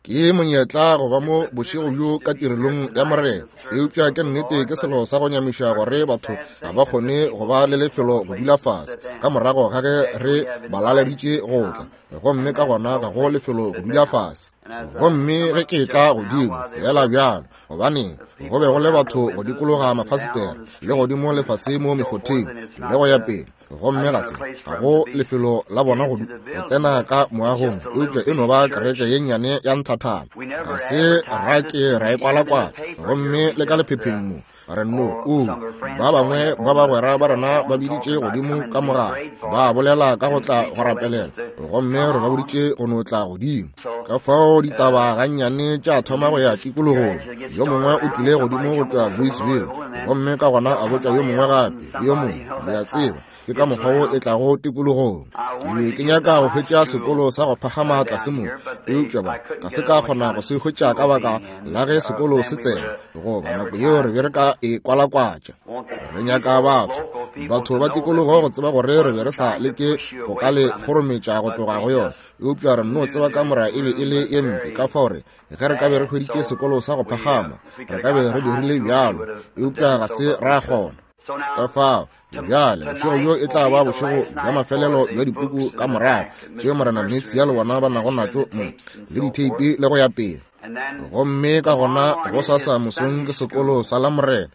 Ke monyetla go ba mo bošego bjo ka tirelong ya Morena, eupša ke nnete ke selo sa go nyamiša gore batho ga ba kgone go ba le lefelo go dula fase ka morago ga ge re ba laleditše go tla, gomme ka gona ga go lefelo go dula fase. Gomme ge ke etla godimo feela bjalo, gobaneng go be go le batho go dikologa mafasetere le godimo le fase mo mekgotheng le go ya pele, gomme ga se ga go lefelo la bona go tsena ka moagong, eupša e no ba kereke ye nnyane ya nthathana. Ga se ra ke ra e kwalakwala, gomme le ka lephepheng mo re no o ba bangwe ba bagwera ba rena ba biditše godimo ka mogala ba bolela ka go tla go rapelela, gomme re ba boditše go no tla godimo. Ka fao ditaba gannyane tša thoma go ya tikologong. Yo mongwe o tlile godimo go tšwa Louisville, gomme ka gona a botša yo mongwe gape le yo mongwe. Le a tseba, ke ka mokgwa wo e tlago tikologong. Ke be ke nyaka go hwetša sekolo sa go phagama tlase mo, eupša ba ga se ka kgona go se hwetša ka baka la ge sekolo se tsena, goba nako yeo re be re ka e kwalakwatša. Re nyaka batho, batho ba tikologo go tseba gore re be re sa leke go ka le kgorometša go tloga go yona, eupša re nno tseba kamora e be e le ye mpe, ka fao re ge re ka be re hweditše sekolo sa go phagama re ka be re dirile bjalo, eupša ga se ra kgona. Ka fao bjale bošego bjo e tla ba bošego bja mafelelo bja dipuku ka morago tše Morena Mesia le bona ba nago natšo mo, le ditheipi le go ya pele. Gomme ka gona gosasa mosong ke sekolo sa Lamorena,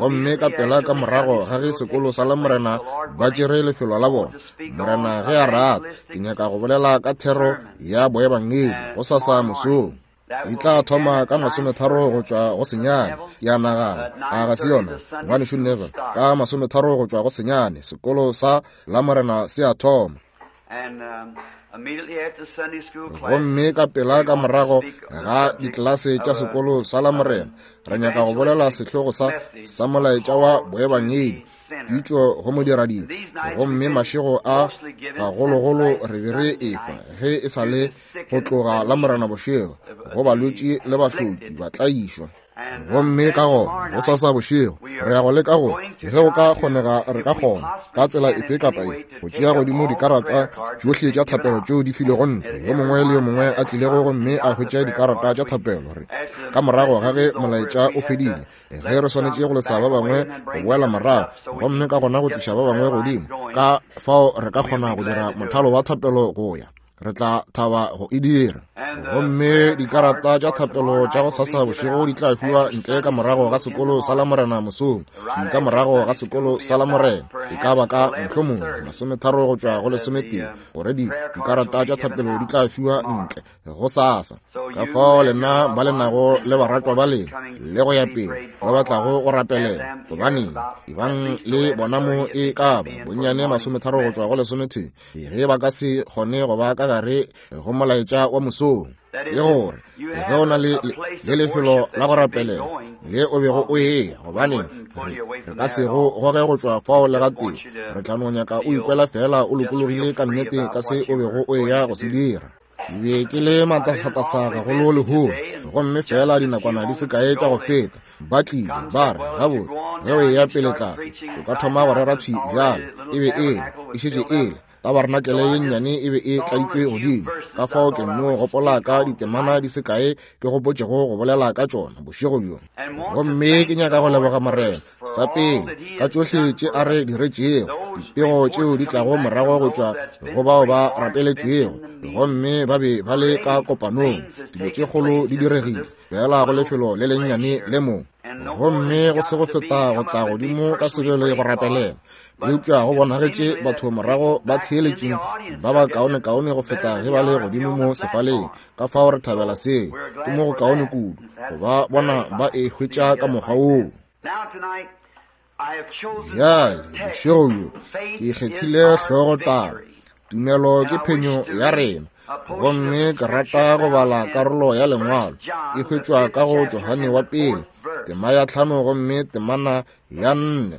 gomme ka pela ka morago ga ge sekolo sa Lamorena ba tšere lefelo la bona, Morena ge a rata, ke nyaka go bolela ka thero ya boebangedi gosasa mosong. E tla thoma ka 30 go tšwa go 9, ke a nagana, a ga se yona, Ngwanešu Neville? Ka 30 go tšwa go 9, sekolo sa Lamorena se a thoma. Gomme ka pela ka morago ga ditlelase tša sekolo sa Lamorena, re nyaka go bolela sehlogo sa, sa molaetša wa boebangedi, pitšo go modiradibe. Gomme mašego a gagologolo re be re efa ge e sa le go tloga Lamorena bošego go balwetši le bahloki ba tlaišwa. Gomme ka gona gosasa bošego re ya go leka go, ge go ka kgonega re ka kgona ka tsela efe kapa efe go tšea godimo dikarata tšohle tša thapelo tšeo di filwego ntle, yo mongwe le yo mongwe a tlilego gomme a hwetša dikarata tša thapelo. Re ka morago ga ge molaetša o fedile, ge re swanetše go lesa ba bangwe go boela morago gomme ka gona go tliša ba bangwe godimo, ka fao re ka kgona go dira mothalo wa thapelo go ya, re tla thaba go e dira. Gomme dikarata tša thapelo tša go sasa bošego di tla fiwa ntle ka morago ga sekolo sa Lamorena mosong, thwi ka morago ga sekolo sa Lamorena, e ka ba ka mohlomongwe 30 go tšwa go 11, gore di dikarata tša thapelo di tla fiwa ntle go sasa. Ka fao lena ba le nago le baratwa ba lena le go ya pele ba ba tlago go rapelela, gobaneng ebang le bona mo e ka ba bonnyane 30 go tšwa go 11, ge ba ka se kgone go ba ka gare go molaetša wa mosong, ke gore ge o na le le lefelo la go rapelela le o bego o eya, gobaneng re re ka se go goge go tšwa fao le gatee. Re tla no nyaka o ikwela feela o lokologile ka nnete ka se o bego o eya go se dira. Ke be ke le matasatasa gagolo lehono, gomme feela dinakwana di se kae tša go feta ba tlile ba re, gabotse, ge o eya pele tlase o ka thoma go rera thwi bjale. E be e le, e šetše e le tabarenakele ye nnyane e be e tladitšwe godimo, ka fao ke nno gopola ka ditemana di se kae ke gopotšego go bolela ka tšona bošego bjo. Gomme ke nyaka go leboga Morena sa pele ka tšohle tše a re diretšego, dipego tšeo di tlago morago go tšwa go bao ba rapeletšwego gomme ba be ba le ka kopanong. Dilo tše kgolo di diregile feela go lefelo le lennyane le mo, gomme go se go feta go tla godimo ka sebele go rapelela, eupša go bonagetše batho morago ba theeletšeng ba ba kaonekaone go feta ge ba le godimo mo sefaleng. Ka fao re thabela seo, ke mo go kaone kudu go ba bona ba e hwetša ka mokgwa woo. Bjale bošego bjo ke kgethile hlogotaba, Tumelo ke phenyo ya rena, gomme ke rata go bala karolo ya lengwalo e hwetšwa ka go Johane wa pele tema ya 5 gomme temana ya 4.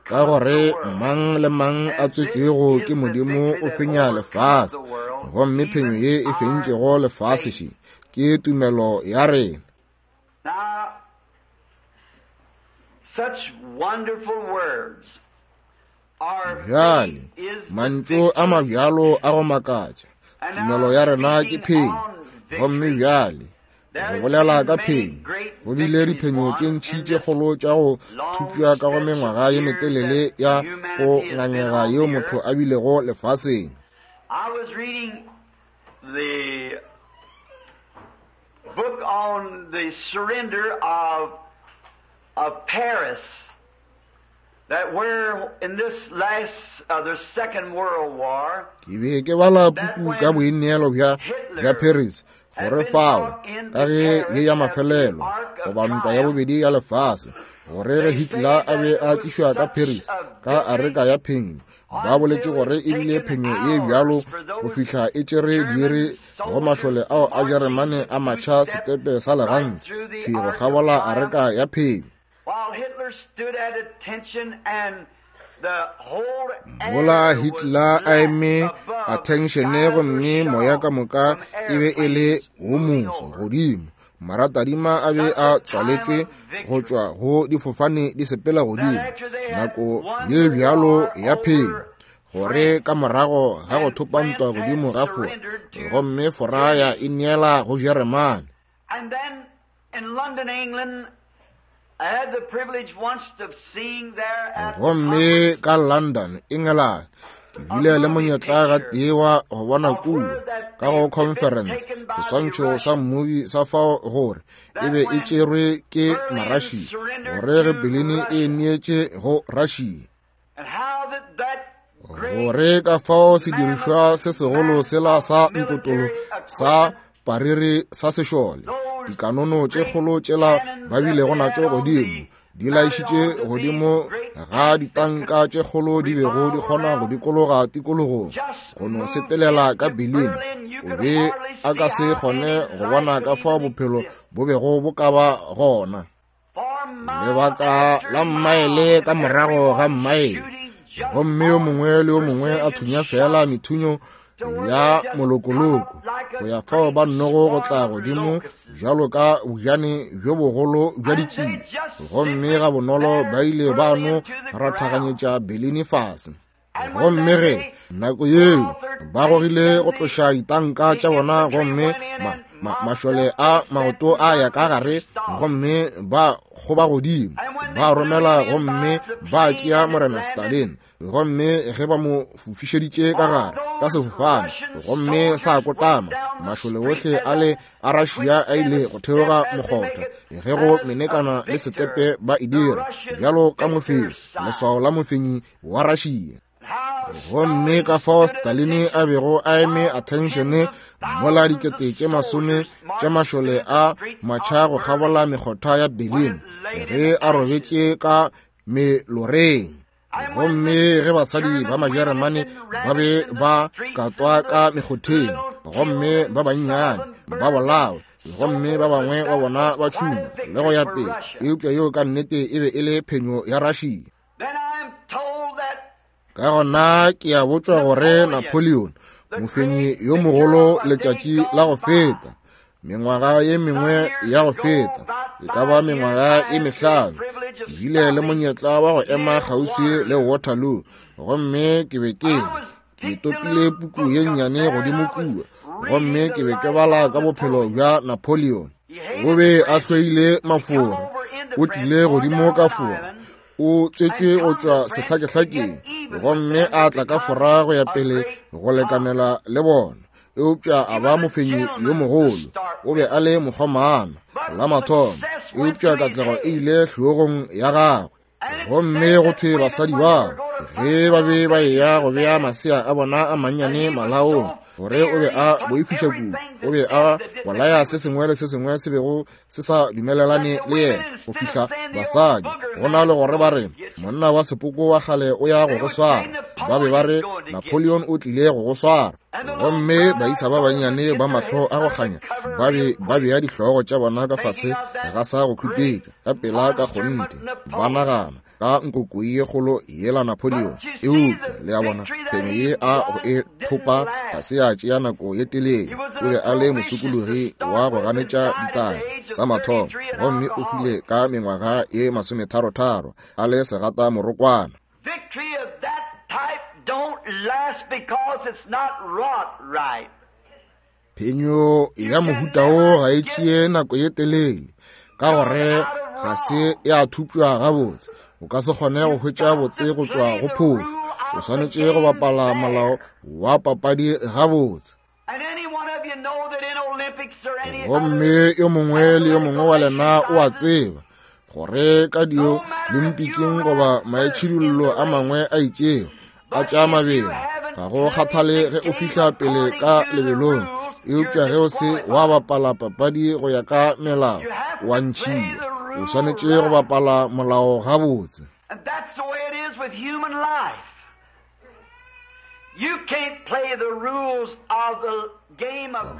Ka gore mang le mang a tswetšwego ke Modimo o fenya lefase, gomme phenyo ye e fentšego lefase še ke tumelo ya rena. Such wonderful words. Bjale, mantšu a mabjalo a go makatša, tumelo ya rena ke phenyo. Gomme bjale, go bolela ka phenyo, go bile diphenyo tše ntši tše kgolo tša go thupša ka go mengwaga ye metelele ya go ngangega yeo motho a bilego lefaseng. I was reading the book on the surrender of Paris, that where in this last, the Second World War, Ke be ke bala puku ka boineelo bja bja Paris, gore fao ka ge ye ya mafelelo goba ntwa ya bobedi ya lefase, gore ge Hitler a be a tlišwa ka Paris ka areka ya phenyo, ba boletše gore e bile phenyo ye bjalo go fihla e tšere diiri go mašole ao a Jeremane a matšha setepe sa legantsi thwi go kgabola areka ya phenyo. Mola Hitler a eme attention gomme moya ka moka e be e le wo moso godimo, maratadima a be a tswaletšwe go tšwa go difofane di sepela godimo, nako ye bjalo ya phenyo, gore ka morago ga go thopa ntwa godimo ga Fora, gomme Fora ya ineela go Jeremane. And then in London, England, I had the privilege once of seeing there at the Gomme ka London, England, ke bile le monyetla ga tee wa go bona kua ka go conference seswantšho sa mmubi sa fao gore e be e tšerwe ke Marussia, gore ge Berlin e neetše go Russia, and how that that gore ka fao sedirišwa se segolo sela sa ntotolo sa pariri sa sešole, dikanono tše kgolo tšela ba bilego natšo godimo, di laišitše godimo ga ditanka tše kgolo di bego di kgona go dikologa tikologong, go no sepelela ka Berlin, o be a ka se kgone go bona ka fao bophelo bo bego bo ka ba gona. Lebaka la mmaele ka morago ga mmaele, gomme yo mongwe le yo mongwe a thunya fela methunyo ya molokoloko go ya fao ba nnogo go tla godimo bjalo ka bojane bjo bogolo bja ditšie, gomme ga bonolo ba ile ba no rathaganyetša Berlin fase. Gomme ge nako yeo ba gogile go tloša ditanka tša bona, gomme mašole a maoto a ya ka gare, gomme ba kgoba godimo, ba romela gomme ba tšea Morena Stalin, gomme ge ba mo fofišeditše ka gare ka sefofane gomme sa kotama, mašole ohle a le a Russia a ile go theoga mokgotha ge go menekana le setepe ba e dira bjalo ka mofenyi, leswao la mofenyi wa Russia. Gomme ka fao Stalin a bego a eme attention mola dikete tše masome tša mašole a matšha go kgabola mekgotha ya Berlin ge a robetše ka meloreng. Gomme ge basadi ba Majeremane ba be ba katwa ka mekgotheng, gomme ba bannyane ba bolawe, gomme ba bangwe ba bona ba tšhuma le go ya pele, eupša yeo ka nnete e be e le phenyo ya Russia. Ka gona ke a botšwa gore Napoleon, mofenyi yo mogolo letšatši la go feta, mengwaga ye mengwe ya go feta, e ka ba mengwaga e mehlano, ke bile le monyetla wa go ema kgauswi le Waterloo, gomme ke be ke ke topile puku ye nnyane godimo kua, gomme ke be ke bala ka bophelo bja Napoleon. O be a hloile Mafora, o tlile godimo ka Fora, o tswetšwe go tšwa sehlakehlakeng, gomme a tla ka Fora go ya pele go lekanela le bona, eupša a ba mofenyi yo mogolo. O be a le mokgomana la mathomo, eupša katlego e ile hlogong ya gagwe. Gomme go thwe basadi bao ge ba be ba eya go bea masea a bona a mannyane malaong, gore o be a boifiša kudu, o be a bolaya se sengwe le se sengwe se bego se sa dumelelane le yena, go fihla basadi go na le gore ba re monna wa sepoko wa kgale o ya go go swara, ba be ba re Napoleon o tlile go go swara. Gomme baisa ba bannyane ba mahlo a go kganya ba be ba bea dihlogo tša bona ka fase ga sa go khupetša ka pela ka kgonthe, ba nagana ka nkokoi ye kgolo yela Napoleon. Eupša le a bona, phenyo ye a go e thopa ga se ya tšea nako ye telele. O be a le mosokologi wa go ganetša ditaba sa mathomo, gomme o hwile ka mengwaga ye masometharotharo a le segata morokwana. Victory of that Phenyo ya mohuta wo ga e tšee nako ye telele, ka gore ga se ya thupšwa gabotse. O ka se kgone go hwetša botse go tšwa go phošo. O swanetše go bapala molao wa papadi gabotse. Gomme yo mongwe le yo mongwe wa lena o a tseba gore ka Diolimpiking goba maitšhidullo a mangwe a itšego a tša mabelo, ga go kgathale ge o fihla pele ka lebelong, eupša ge o se wa bapala papadi go ya ka melao, wa ntšhiwa. O swanetše go bapala molao gabotse.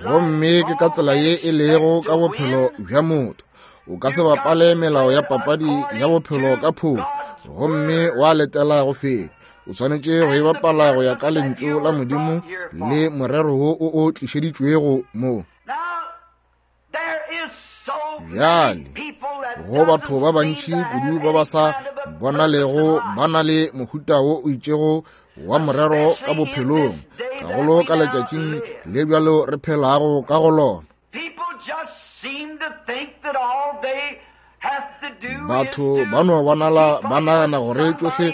Gomme ke ka tsela ye e lego ka bophelo bja motho. O ka se bapale melao ya papadi ya bophelo ka phošo gomme wa letela go fenya. O swanetše go e bapala go ya ka lentšu la Modimo le morero wo o o tlišeditšwego mo. Bjale, go batho ba bantši kudu ba ba sa bonalego ba na le mohuta wo o itšego wa morero ka bophelong, gagolo ka letšatšing le bjalo re phelago ka go lona. Batho ba no bonala ba nagana gore tšohle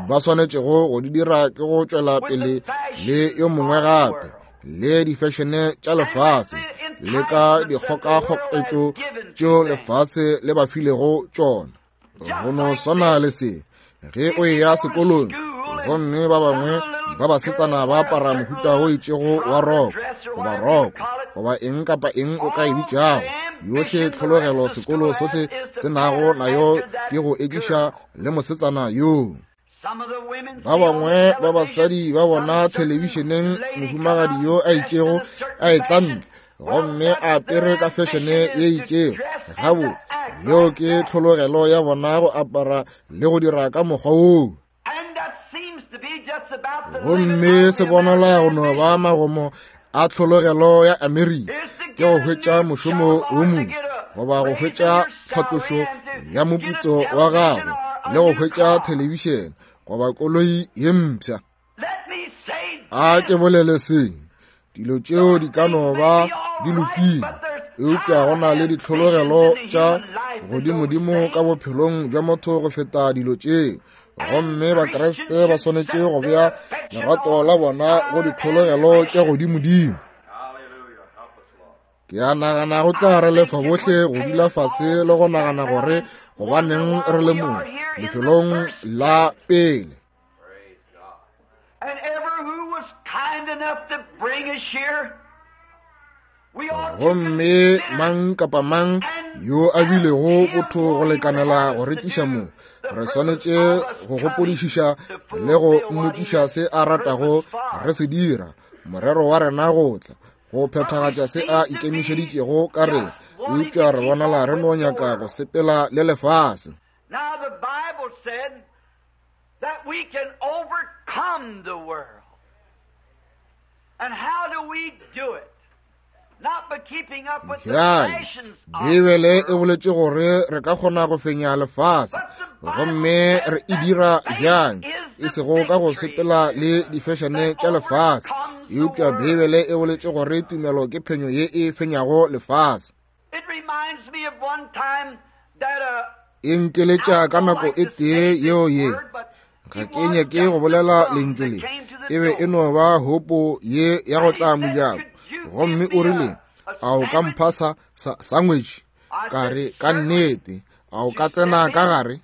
ba swanetšego go di dira ke go tšwela pele le yo mongwe gape le difešene tša lefase le ka dikgokakgoketšo tšeo lefase le ba filego tšona. Go no swana le se ge o eya sekolong gomme ba bangwe ba basetsana ba apara mohuta o itšego wa roko goba roko goba eng kapa eng o ka e bitšago, yohle tlhologelo sekolo sohle se nago nayo ke go ekiša le mosetsana yoo. Ba bangwe ba basadi ba bona thelebišeneng mohumagadi yo a itšego a etla ntle gomme a apere ka fešene ye itšego. Gabotse, yeo ke tlhologelo ya bona go apara le go dira ka mokgwa woo. Gomme se bonala go no ba magomo a tlhologelo ya Amerika ke go hwetša mošomo wo montši goba go hwetša tlhatlošo ya moputso wa gago le go hwetša thelebišene goba koloi ye mpsha. A ke bolele se, dilo tšeo di ka no ba di lokile, eupša go na le ditlhologelo tša godimodimo ka bophelong bja motho go feta dilo tšeo. Gomme Bakriste ba swanetše go bea lerato la bona go ditlhologelo tša godimodimo. Ke a nagana go tla re lefa bohle go dula fase le go nagana gore gobaneng re le mo lefelong la pele. Gomme mang kapa mang yo a bilego botho go lekanela go re tliša mo, re swanetše go gopodišiša le go mmotšiša se a ratago re se dira, morero wa rena go tla go phethagatša se a ikemišeditšego ka rena, eupša re bonala re no nyaka go sepela le lefase. Now the Bible said that we can overcome the world. And how do we do it? Not by keeping up with the Bjale, fashions of the Beibele e world. boletše gore re ka kgona go fenya lefase, gomme re e dira bjang? E sego ka go sepela le difešene tša lefase, eupša Beibele e boletše gore tumelo ke phenyo ye e fenyago lefase. It reminds me of one time that a E nkeletša ka nako e tee yeo ye, ga ke nyake go bolela lentšu le, e be e no ba hopo ye ya go tla mojako. Gomme o rile, a o ka mpha sa, sa, sangwetši? Ka re, ka nnete, a o ka tsena ka gare?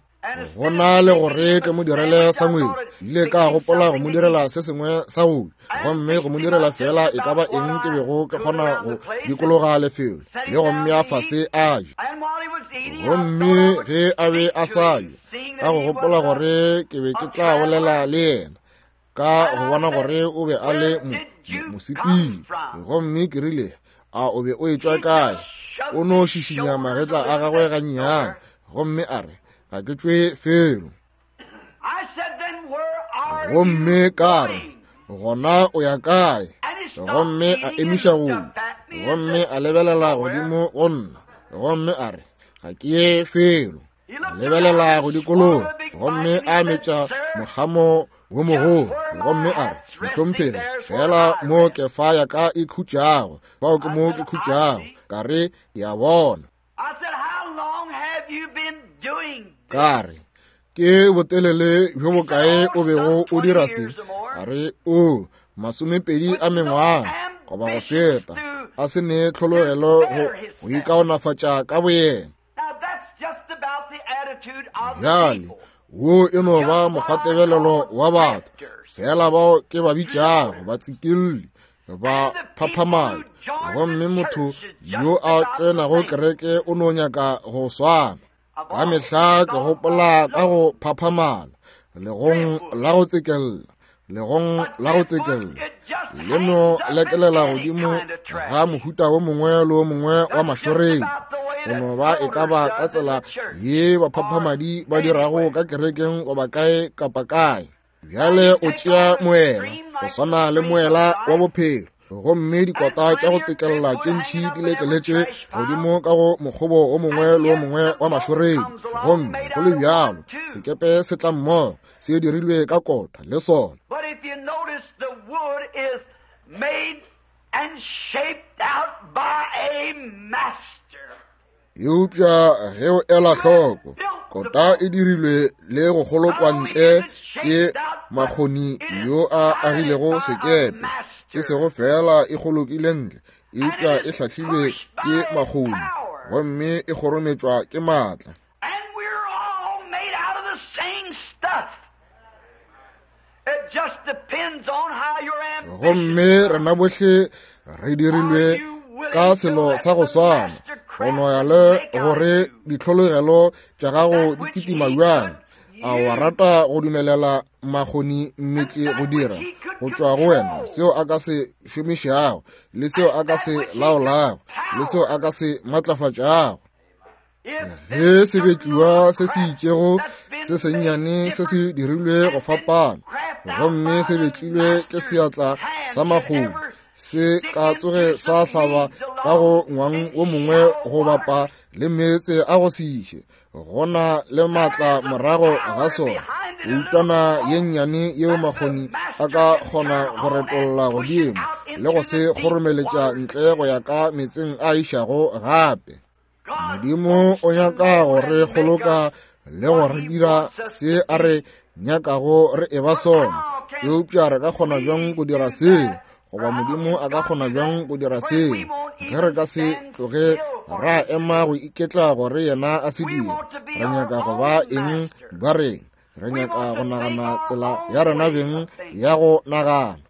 Go na le gore ke mo direle sangwetši, ile ka gopola go mo direla se sengwe sa go ja, gomme go mo direla fela e ka ba eng ke bego ke kgona go dikologa lefelo le go mmea fase a je. Gomme ge a be a sa ja, ka go gopola gore ke be ke tla bolela le yena, ka go bona gore o be a le mosepedi, gomme ke rile, a o be o etšwa kae? O no šišinya magetla a gagwe gannyane, gomme a re, ga ke tšwe felo. Gomme ka re, gona o ya kae? Gomme a emiša go ja, gomme a lebelela godimo go nna, gomme a re, ga ke ye felo. A lebelela go dikologa, gomme a metša mokgamo wo mogolo. Gomme a re, Mohlomphegi, fela mo kefa ya ka e khutšago, fao ke mo ke khutšago. Ka re, Ke a bona. Ka re, Ke botelele bjo bokae o bego o dira se? A re, O, 20 a mengwaga goba go feta, a se ne tlhologelo go ikaonafatša ka boyena. Bjale, wo e no ba mokgwatebelelo wa batho, fela bao ke ba bitšago batsikelli, ba phaphamadi. Gomme motho yo a tsenago kereke o no nyaka go swana. Ka mehla ke gopola ka go phaphamala, legong la go tsekella, legong la go tsekella, le no lekelela godimo ga mohuta wo mongwe le wo mongwe wa mašoreng. Go no ba e ka ba ka tsela ye baphaphamadi ba dirago ka kerekeng goba kae kapa kae. Bjale o tšea moela go swana le moela wa bophelo, gomme dikota tša go tsekella tše ntši di lekeletše godimo ka go mokgobo o mongwe le o mongwe wa mašoredi. Gomme go le bjalo sekepe se tla mmogo, se dirilwe ka kota le sona. Eupša ge o ela hloko, kota e dirilwe le go kgolokwa ntle ke makgoni yo a agilego sekepe. E sego fela e kgolokile ntle, eupša e hlahlilwe ke makgoni gomme e kgorometšwa ke maatla. Gomme rena bohle re dirilwe ka selo sa go swana, go no ya le gore ditlhologelo tša gago di kitima bjang. A wa rata go dumelela makgoni mmetli go dira go tšwa go wena seo a ka se šomišago, le seo a ka se laolago, le seo a ka se matlafatšago? Ge sebetliwa se se itšego se sennyane se se dirilwe go fapana, gomme se betlilwe ke seatla sa makgomo, se ka tsoge sa hlaba ka go ngwang wo mongwe go bapa le meetse a go se iše, go na le maatla morago ga sona. Peutwana ye nnyane yeo makgoni a ka kgona go retolla godimo le go se kgoromeletša ntle go ya ka meetseng a išago gape. Modimo o nyaka go re kgoloka le go re dira se a re nyakago re eba sona. Eupša re ka kgona bjang go dira seo? Goba Modimo a ka kgona bjang go dira seo ge re ka se tloge ra ema go iketla gore yena a se dire? Re nyaka go ba eng ba reng? Re nyaka go nagana tsela ya rena beng ya go nagana.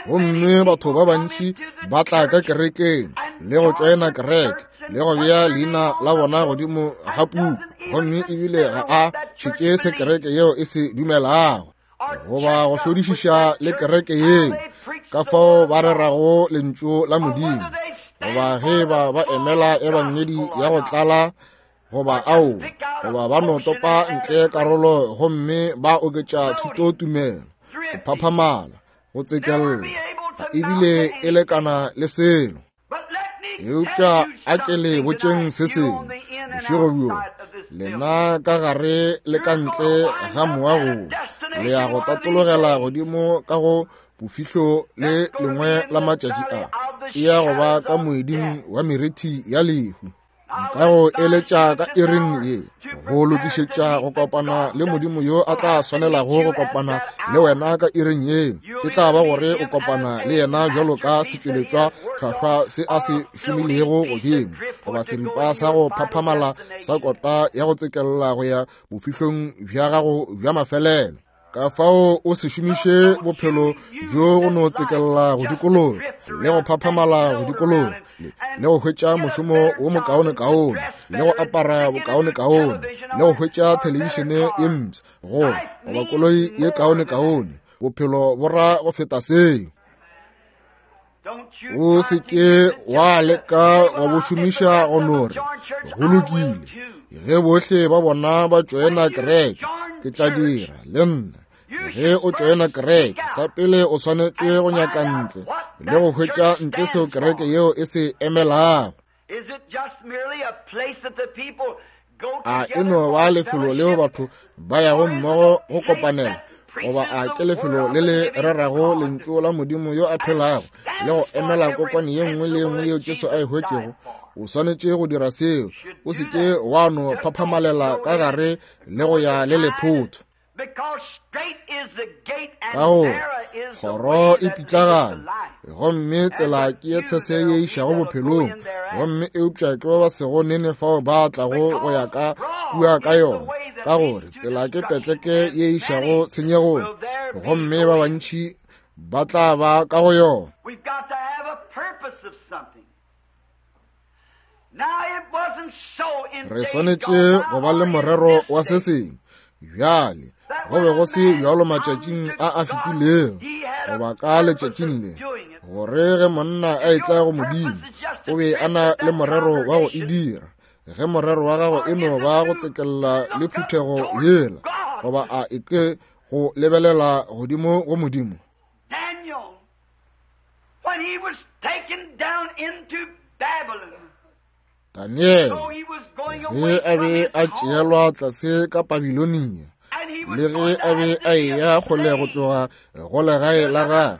Gomme batho ba bantši ba tla ka kerekeng le go tšoena kereke le go bea leina la bona godimo ga puku, gomme ebile ga a šetše se kereke yeo e se dumelago goba go hlodišiša le kereke yeo, ka fao ba rerago lentšu la Modimo, goba ge ba ba emela ebangedi ya go tlala goba ao, goba ba no topa ntle karolo gomme ba oketša thutotumelo, go phaphamala, go tsekella, ga ebile e lekana le selo. Eupša a ke le botšeng se sengwe bošego bjo, lena ka gare le ka ntle ga moago, le ya go tatologela godimo ka go bofihlo le lengwe la matšatši a, e ya go ba ka moeding wa merithi ya lehu. Nka go eletša ka iring ye go lokišetša go kopana le Modimo yo a tla swanelago go kopana le wena ka iring ye. E tla ba gore o kopana le yena bjalo ka setšweletšwa hlwahlwa se a se šomilego godimo, goba seripa sa go phaphamala sa kota ya go tsekella go ya bofihlong bja gago bja mafelelo. Ka fao o se šomiše bophelo bjo go no tsekella go dikologa le go phaphamala go dikologa le go hwetša mošomo wo mokaonekaone le go apara bokaonekaone le go hwetša thelebišene ye mpsha goba koloi ye kaonekaone. Bophelo bo ra go feta seo. O se ke wa leka go bo šomiša go no re, go lokile, ge bohle ba bona ba tšoena kereke, ke tla dira le nna. Ge o tšoena kereke, sa pele o swanetše go nyaka ntle le go hwetša ntle seo kereke yeo e se emelago. A e no ba lefelo leo batho ba yago mmogo go kopanela, Goba a ke lefelo le le rerago lentšu la Modimo yo a phelago le go emela kokwane ye nngwe le ye nngwe yeo Jesu a e hwetšego? O swanetše go dira seo. O se ke wa no phaphamalela ka gare le go ya le lephotho. Ka gore kgoro e pitlagane gomme tsela ke ye tshese ye išago bophelong, gomme eupša ke ba ba sego nene fao ba tlago go ya ka kua ka yona, ka gore tsela ke petleke ye išago tshenyegong, gomme ba bantši ba tla ba ka go yona. Re swanetše go ba le morero wa se sengwe. Bjale, go be go se bjalo matšatšing a a fetilego, goba ka letšatšing le, gore ge monna a etla go Modimo, o be a na le morero wa go e dira. Ge morero wa gago e no ba go tsekella le phuthego yela, goba a e ke go lebelela godimo go Modimo. Daniele, ge a be a tšeelwa tlase ka Babilonia, le ge a be a eya kgole go tloga go legae la gagwe,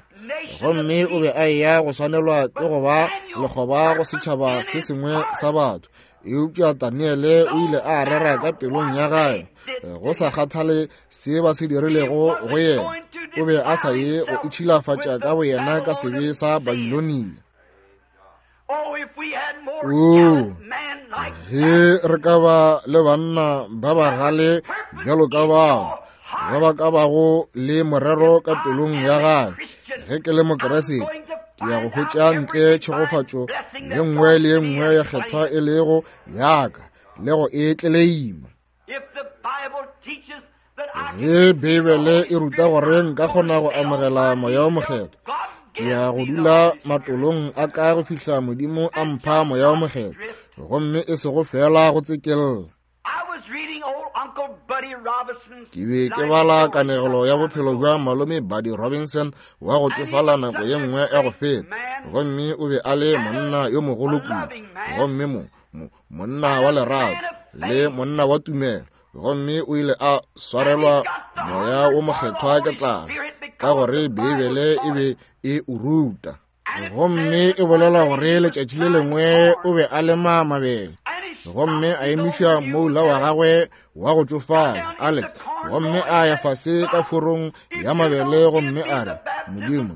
gomme o be a eya go swanelwa ke go ba lekgoba go setšhaba se sengwe sa batho, eupša Daniele o ile a rera ka pelong ya gagwe, go sa kgathale se ba se dirilego go yena, o be a sa ye go itšhilafatša ka boyena ka sebe sa Babilonia. Oo, ge re ka ba le banna ba bagale bjalo ka bao, ba ba ka bago le morero ka pelong ya gagwe, ge ke le Mokeresete, ke ya go hwetša ntle tšhegofatšo ye nngwe le ye nngwe ya kgethwa e lego yaka le go e tleleima. Ge Beibele e ruta gore nka kgona go amogela Moya wo Mokgethwa, ke ya go dula matolong a ka go fihla Modimo a mpha Moya wo Mokgethwa, gomme e sego feela go tsekella. Ke be ke bala kanegelo ya bophelo bja malome Buddy Robinson wa go tšofala nako ye nngwe ya go feta, gomme o be a le monna yo mogolo kudu, gomme mo, mo, monna wa lerato le monna wa tumelo, gomme o ile a swarelwa Moya wo Mokgethwa ke tlala, ka gore Beibele e be e o ruta. Gomme e bolela gore letšatši le lengwe o be a lema mabele, gomme a emiša moula wa gagwe wa go tšofala Alex, gomme a ya fase ka forong ya mabele, gomme a re, Modimo,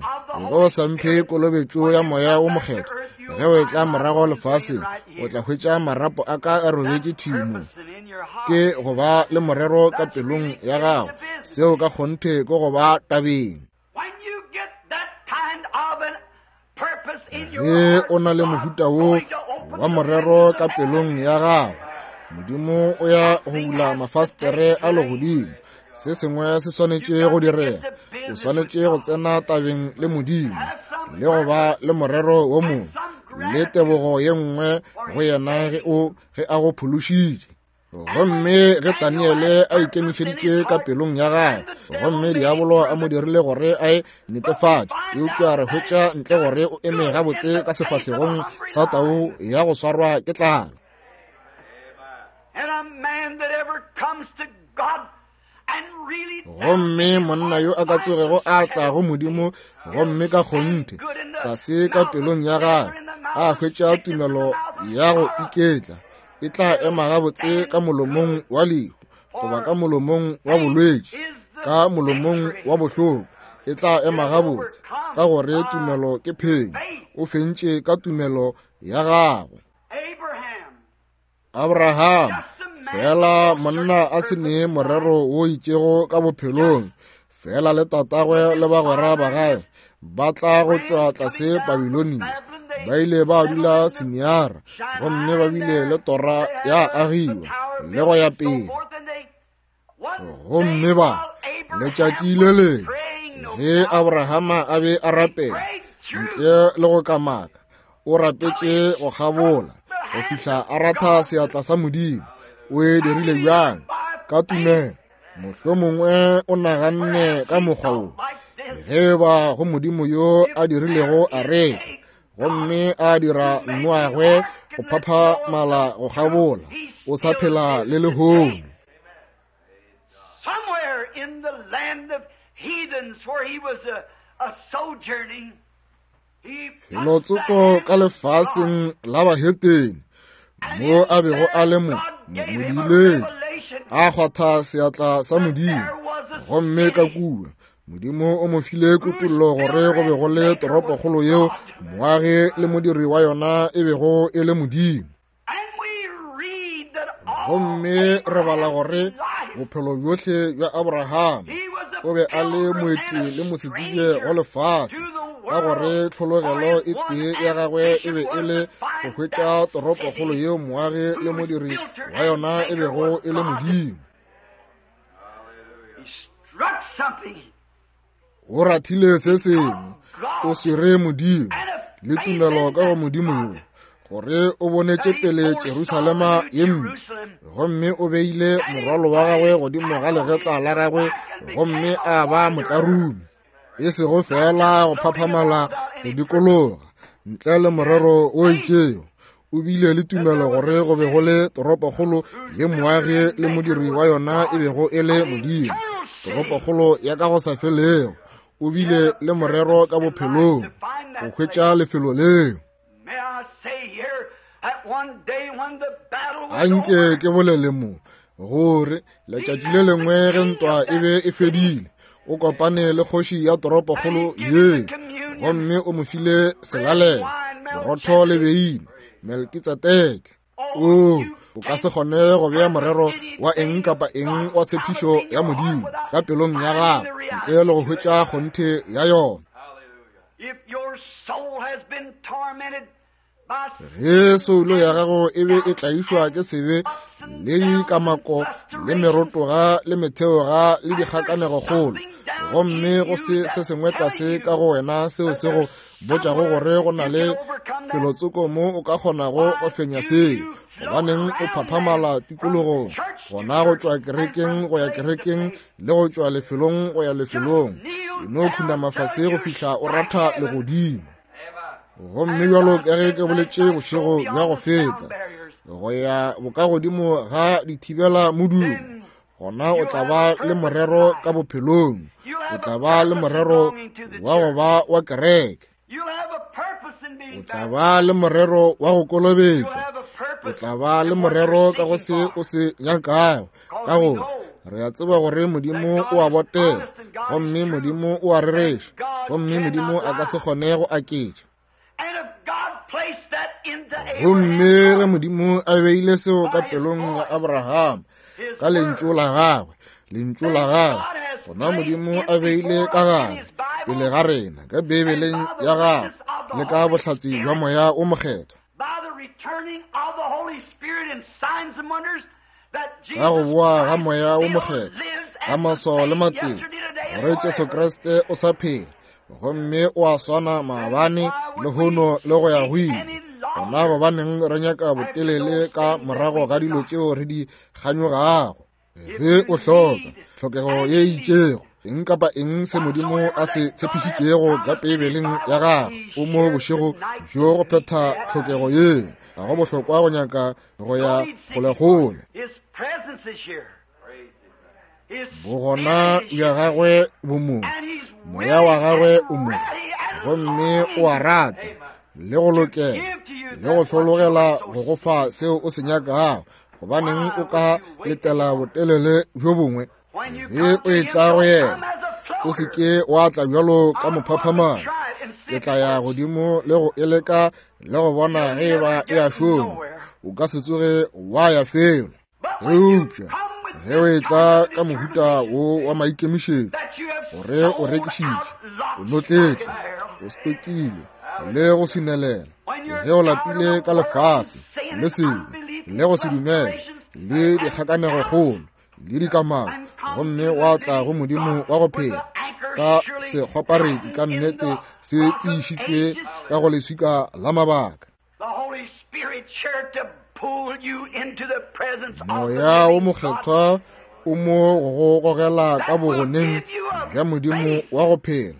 ge o sa mphe kolobetšo ya Moya wo Mokgethwa, ge o etla morago lefaseng, o tla hwetša marapo a ka a robetše thwi mo. Ke go ba le morero ka pelong ya gago, seo ka kgonthe ke go ba tabeng. Ge o na le mohuta wo wa morero ka pelong ya gago, Modimo o ya go bula mafastere a legodimo. Se sengwe se swanetše go direga. O swanetše go tsena tabeng le Modimo le go ba le morero wo mongwe le tebogo ye nngwe go yena ge a go phološitše. Gomme ge Daniele a ikemišeditše ka pelong ya gagwe, gomme diabolo a mo dirile gore a e netefatše, eupša re hwetša ntle gore o eme gabotse ka sefahlegong sa tau ya go swarwa ke tlala. Gomme monna yo a ka tsogego a tla go Modimo, gomme ka kgonthe tlase ka pelong ya gagwe a hwetša tumelo ya go iketla, e tla ema gabotse ka molomong wa lehu, goba ka molomong wa bolwetši, ka molomong wa bohloko, e tla ema gabotse, ka gore tumelo ke phenyo. O fentše ka tumelo ya gagwe. Abraham, fela monna a se ne morero wo itšego ka bophelong, fela le tatagwe le bagwera ba gagwe ba tla go tšwa tlase Babilonia, ba ile ba dula Siniara, gomme ba bile le tora ya agiwa le go ya pele. Gomme ba letšatši le lengwe ge Abrahama a be a rapela ntle le go kamaka, o rapetše go kgabola go fihla a ratha seatla sa Modimo. O e dirile bjang? Ka tumelo. Mohlomongwe o naganne ka mokgwa wo, ge ba go Modimo yo a dirilego areka, gomme a dira Noagwe go phaphamala go kgabola, o sa phela le lehono. Felotsoko ka lefaseng la bahetene mo a bego a le mo modileng, a kgwatha seatla sa Modimo, gomme ka kua Modimo o mo file kutollo gore go be go le toropokgolo yeo moagi le modiri wa yona e bego e le Modimo. Gomme re bala gore bophelo bjohle bja Abraham o be a le moeti le mosetsebje go lefase, ka gore tlhologelo e tee ya gagwe e be e le go hwetša toropokgolo yeo moagi le modiri wa yona e bego e le Modimo. O rathile se sengwe, o swere Modimo le tumelo ka go Modimo yo, gore o bonetše pele Jerusalema ye mpsha, gomme o beile morwalo wa gagwe godimo ga legetla la gagwe, gomme a ba motlarume, e sego fela go phaphamala go dikologa ntle le morero o itšego. O bile le tumelo gore go be go le toropokgolo ye moagi le modiri wa yona e bego e le Modimo, toropokgolo ya ka go sa felego. O bile le morero ka bophelong go hwetša lefelo leo. Anke ke bolele mo gore letšatši le lengwe ge ntwa e be e fedile, o kopane le kgoši ya toropokgolo ye, gomme o mo file selalelo, borotho le beine, Melkitsedeke. O o ka se kgone go bea morero wa eng kapa eng wa tshepišo ya Modimo ka pelong ya gago ntle le go hwetša kgonthe ya yona. Ge soulo ya gago e be e tlaišwa ke sebe le dikamako le merotoga le metheoga le dikgakanegokgolo, gomme go se se sengwe tlase ka go wena seo se go botšago gore go na le felotsoko mo o ka kgonago go fenya seo, gobaneng o phaphamala tikologong, gona go tšwa kerekeng go ya kerekeng le go tšwa lefelong go ya lefelong, e no khunama fase go fihla o ratha legodimo. Gomme bjalo ka ge ke boletše bošego bja go feta, go ya bokagodimo ga dithibela modumo, gona o tla ba le morero ka bophelong, o tla ba le morero wa go ba wa kereke, o tla ba le morero wa go kolobetšwa, o tla ba le morero ka go se o se nyakago, ka gore re a tseba gore Modimo o a botega, gomme Modimo o a rereša, gomme Modimo a ka se kgone go aketša. Gomme ge Modimo a beile seo ka pelong ya Abraham ka lentšu la gagwe, lentšu la gagwe, gona Modimo a beile ka gare pele ga rena ka Beibeleng ya gagwe le ka bohlatse bja Moya o Mokgethwa, ka go boa ga Moya o Mokgethwa ka maswao le matete, gore Jesu Kriste o sa phela gomme o a swana maabane lehono le go ya go ile. Gona gobaneng re nyaka botelele ka morago ga dilo tšeo re di kganyogago? Ge o hloka tlhokego ye itšego, eng kapa eng se Modimo a se tshepišitšego ka Beibeleng ya gagwe, o mo bošego bjo go phetha tlhokego yeo. Ga go bohlokwa go nyaka go ya kgolekgole. Bogona bja gagwe bo mo, moya wa gagwe o mo, gomme o a rata le go lokela le go hlologela go go fa seo o se nyakago. Gobaneng o ka letela botelele bjo bongwe? Ge o etla go yena, o se ke wa tla bjalo ka mophaphamane. Ke tla ya godimo le go e leka le go bona ge e ba e a šoma. O ka se tsoge wa ya felo. Eupša ge o etla ka mohuta wo wa maikemišetšo, gore o rekišitše, o notletše, o stokile le go swinelela, ge o lapile ka lefase le sebe le go se dumele le dikgakanegokgolo le dikamano, gomme wa tla go Modimo wa go phela ka sekgoparedi ka nnete se tiišitšwe ka go leswika la mabaka, Moya wo Mokgethwa o mo go gogela ka bogoneng bja Modimo wa go phela,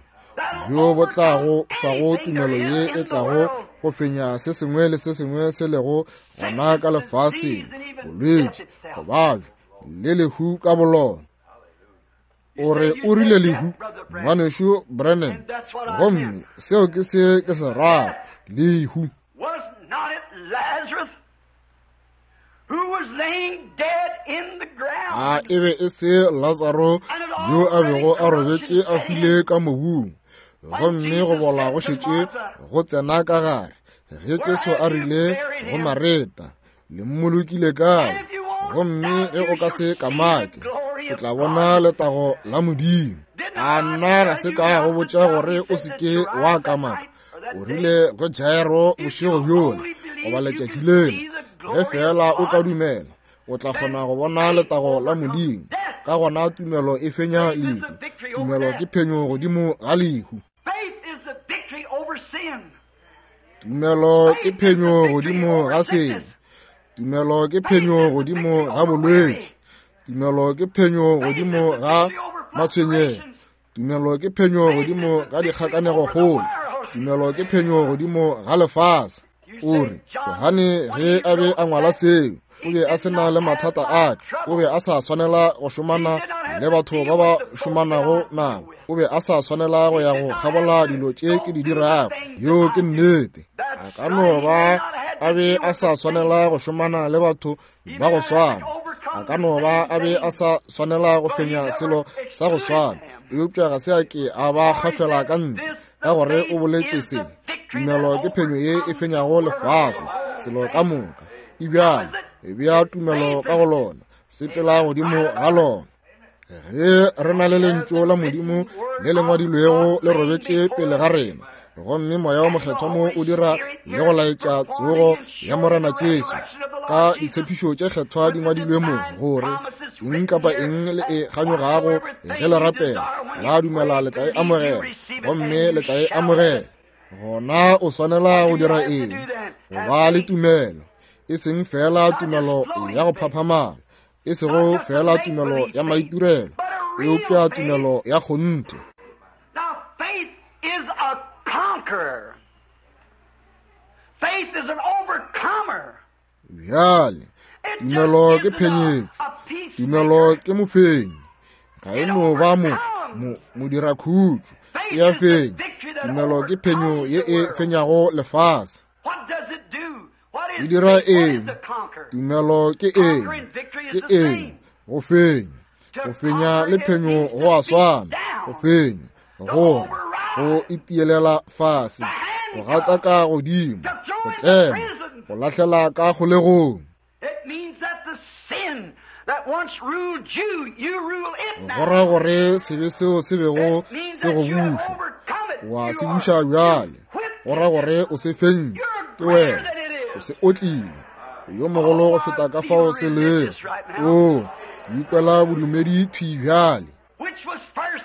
bjo bo tlago fago tumelo ye e tlago go fenya se sengwe le se sengwe se lego gona ka lefaseng, bolwetši, go babja le lehu ka bolona. O re o rile lehu, Ngwanešu Branham, gomme seo ke se ke se rago, lehu. A e be e se Latsaro yo a bego a robetše a hwile ka mobung, gomme go bola go šetše go tsena ka gare, ge Jesu a rile go Mareta, Le mmolokile kae? Gomme ge o ka se kamake, o tla bona letago la Modimo. A nna ga se ka go botša gore o se ke wa kamaka? O rile go Jairo bošego bjola, goba letšatši lela, ge feela o ka dumela, o tla kgona go bona letago la Modimo. Ka gona tumelo e fenya lehu. Tumelo ke phenyo godimo ga lehu. Tumelo ke phenyo godimo ga sebe. Tumelo ke phenyo godimo ga bolwetši. Tumelo ke phenyo godimo ga matshwenyego. Tumelo ke phenyo godimo ga dikgakanegokgolo. Tumelo ke phenyo godimo ga lefase. O re, Johane ge a be a ngwala seo, o be a se na le mathata a ka. O be a sa swanela go šomana le batho ba ba šomanago nabo. O be a sa swanela go ya go kgabola dilo tše ke di dirago. Yeo ke nnete. A ka no ba a be a sa swanela go šomana le batho ba go swana. A ka no ba a be a sa swanela go fenya selo sa go swana. Eupša ga se a ke a ba gafela ka ntle, ka gore o boletše se. Tumelo ke phenyo ye e fenyago lefase, selo ka moka. E bjalo, e bea tumelo ka go lona, sepela godimo ga lona. Ge re na le lentšu la Modimo le le ngwadilwego le robetše pele ga rena, gomme Moya wa Mokgethwa mo o dira le go laetša tsogo ya Morena Jesu ka ditshepišo tše kgethwa di ngwadilwe mo, gore eng kapa eng le e kganyogago ge le rapela, la dumela le tla e amogela, gomme le tla e amogela. Gona o swanela go dira eng? Go ba le tumelo, e seng feela tumelo ya go phaphamala, e sego feela tumelo ya maitirelo, eupša tumelo ya kgonthe. Now, faith is a conqueror. Faith is an overcomer. Bjale, tumelo ke phenyetšo. Tumelo ke mofenyi. Ga e no ba mo, mo, modirakhutšo. E a fenya. Tumelo ke phenyo ye e fenyago lefase. What does it do? What E is dira faith? What is eng? the conqueror? Tumelo ke eng? Conquer and victory Ke is the eng? same. Go fenya. Go fenya le phenyo go a swana. Go fenya, gore, go itielela fase, go gata ka godimo, go tlema, go lahlela ka kgolegong. It means that the sin that once ruled you, you rule it Go ra now. gore sebe seo se bego It means se go that you have buša, overcome it. wa You se are buša bjale. whipped Go ra it. gore o se fentše, You're ke greater wena, than it o is. se otlile. O yo mogolo go Oh, feta I ka feel fao se lego. religious right now. O, ke ikwela bodumedi thwi bjale. Which was first,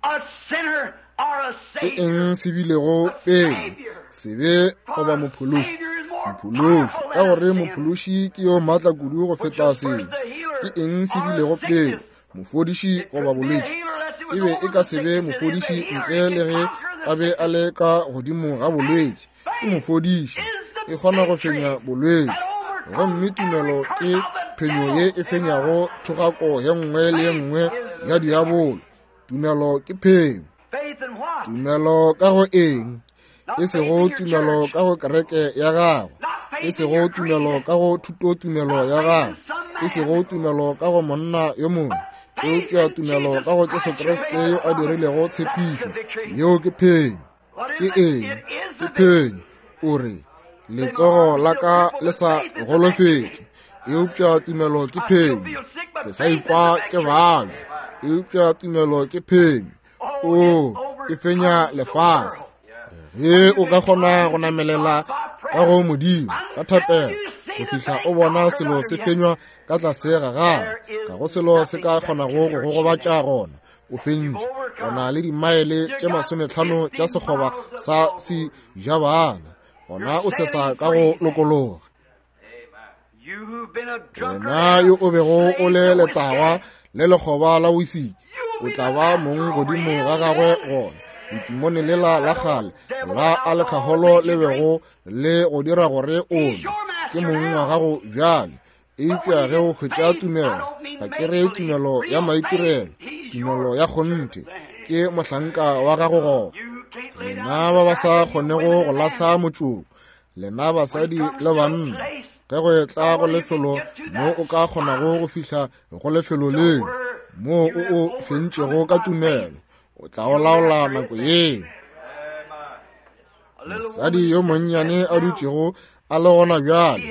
a sinner or a Ke savior? eng se bilego A pele, savior. sebe For goba a mophološi? savior is more Mophološi, powerful ka than a gore sin. mophološi ke yo maatla kudu go Which feta was first sebe. the healer Ke eng se or a bilego pele, sickness? mofodiši It goba couldn't be a bolwetši? healer unless it E was be e over ka the se be sickness. It is a mofodiši healer. ntle It le can ge conquer the a be a sickness. le ka godimo ga And bolwetši. Ke faith mofodiši, is e the kgona go victory fenya that bolwetši. overcomes Gomme every tumelo curse ke of the phenyo devil ye e in fenyago our life. thogako ye nngwe le ye Faith nngwe is ya the victory. diabolo. Tumelo ke phenyo. Faith in what? Tumelo ka go eng? Not E faith sego in your tumelo church. ka go kereke ya gago. Not E faith in sego your tumelo creed. ka go thutotumelo Not ya faith gago. in some E sego man. tumelo ka go monna yo mongwe. But faith Eupša in tumelo Jesus ka go Jesu Christ who Kriste made yo the a promise. dirilego That's the tshepišo. victory. Yeo ke phenyo. What Ke is it? eng? It is Ke the victory. phenyo. O re, Say, my letsogo arm's la still ka crippled, le but sa faith is the victory. golofetše, eupša tumelo ke I still phenyo. feel sick, Ke but sa faith is the ikwa ke victory. babja, eupša tumelo ke phenyo. Oh, it O, e fenya overcomes the lefase. world. Ge When o you've ka been kgona trying go to stop namelela by ka prayer go Modimo ka until thapelo you go see the fihla thing o bona conquered selo under se you, fenywa ka tlase ga gago, there ga is go selo se nothing ka that can kgonago go hurt go you gobatša then. gona. O You've fentše. O na overcome. le dimaele You tše got 50 50 tša sekgoba miles of sa glory. sejabana. Gona You're o sesa sailing ka go free then. lokologa. You who've been a drunkard Wena and yo a o bego o slave le to whiskey, letagwa le lekgoba la wisiki, you'll o be tla the ba master mong over godimo him ga gagwe then. gona. Letimone lela la That kgale old devil la of alcohol that alekaholo makes le you drink, bego le go dira gore o he's nwe, your ke master mong wa now. gago bjale. Eupša ge o hwetša tumelo, ga ke re tumelo ya maitirelo, tumelo ya kgonthe, ke mohlanka wa gago gona. Lena ba ba sa kgonego go lahla motšoko, lena basadi le banna, ge go etla go lefelo mo o ka kgonago go fihla go lefelo leo moo o o fentšego ka tumelo, o tla o laola nako yeo. Mosadi yo monnyane a dutšego a le gona bjale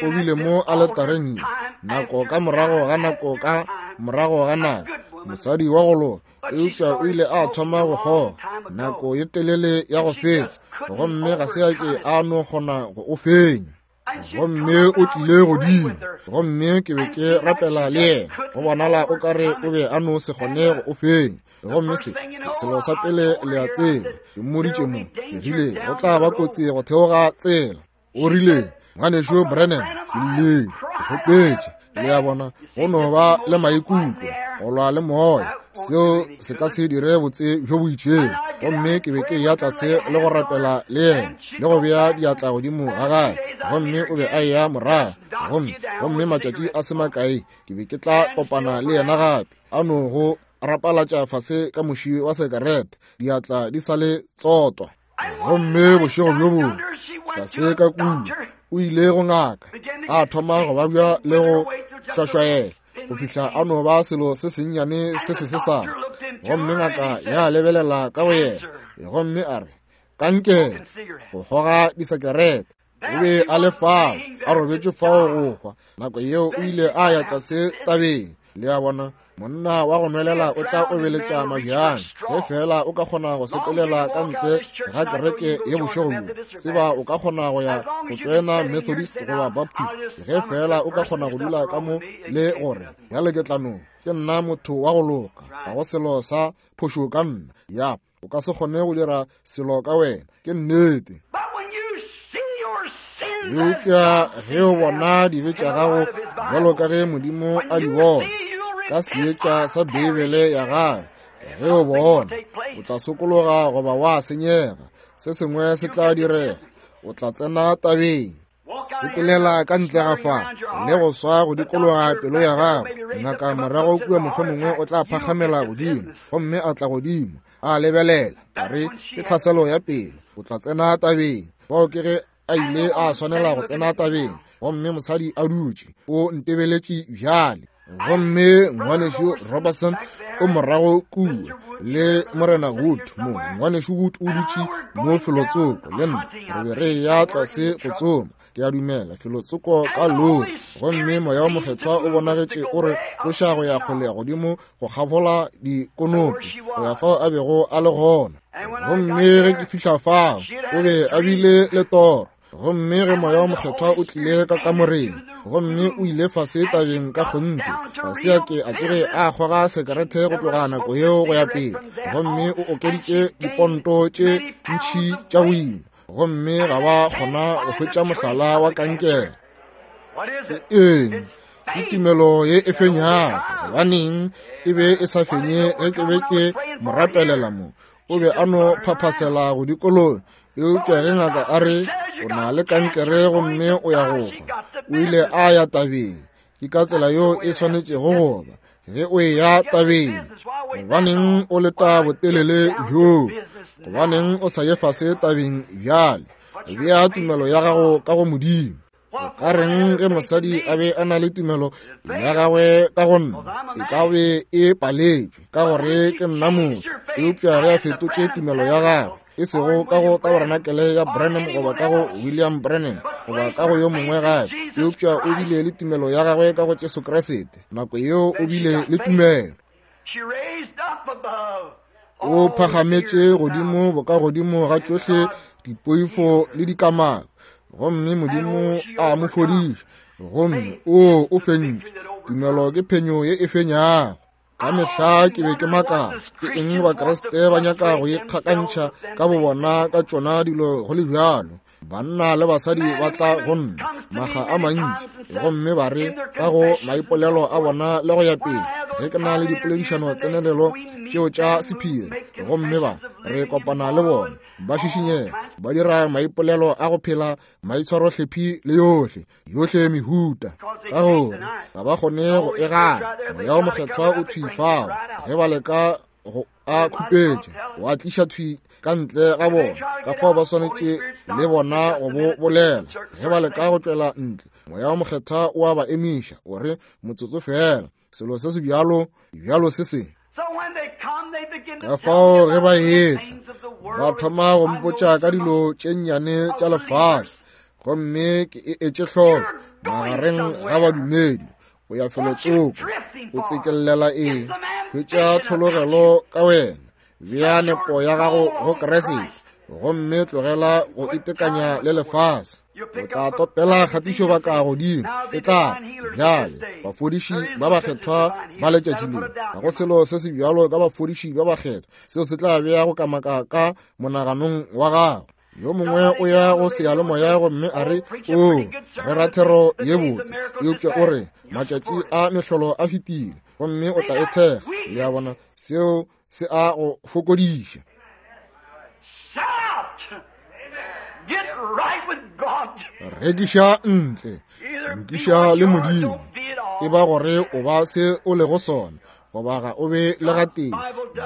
o bile mo aletareng ye nako ka morago ga nako ka morago ga nako, mosadi wa go loka, eupša o ile a thoma go kgoga nako ye telele ya go feta, gomme ga se a ke a no kgona go o fenya. Gomme o tlile godimo, gomme ke be ke rapela le yena, go bonala o ka re o be a no se kgone go o fenya. Gomme se selo sa pele le a tseba, ke mmoditše mo, ke rile go tla ba kotsi go theoga tsela. O rile, Ngwanešu Branham, ke llile, ke kgopetše. Le a bona, go no ba le maikutlo, go lwa le moya, seo se ka se dire botse bjo bo itšego. Gomme ke be ke eya tlase le go rapela le yena, le go bea diatla godimo ga gagwe, gomme o be a eya morago. Gomme, gomme matšatši a se makae ke be ke tla kopana le yena gape, a no go rapalatša fase ka moši wa sekarete, diatla di sa le tsotwa. Gomme bošego bjo bongwe tlase ka kua o ile go ngaka, a thoma go babja le go šwašwaela go fihla a no ba selo se sennyane se se sesane. Gomme ngaka ya lebelela ka go yena gomme a re, Kankere, go kgoga disekerete. O be a le fao, a robetše fao go hwa. Nako yeo o ile a ya tlase tabeng. Le a bona, monna wa go nwelela o tla obeletša mabjang ge feela o ka kgona go sepelela ka ntle ga kereke ye bošego bjo. Tseba o ka kgona go ya go tšoena Methodist goba Baptist ge feela o ka kgona go dula ka mo le gore bjale ke tla no, ke nna motho wa go loka, ga go selo sa phošo ka nna. Ya, o ka se kgone go dira selo ka wena, ke nnete. Eupša ge o bona dibe tša gago bjalo ka ge Modimo a di bona ka seetša sa Beibele ya gagwe, ge o bona o tla sokologa goba wa senyega, se sengwe se tla direga, o tla tsena tabeng. Sepelela ka ntle ga fa le go swa go dikologa pelo ya gago. Ngaka morago kua mohlomongwe o tla phakgamela godimo gomme a tla godimo a lebelela, a re ke tlhaselo ya pelo, o tla tsena tabeng. Bao ke ge a ile a swanela go tsena tabeng, gomme mosadi a dutše o ntebeletše bjale. Gomme ngwanešu Robertson o morago kua le Morena Wood mo. Ngwanešu Wood o dutše mo felotsoko le nna, re be re ya tlase go tsoma, ke a dumela, felotsoko ka lori. Gomme Moya wa Mokgethwa o bonagetše o re tloša go ya kgole godimo go kgabola dikonopi go ya fao a bego a le gona. Gomme ge ke fihla fao, o be a bile le toro. Gomme ge Moya wa Mokgethwa o tlile ka kamoreng, gomme o ile fase tabeng ka kgonthe, ga se a ke a tsoge a kgoga sekerete go tloga nako yeo go ya pele, gomme o okeditše diponto tše ntši tša boima, gomme ga ba kgona go hwetša mohlala wa kankere. Ke eng? Ke tumelo ye e fenyago. Gobaneng e be e sa fenye ge ke be ke mo rapelela mo? O be a no phaphasela go dikologa. Eupša ge ngaka a re o na le kankere gomme o ya go hwa, o ile a ya tabeng. Ke ka tsela yeo e swanetšego go ba ge o eya tabeng. Gobaneng o leta botelele bjoo? Gobaneng o sa ye fase tabeng bjale? Bea tumelo ya gago ka go Modimo. Go ka reng ge mosadi a be a na le tumelo ya gagwe ka go nna? E ka be e paletšwe ka gore ke nna motho. Eupša ge a fetotše tumelo ya gagwe, e sego ka go tabarenakele ya Branham goba ka go William Branham goba ka go yo mongwe gape, eupša o bile le tumelo ya gagwe ka go Jesu Kriste, nako yeo o bile le tumelo. O phagametše godimo bokagodimo ga tšohle dipoifo le dikamano, gomme Modimo a mo fodiša, gomme o o fentše. Tumelo ke phenyo ye e fenyago. Ka mehla ke be ke makala, ke eng Bakriste ba nyaka go ikgakantšha ka bobona ka tšona dilo go le bjalo? Banna le basadi ba tla go nna makga a mantši gomme ba re ka go maipolelo a bona le go ya pele, Ge ke na le dipoledišano tsenelelo tšeo tša sephiri, gomme ba re kopana le bona, ba šišinyega, ba dira maipolelo a go phela maitshwarohlephi le yohle, yohle mehuta, ka gore ga ba kgone go e gana. Moya wo Mokgethwa o thwi fao ge ba leka go a khupetša, wa tliša thwi ka ntle ga bona. Ka fao ba swanetše le bona go bo bolela. Ge ba leka go tšwela ntle, Moya wo Mokgethwa o a ba emiša, o re, Motsotso feela, selo se se bjalo, bjalo se se. Ka fao ge ba etla, ba thoma go mpotša ka dilo tše nnyane tša lefase, gomme ke e etše hloko magareng ga badumedi. O ya felotsoko, o tsekellela eng? Hwetša tlhologelo ka wena, bea nepo ya gago go Kriste, gomme tlogela go itekanya le lefase. O tla topela kgatišo baka godimo, e tla bjale bafodiši ba bakgethwa ba letšatši le. Ga go selo se se bjalo ka bafodiši ba bakgethwa, seo se tla bea go kamaka ka monaganong wa gago. Yo mongwe o ya go seyalemoya gomme a re, O, re ra thero ye botse, eupša o re, matšatši a mehlolo a fetile, gomme o tla e thekga. Le a bona, seo se a go fokodiša. Rekiša ntle, lokiša le Modimo. E ba gore o ba se o lego sona, goba ga o be le gatee.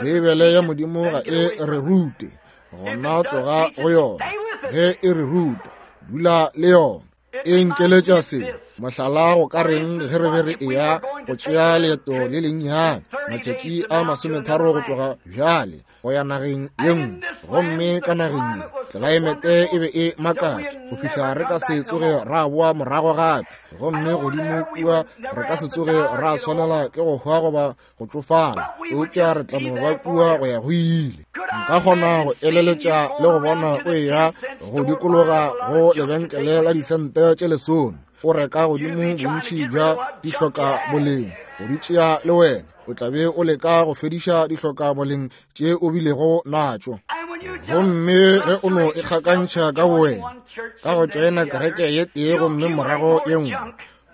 Beibele ya Modimo ga e re rute, gona tloga go yona. Ge e re ruta, dula le yona. E nkeletša se mohlala go ka reng ge re be re eya go tšea leeto le lennyane matšatši a 30 go tloga bjale go ya nageng ye nngwe, gomme ka nageng ye tlelaemete e be e makatša go fihla re ka se tsoge ra boa morago gape, gomme godimo kua re ka se tsoge ra swanela ke go hwa goba go tšofala, eupša re tla no ba kua go ya go ile. Nka kgona go eleletša le go bona o eya go dikologa go lebenkele la disente tše 10, o reka godimo bontši bja dihloka boleng go di tšea le wena. O tla be o leka go fediša dihloka boleng tše o bilego natšo. Gomme ge o no ikgakantšha ka bowena ka go tšoena kereke ye tee gomme morago ye nngwe,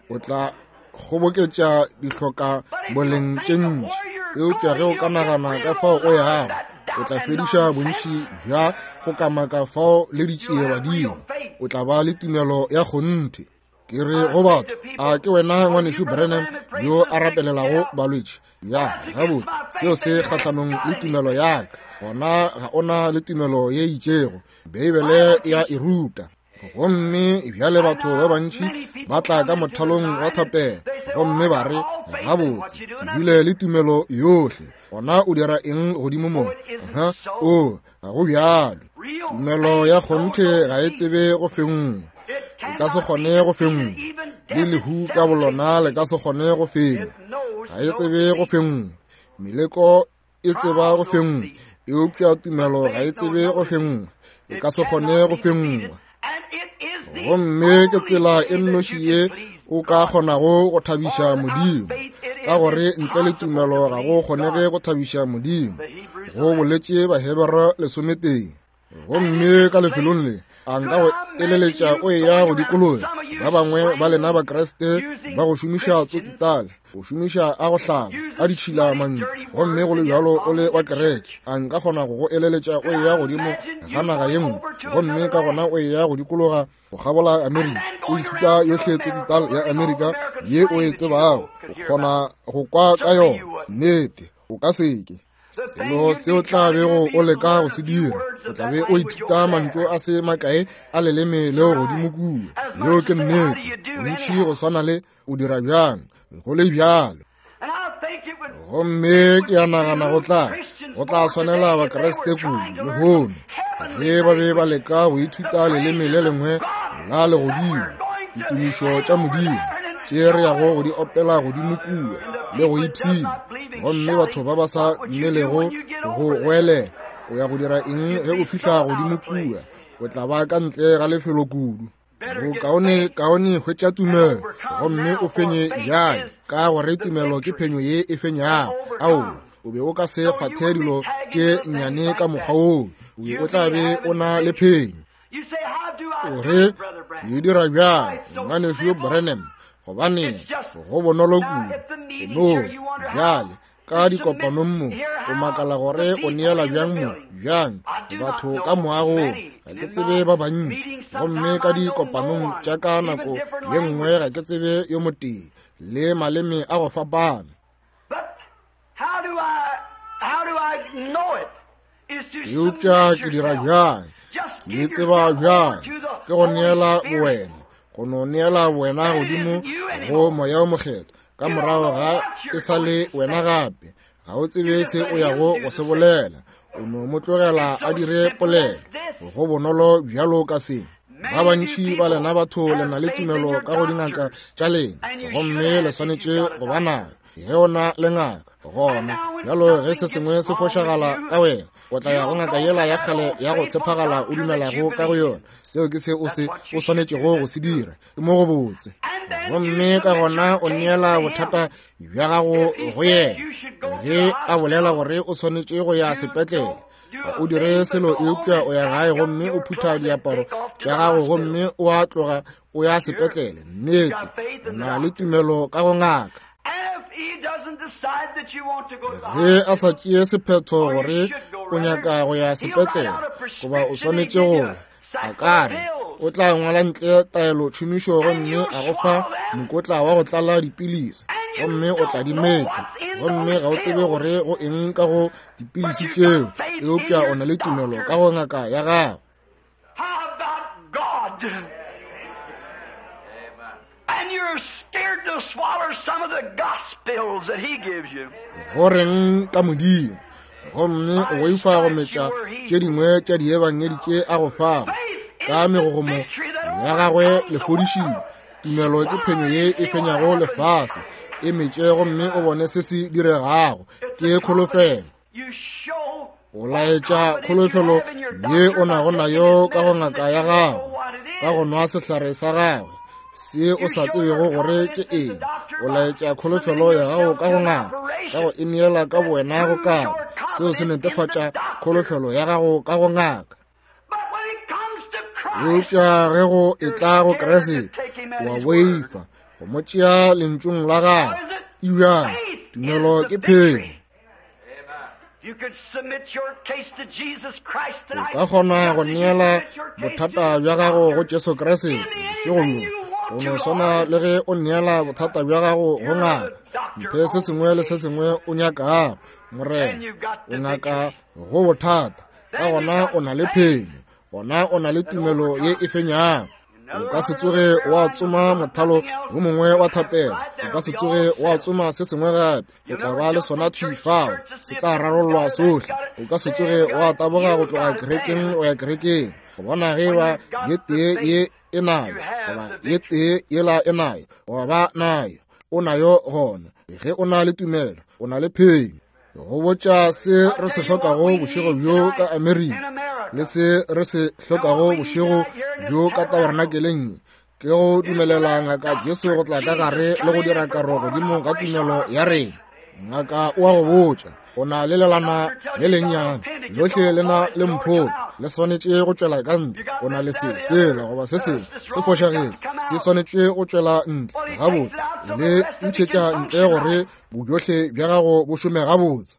o tla kgoboketša dihloka boleng tše ntši. Eupša ge o ka nagana ka fao o yago, o tla fediša bontši bja go kamaka fao le ditšie badimo. O tla ba le tumelo ya kgonthe. Ke re go batho, a ke wena ngwanešu Branham yo a rapelelago balwetši? Ya, gabotse, seo se kgahlanong le tumelo ya ka. Gona ga o na le tumelo ye itšego. Beibele ya e ruta. Gomme bjale batho ba bantši ba tla ka mothalong wa thapelo gomme ba re, Gabotse, ke bile le tumelo yohle. Gona o dira eng godimo mo? Aha, o, ga go bjalo. Tumelo ya kgonthe ga e tsebe go fenngwa. E ka se kgone go fenngwa. Le lehu ka bolona le ka se kgone go fenngwa. Ga e tsebe go fenngwa. Meleko e tseba go fenngwa, eupša tumelo ga e tsebe go fenngwa. E ka se kgone go fenngwa. Gomme ke tsela e nnoši ye o ka kgonago go thabiša Modimo, ka gore ntle le tumelo ga go kgonege go thabiša Modimo, go boletše Bahebere 11. Gomme ka lefelong le, a nka go eleletša o eya go dikologa. Ba bangwe ba lena Bakriste ba go šomiša tsotsitale, go šomiša a go hlaba, a ditšhila mantšu, gomme go le bjalo o le wa kereke. A nka kgona go go eleletša o eya godimo ga naga ye nngwe, gomme ka gona o eya go dikologa go kgabola Amerika, o ithuta yohle tsotsital ya Amerika ye o e tsebago, o kgona go kwa ka yona. Nnete, o ka seke. Selo se o tla bego o leka go se dira, o tla be o ithuta mantšu a se makae a leleme leo godimo kua. Yeo ke nnete. Bontši go swana le o dira bjang, go le bjalo. Gomme ke a nagana go tla swanela Bakriste kudu lehono ge ba be ba leka go ithuta leleme le lengwe la legodimo, ditumišo tša Modimo tše re yago go di opela godimo kua le go ipshina, gomme batho ba ba sa dumelego go goelela. O ya go dira eng ge o fihla godimo kua? O tla ba ka ntle ga lefelo kudu. Bokaone kaone hwetša tumelo gomme o fenye bjale, ka gore tumelo ke phenyo ye e fenyago. Aowa, o be o ka se kgwathe dilo tše nnyane ka mokgwa woo, o be o tla be o na le phenyo. O re, Ke e dira bjang, Ngwanešu Branham? Gobane go bonolo kudu. No, bjale ka dikopanong mo, o makala gore o neela bjang mo, bjang batho ka moagong. Ga ke tsebe ba bantši, gomme ka dikopanong tša ka nako ye nngwe ga ke tsebe yo motee, le maleme a go fapana. Eupša ke dira bjang? Ke tseba bjang? Ke go neela bowena, go no neela wena godimo go Moya o Mokgethwa. Ka morago ga e sa le wena gape, ga o tsebe se o yago go se bolela, o no mo tlogela a dire polelo. Go bonolo bjalo ka se. Ba bantši ba lena batho le na le tumelo ka go dingaka tša lena, gomme le swanetše go ba nayo. Ge o na le ngaka, gona bjalo ge se sengwe se fošagala ka wena, o tla ya go ngaka yela ya kgale ya go tshepagala o dumelago ka go yona. Seo ke se o se o swanetšego go se dira. Ke mo go botse. Gomme ka gona o neela bothata bja gago go yena. Ge a bolela gore o swanetše go ya sepetlele, ga o dire selo eupša o ya gae gomme o phutha diaparo tša gago gomme o a tloga o ya sepetlele. Nnete, o na le tumelo ka go ngaka. Ge a sa tšee sephetho gore o nyaka go ya sepetlele goba o swanetše go ya, a ka re o tla ngwala ntle taelo tšhomišo gomme a go fa mokotla wa go tlala dipilisi, gomme o tla di metla, gomme ga o tsebe gore go eng ka go dipilisi tšeo, eupša o na le tumelo ka go ngaka ya gago. Go reng ka Modimo? Gomme o boifa go metša tše dingwe tša diebangedi tše a go fago ka megogomo ya gagwe le fodišitšwe. Tumelo ke phenyo ye e fenyago lefase. E metše gomme o bone se se diregago. Ke kholofelo. O laetša kholofelo ye o nago nayo ka go ngaka ya gago, ka go nwa sehlare sa gagwe se o sa tsebego gore ke eng. O laetša kholofelo ya gago ka go ngaka, ka go e neela ka bowena go kaba. Seo se netefatša kholofelo ya gago ka go ngaka. Eupša ge go etla go Kriste, wa boifa go mo tšea lentšung la gagwe. Ebjang, tumelo ke phenyo. O ka kgona go neela bothata bja gago go Jesu Kriste bošego bjo, go no swana le ge o neela bothata bja gago go ngaka. Mphe se sengwe le se sengwe o nyakago, Morena. O ngaka go bothata, ka gona o na le phenyo, gona o na le tumelo ye e fenyago. O ka se tsoge wa tsoma mothalo wo mongwe wa thapelo, o ka se tsoge wa tsoma se sengwe gape, o tla ba le sona thwi fao, se tla rarollwa sohle. O ka se tsoge wa taboga go tloga kerekeng go ya kerekeng go bona ge ba ye tee ye e nayo goba ye tee yela e nayo goba ba nayo. O nayo gona. Ge o na le tumelo, o na le phenyo. Go botša se re se hlokago bošego bjo ka Amerika le se re se hlokago bošego bjo ka tabernakeleng ye, ke go dumelela ngaka Jesu go tla ka gare le go dira karo godimo ga tumelo ya rena. Ngaka o a go botša, o na le lelana le lennyane, lohle le na le mpholo, le swanetše go tšwela ka ntle. O na le se, sela goba se sengwe se fošagetše, se swanetše go tšwela ntle. Gabotse, le ntšhetša ntle gore bobjohle bja gago bo šome gabotse.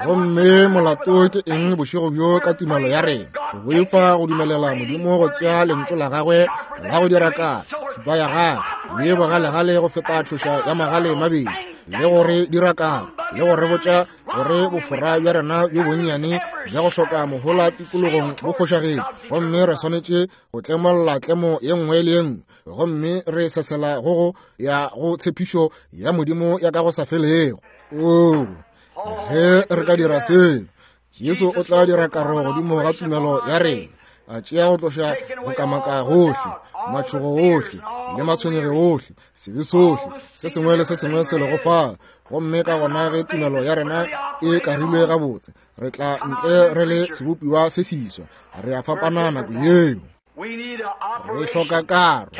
Gomme molato ke eng bošego bjo ka tumelo ya rena? Re boifa go dumelela Modimo go tšea lentšu la gagwe la go dira ka thipa ya gagwe ye bogalegale go feta tšhoša ya magale mabedi, le go re dira karo, le go re botša gore bofora bja rena bjo bonnyane bja go hloka mohola tikologong bo fošagetše, gomme re swanetše go tlemolla tlemo ye nngwe le ye nngwe, gomme re sesela go go ya go tshepišo ya Modimo ya ka go sa felego. Oo, ge re ka dira seo, Jesu o tla dira karo godimo ga tumelo ya rena, a tšea go tloša go kamaka gohle, matšhogo ohle le matshwenyego ohle, sebe sohle, se sengwe le se sengwe se lego fa. Gomme ka gona ge tumelo ya rena e karilwe gabotse, re tla ntle re le sebopiwa se seswa, re a fapana nako yeo. Re hloka karo.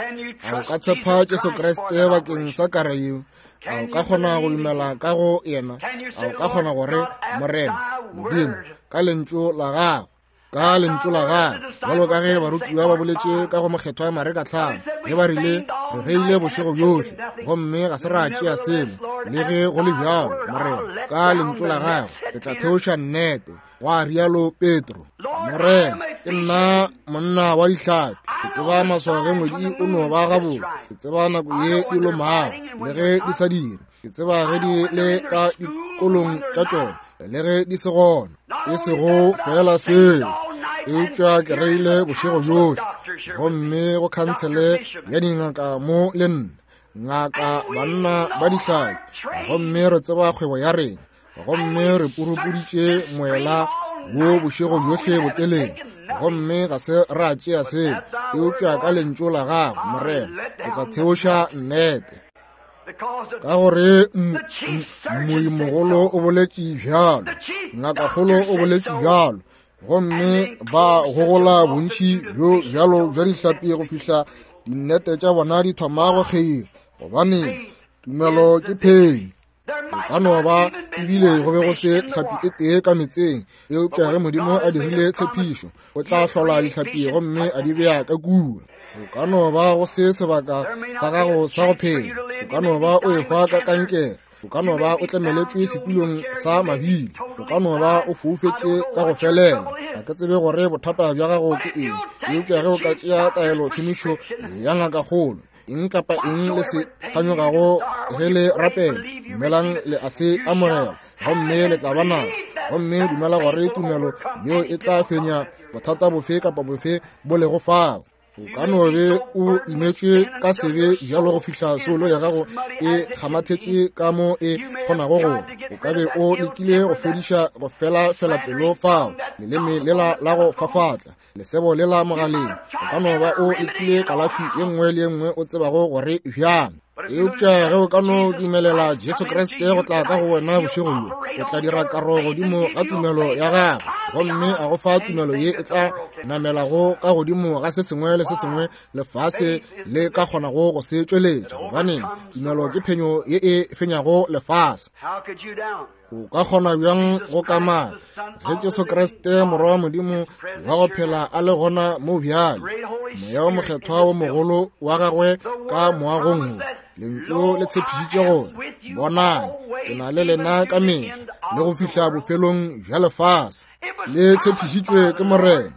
A o ka tshepa Jesu Kriste bakeng sa karo yeo? A o ka kgona go dumela ka go yena? A o ka kgona gore, Morena Modimo, ka lentšu la gago, ka lentšu la gago, bjalo ka ge barutiwa ba boletše ka go Mokgethwa Mareka 5, ge ba rile, Re reile bošego bjohle gomme ga se ra tšea selo. Le ge go le bjalo, Morena, ka lentšu la gago ke tla theoša nnete, gwa rialo Petro. Morena, ke nna monna wa dihlapi. Ke tseba maswao ge ngwedi o no ba gabotse. Ke tseba nako ye di lomago le ge di sa dire. Ke tseba ge di le ka dikolong tša tšona le ge di se gona. E sego fela seo, eupša ke reile bošego bjohle gomme go khansele ya dingaka mo le nna, ngaka banna ba dihlapi, gomme re tseba kgwebo ya rena, gomme re purupuditše moela wo bošego bjohle botelele, gomme ga se ra tšea seo, eupša ka lentšu la gago, Morena, ke tla theoša nnete. Ka gore moimogolo o boletše bjalo, ngakakgolo o boletše bjalo, gomme ba gogola bontši bjo bjalo bja dihlapi go fihla dinnete tša bona di thoma go kgeila, gobane tumelo ke phenyo. Go ka no ba ebile go be go se hlapi e tee ka metseng, eupša ge Modimo a dirile tshepišo, o tla hlola dihlapi gomme a di bea ka kua. Go ka no ba go se sebaka sa gago sa go phela, o ka no ba o ehwa ka kankere, o ka no ba o tlemeletšwe setulong sa mabili, o ka no ba o foufetše ka go felela. Ga ke tsebe gore bothata bja gago ke eng, eupša ge o ka tšea taelo tšhomišo ya ngakakgolo, eng kapa eng le se kganyogago ge le rapela, dumelang le a se amogela gomme le tla ba naso. Gomme dumela gore tumelo yeo e tla fenya bothata bofe kapa bofe bo lego fao. O ka no be o imetšwe ka sebe bjalo go fihla soulo ya gago e kgamathetše ka mo e kgonago go. O ka be o lekile go fediša go fela fela pelo fao, leleme lela la go fafatla, lesebo lela mogaleng. O ka no ba o lekile kalafi ye nngwe le ye nngwe o tsebago gore bjang, eupša ge o ka no dumelela Jesu Kriste go tla ka go wena bošego bjo, o tla dira karo godimo ga tumelo ya gago, gomme a go fa tumelo ye e tla namelago ka godimo ga se sengwe le se sengwe lefase le ka kgonago go se tšweletša, gobane tumelo ke phenyo ye e fenyago lefase. O ka kgona bjang go kamaka ge Jesu Kriste Morwa wa Modimo wa go phela a le gona mo bjale, Moya wo Mokgethwa wo mogolo wa gagwe ka moagong wo? Lentšu le tshepišitše gore, Bonang, ke na le lena ka mehla le go fihla bofelong bja lefase. Le tshepišitšwe ke Morena.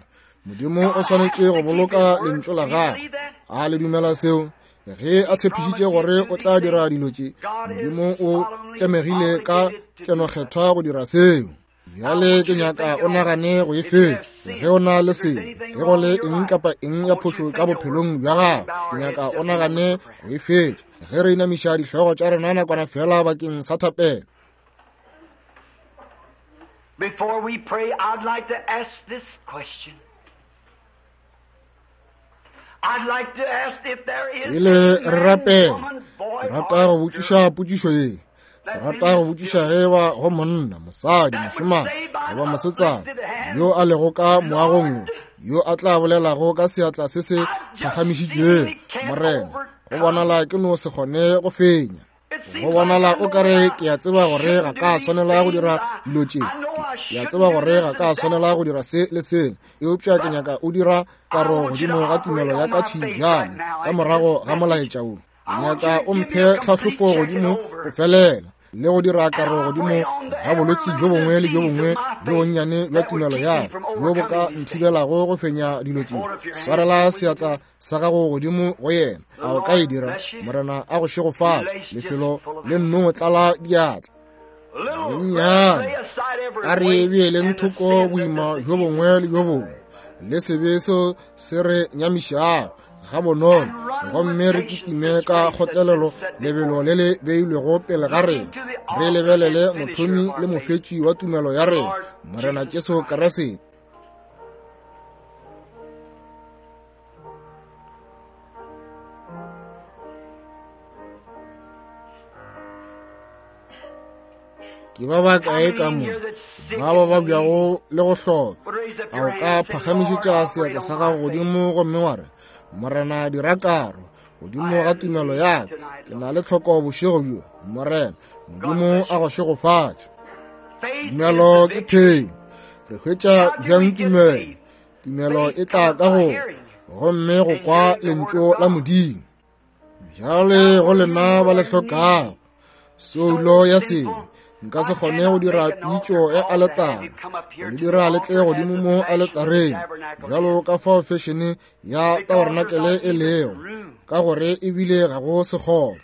Modimo o swanetše go boloka lentšu la gagwe. A le dumela seo? Ge a tshepišitše gore o tla dira dilo tše, Modimo o tlemegile ka kenokgethwa go dira seo. Bjale ke nyaka o nagane go e fetša. Ge o na le sebe, ge go le eng kapa eng ya phošo ka bophelong bja gago, ke nyaka o nagane go e fetša. Ge re inamiša dihlogo tša rena nakwana fela bakeng sa thapelo. Before we pray, I'd like to ask this question. Pele re rapela, ke rata go botšiša potšišo ye. Ke rata go botšiša ge ba go monna, mosadi, mošemane goba mosetsana yo a lego ka moagong wo, yo a tla bolelago ka seatla se se phagamišitšwego, Morena, go bonala ke no se kgone go fenya. Go bonala o ka re ke a tseba gore ga ka swanela go dira dilo tše, ke a tseba gore ga ka swanela go dira se le sele, eupša ke nyaka o dira karo godimo ga tumelo ya ka thwi bjale ka morago ga molaetša wo. Ke nyaka o mphe tlhahlofo godimo go felela le go dira karo godimo ga bolwetši bjo bongwe le bjo bongwe bjo bonnyane bja tumelo ya ka bjo bo ka nthibelago go fenya dilo tše. Swarela seatla sa gago godimo go yena. A o ka e dira? Morena a go šegofatše. Lefelo le nno tlala diatla. Bonnyane a re beeleng thoko boima bjo bongwe le bjo bongwe le sebe seo se re nyamišago ga bonolo, gomme re kitime ka kgotlelelo lebelo le le beilwego pele ga rena, re lebelele mothomi le mofetši wa tumelo ya rena, Morena Jesu Kriste. Ke ba bakae ka mo ba ba babjago le go hloka? A o ka phagamišetša seatla sa gago godimo gomme wa re, Morena, dira karo godimo ga tumelo ya ka. Ke na le tlhoko bošego bjo. Morena Modimo a go šegofatše. Tumelo ke phenyo. Re hwetša bjang tumelo? Tumelo e tla ka go gomme go kwa lentšu la Modimo. Bjale go lena ba le hlokago soulo ya sebe, nka se kgone go dira pitšo ya aletara go le dira le tle godimo mo aletareng bjalo ka fao fešene ya tabarenakele e lego, ka gore ebile ga go sekgoba.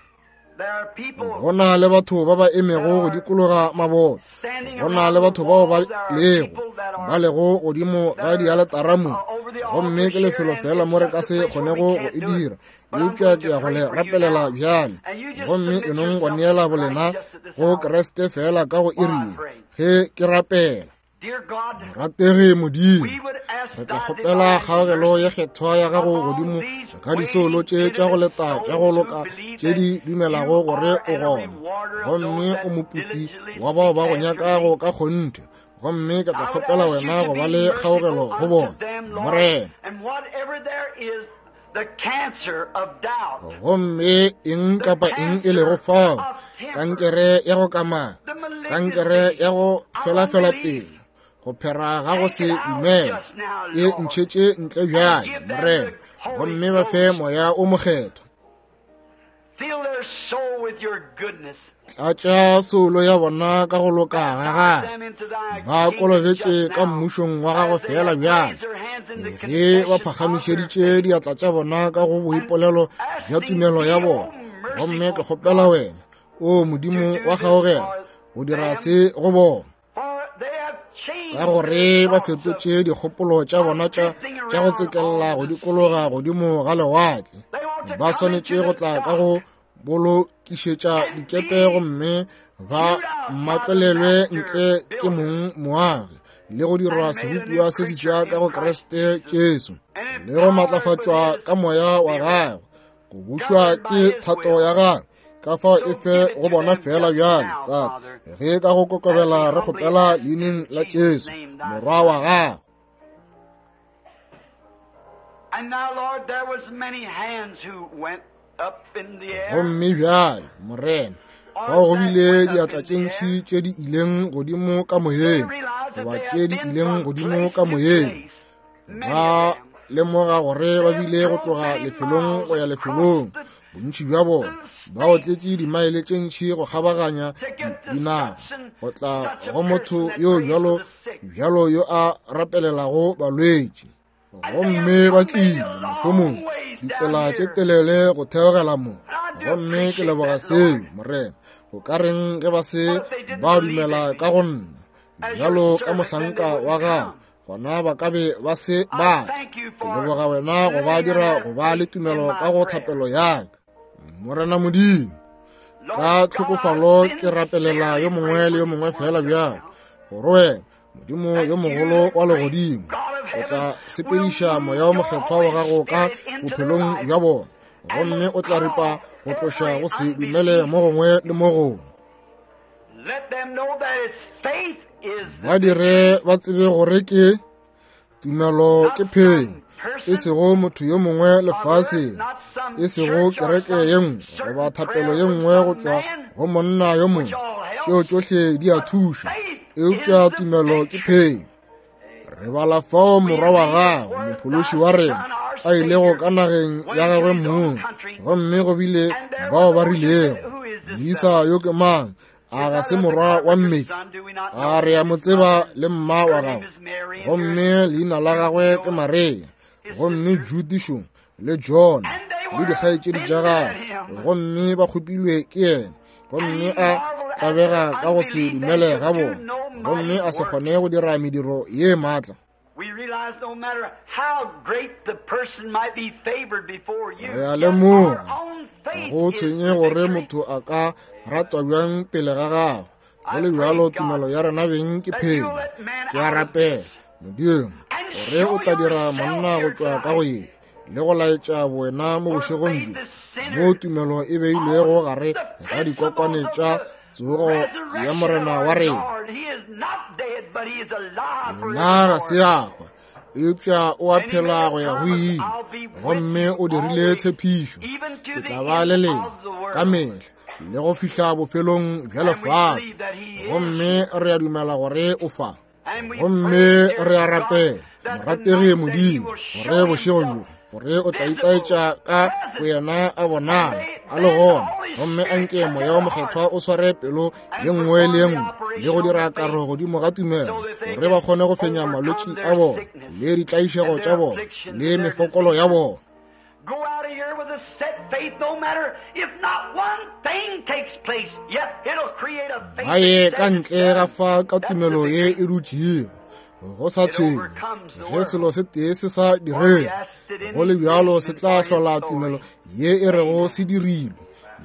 Go na le batho ba ba emego go dikologa maboto, go na le batho bao ba lego ba lego godimo ga dialetara mo, gomme ke lefelo fela mo re ka se kgonego go e dira. Eupša ke ya go le rapelela bjale, gomme e nong go neela bolena go Kriste fela ka go iri ye ge ke rapela. Morategi Modimo, re tla kgopela kgaogelo ye kgethwa ya gago godimo ga disoulo tše tša go leta tša go loka tše di dumelago gore o gona, gomme o moputsi wa bao ba go nyakago ka kgonthe. Gomme ke tla kgopela wena go ba le kgaogelo go bona, Morena. Gomme eng kapa eng e lego fao, kankere ya go kamaka, kankere ya go felafela pelo, go phera ga go se dumele, e ntšhetše ntle bjale, Morena, gomme ba fe Moya o Mokgethwa. Tlatša soulo ya bona ka go loka ga gagwe, ba kolobetše ka mmušong wa gago fela bjale, ge ba phagamišeditše diatla tša bona ka go boipolelo bja tumelo ya bona. Gomme ke kgopela wena, o Modimo wa kgaogelo, go dira se go bona, ka gore ba fetotše dikgopolo tša bona tša go tsekella go dikologa godimo ga lewatle. Ba swanetše go tla ka go bolokišetša dikepe gomme ba matlolelwe ntle ke mong moagi, le go dirwa sebopiwa se seswa ka go Kriste Jesu, le go matlafatšwa ka moya wa gagwe, go bušwa ke thato ya gagwe. Ka fao e fe go bona fela bjale, Tate, ge ka go kokobela re kgopela leineng la Jesu, Morwa wa gago. Gomme bjale, Morena, fao go bile diatla tše ntši tše di ileng godimo ka moyeng, goba tše di ileng godimo ka moyeng. Ba lemoga gore ba bile go tloga lefelong go ya lefelong, bontši bja bona ba otletše dimaele tše ntši go kgabaganya dinaga go tla go motho yo bjalo bjalo yo a rapelelago balwetši. Gomme ba tlile mohlomong ditsela tše telele go theogela mo. Gomme ke leboga seo, Morena. Go ka reng ge ba se ba dumela ka go nna bjalo ka mohlanka wa gago, gona ba ka be ba se ba tla. Ke leboga wena go ba dira go ba le tumelo ka go thapelo ya ka. Morena Modimo, ka tlhokofalo ke rapelela yo mongwe le yo mongwe fela bjalo, gore wena Modimo yo mogolo wa legodimo o tla sepediša moya o mokgethwa wa gago ka bophelong bja bona, gomme o tla ripa go tloša go se dumele mo gongwe le mo gongwe. Ba dire ba tsebe gore ke tumelo ke phenyo, e sego motho yo mongwe lefaseng, e sego kereke ye nngwe goba thapelo ye nngwe go tšwa go monna yo mongwe. Tšeo tšohle di a thuša, eupša tumelo ke phenyo. Re bala fao morwa wa gagwe, mophološi wa rena, a ilego ka nageng ya gagwe mong, gomme go bile bao ba rilego, Moisa yo ke mang? A ga se morwa wa mmetli? A re a mo tseba le mma wa gagwe? Gomme leina la gagwe ke Maria, gomme Judišo le John le dikgaetšedi tša gagwe, gomme ba kgopilwe ke yena. Gomme a tlabega ka go se dumele ga bona, gomme a se kgone go dira mediro ye maatla. Re a lemoga go tshwenye gore motho a ka ratwa bjang pele ga gago, go le bjalo tumelo ya rena beng ke phenyo. Ke a rapela, Modimo, gore o tla dira monna go tšwa ka go ye le go laetša bowena mo bošegong bjo, mo tumelo e beilwego gare ga dikokwane tša tsogo ya Morena wa rena. Yena ga se a hwa, eupša o a phela go ya go ile, gomme o dirile tshepišo, ke tla ba le lena ka mehla le go fihla bofelong bja lefase. Gomme re a dumela gore o fa. Gomme re a rapela, morategi Modimo, gore bošego bjo gore o tla itaetša ka boyena a bonala a le gona. Gomme anke Moya wo Mokgethwa o sware pelo ye nngwe le ye nngwe le go dira karo godimo ga tumelo, gore ba kgone go fenya malwetši a bona le ditlaišego tša bona le mefokolo ya bona. Go out of here with a set faith, no matter if not one thing takes place, yet it'll create a faith. Ba ye ka ntle ga fa ka tumelo ye e dutšego, go sa tshwenye ge selo se tee se sa direge, go le bjalo se tla hlola tumelo ye e rego se dirilwe.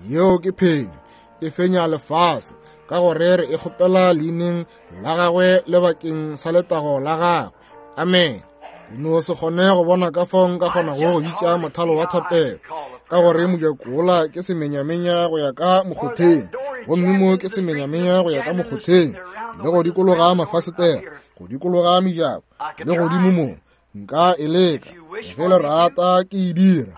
Yeo ke phenyo, e fenya lefase, ka gore re e kgopela leineng la gagwe le bakeng sa letago la gagwe. Amen. Ke no se kgone go bona ka fao nka kgonago go bitša mothalo wa thapelo, ka gore mojako wola ke semenyamenya go ya ka mokgotheng, gomme mo ke semenyamenya go ya ka mokgotheng, le go dikologa mafasetela, go dikologa mejako, le godimo mo. Nka e leka, ge le rata ke e dira,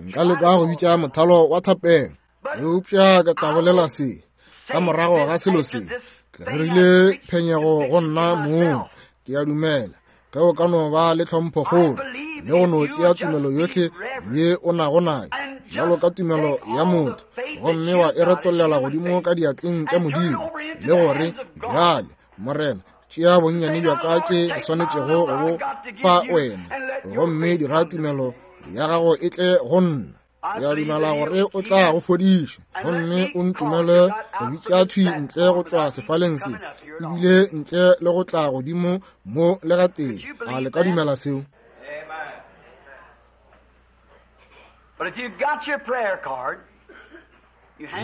nka leka go bitša mothalo wa thapelo. Eupša ke tla bolela se ka morago ga selo se, ke rerile phenyego go nna mong. Ke a dumela ge o ka no ba le tlhomphokgolo le go no tšea tumelo yohle ye o nago nayo bjalo ka tumelo ya motho, gomme wa e retollela godimo ka diatleng tša Modimo, le gore bjale Morena, tšea bonnyane bja ka ke swanetšego go bo fa wena, gomme dira tumelo ya gago e tle go nna. Ke a dumela gore o tla go fodiša, gomme o ntumele go bitša thwi ntle go tšwa sefaleng se, ebile ntle le go tla godimo mo le gatee. A le ka dumela seo?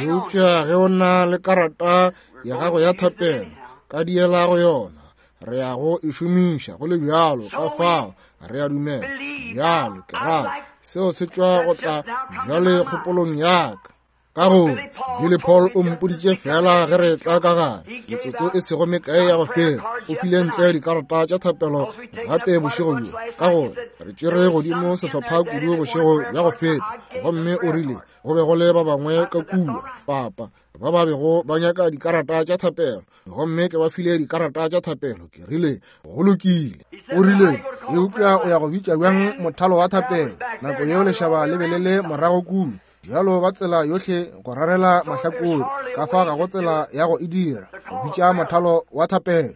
Eupša ge o na le karata ya gago ya thapelo, ka diela go yona, re ya go e šomiša go le bjalo. Ka fao re a dumela bjalo. Ke rata seo se tšwa go tla bjale kgopolong ya ka, ka gore Billy Paul o mpoditše fela ge re tla ka gare metsotso e sego mekae ya go feta, o file ntle dikarata tša thapelo gape bošego bjo, ka gore re tšere godimo sehlopha kudu bošego bja go feta. Gomme o rile go be go le ba bangwe ka kua, papa, ba ba bego ba nyaka dikarata tša thapelo, gomme ke ba file dikarata tša thapelo. Ke rile go lokile. O rile eupša o ya go bitša bjang mothalo wa thapelo nako yeo lešaba le be le le morago kua bjalo ba tsela yohle go rarela mahlakore, ka fa ga go tsela ya go e dira go bitša mothalo wa thapelo.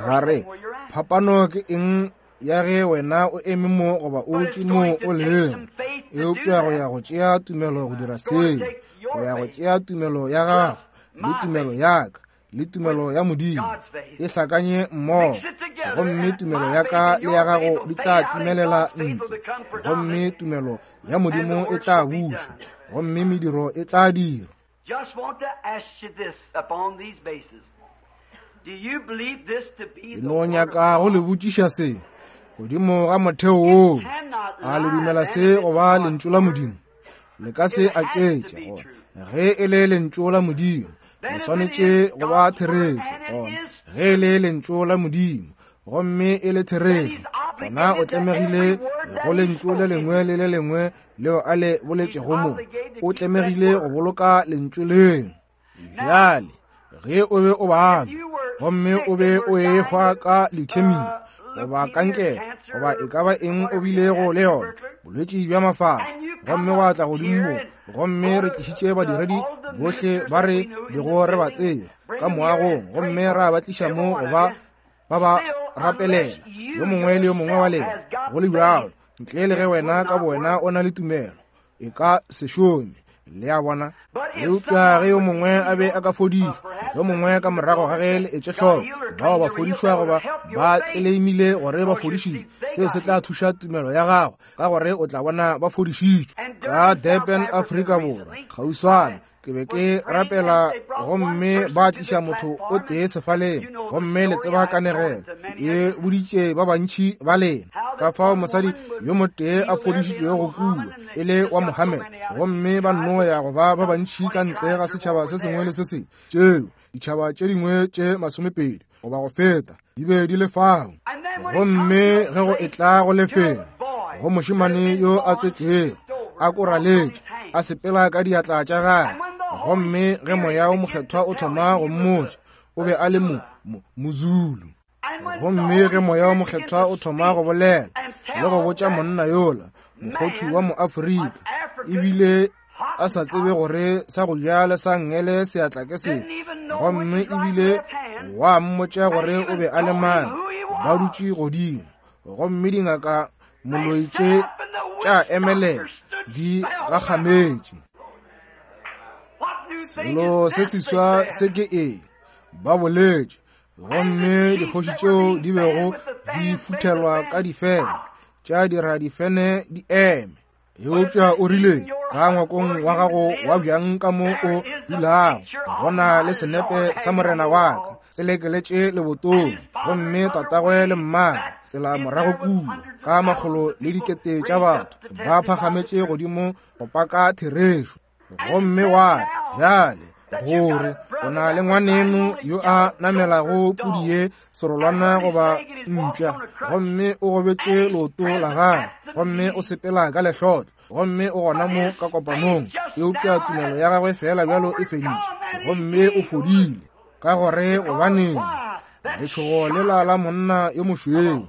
Ga re phapano ke eng ya ge wena o eme mo goba o tše mo o leng, eupša go ya go tšea tumelo go dira seo, go ya go tšea tumelo ya gago le tumelo ya ka le tumelo ya Modimo e hlakanye mmogo, gomme tumelo ya ka le ya gago di tla timelela ntle, gomme tumelo ya Modimo e tla buša, gomme mediro e tla dirwa. Just want to ask you this upon these bases. Do you believe this to be the no nyaka go le botšiša se godimo ga motheo woo, a le dumela se go ba lentšu la Modimo? Le ka se aketše gore ge e le lentšu la Modimo le swanetše go ba therešo. Gona ge e le lentšu la Modimo gomme e le therešo, gona o tlemegile go lentšu le lengwe le le lengwe leo a le boletšego mo, o tlemegile go boloka lentšu leo. Bjale ge o be o babja gomme o be o ehwa ka leukemia goba kankere goba e ka ba eng o bilego le yona, bolwetši bja mafahla, gomme wa tla godimo mo, gomme re tlišitše badiredi bohle ba re bego re ba tseba ka moagong, gomme ra ba tliša mo go ba ba ba rapelela, yo mongwe le yo mongwe wa lena, go le bjalo ntle le ge wena ka bowena o na le tumelo, e ka se šome. Le a bona? Eupša ge yo mongwe a be a ka fodišwa, yo mongwe ka morago ga ge le etše hloko bao ba fodišwa goba ba tleleimile gore ba fodišitšwe, seo se tla thuša tumelo ya gago, ka gore o tla bona ba fodišitšwe. Ka Durban, Afrika Borwa, kgauswana, ke be ke rapela gomme ba tliša motho o tee sefaleng, gomme le tseba kanegelo e boditše ba bantši ba lena ka fao mosadi yo motee a fodišitšwego go kua e le wa Mohammed, gomme ba nno ya go ba ba bantši ka ntle ga setšhaba se sengwe le se sengwe. Tšeo ditšhaba tše dingwe tše 20 goba go feta di be di le fao. Gomme ge go etla go lefelo go mošemane yo a tswetšwego a koraletše a sepela ka diatla tša gagwe, gomme ge Moya o Mokgethwa o thoma go mmotša, o be a le Mozulu. Gomme ge Moya o Mokgethwa o thoma go bolela le go botša monna yola, mokgothu wa Moafrika, ebile a sa tsebe gore sa go ja le sa nngele seatla ke sefe, gomme ebile wa mmotša gore o be a le mang, ba dutše godimo, gomme dingaka moloi tše tša emelela di gakgametše. Selo se seswa se ke eng? Ba boletše. Gomme dikgoši tšeo di bego di futhelwa ka difene tša dira difene di eme. Eupša o rile, ka ngwakong wa gago wa bjang ka mo o dulago, go na le senepe sa morena wa ka se lekeletše lebotong, gomme tatagwe le mmagwe tsela morago kua ka makgolo le dikete tša batho ba phagametše godimo go paka therešo. Gomme wa re, bjale gore o na le ngwaneno yo a namelago pudi ye serolwana goba mpša, gomme o gobetše leoto la gagwe, gomme o sepela ka lehlotlo, gomme o gona mo ka kopanong, eupša tumelo ya gagwe fela bjalo e fentše, gomme o fodile. Ka gore gobaneng letšhogo lela la monna yo mošweu,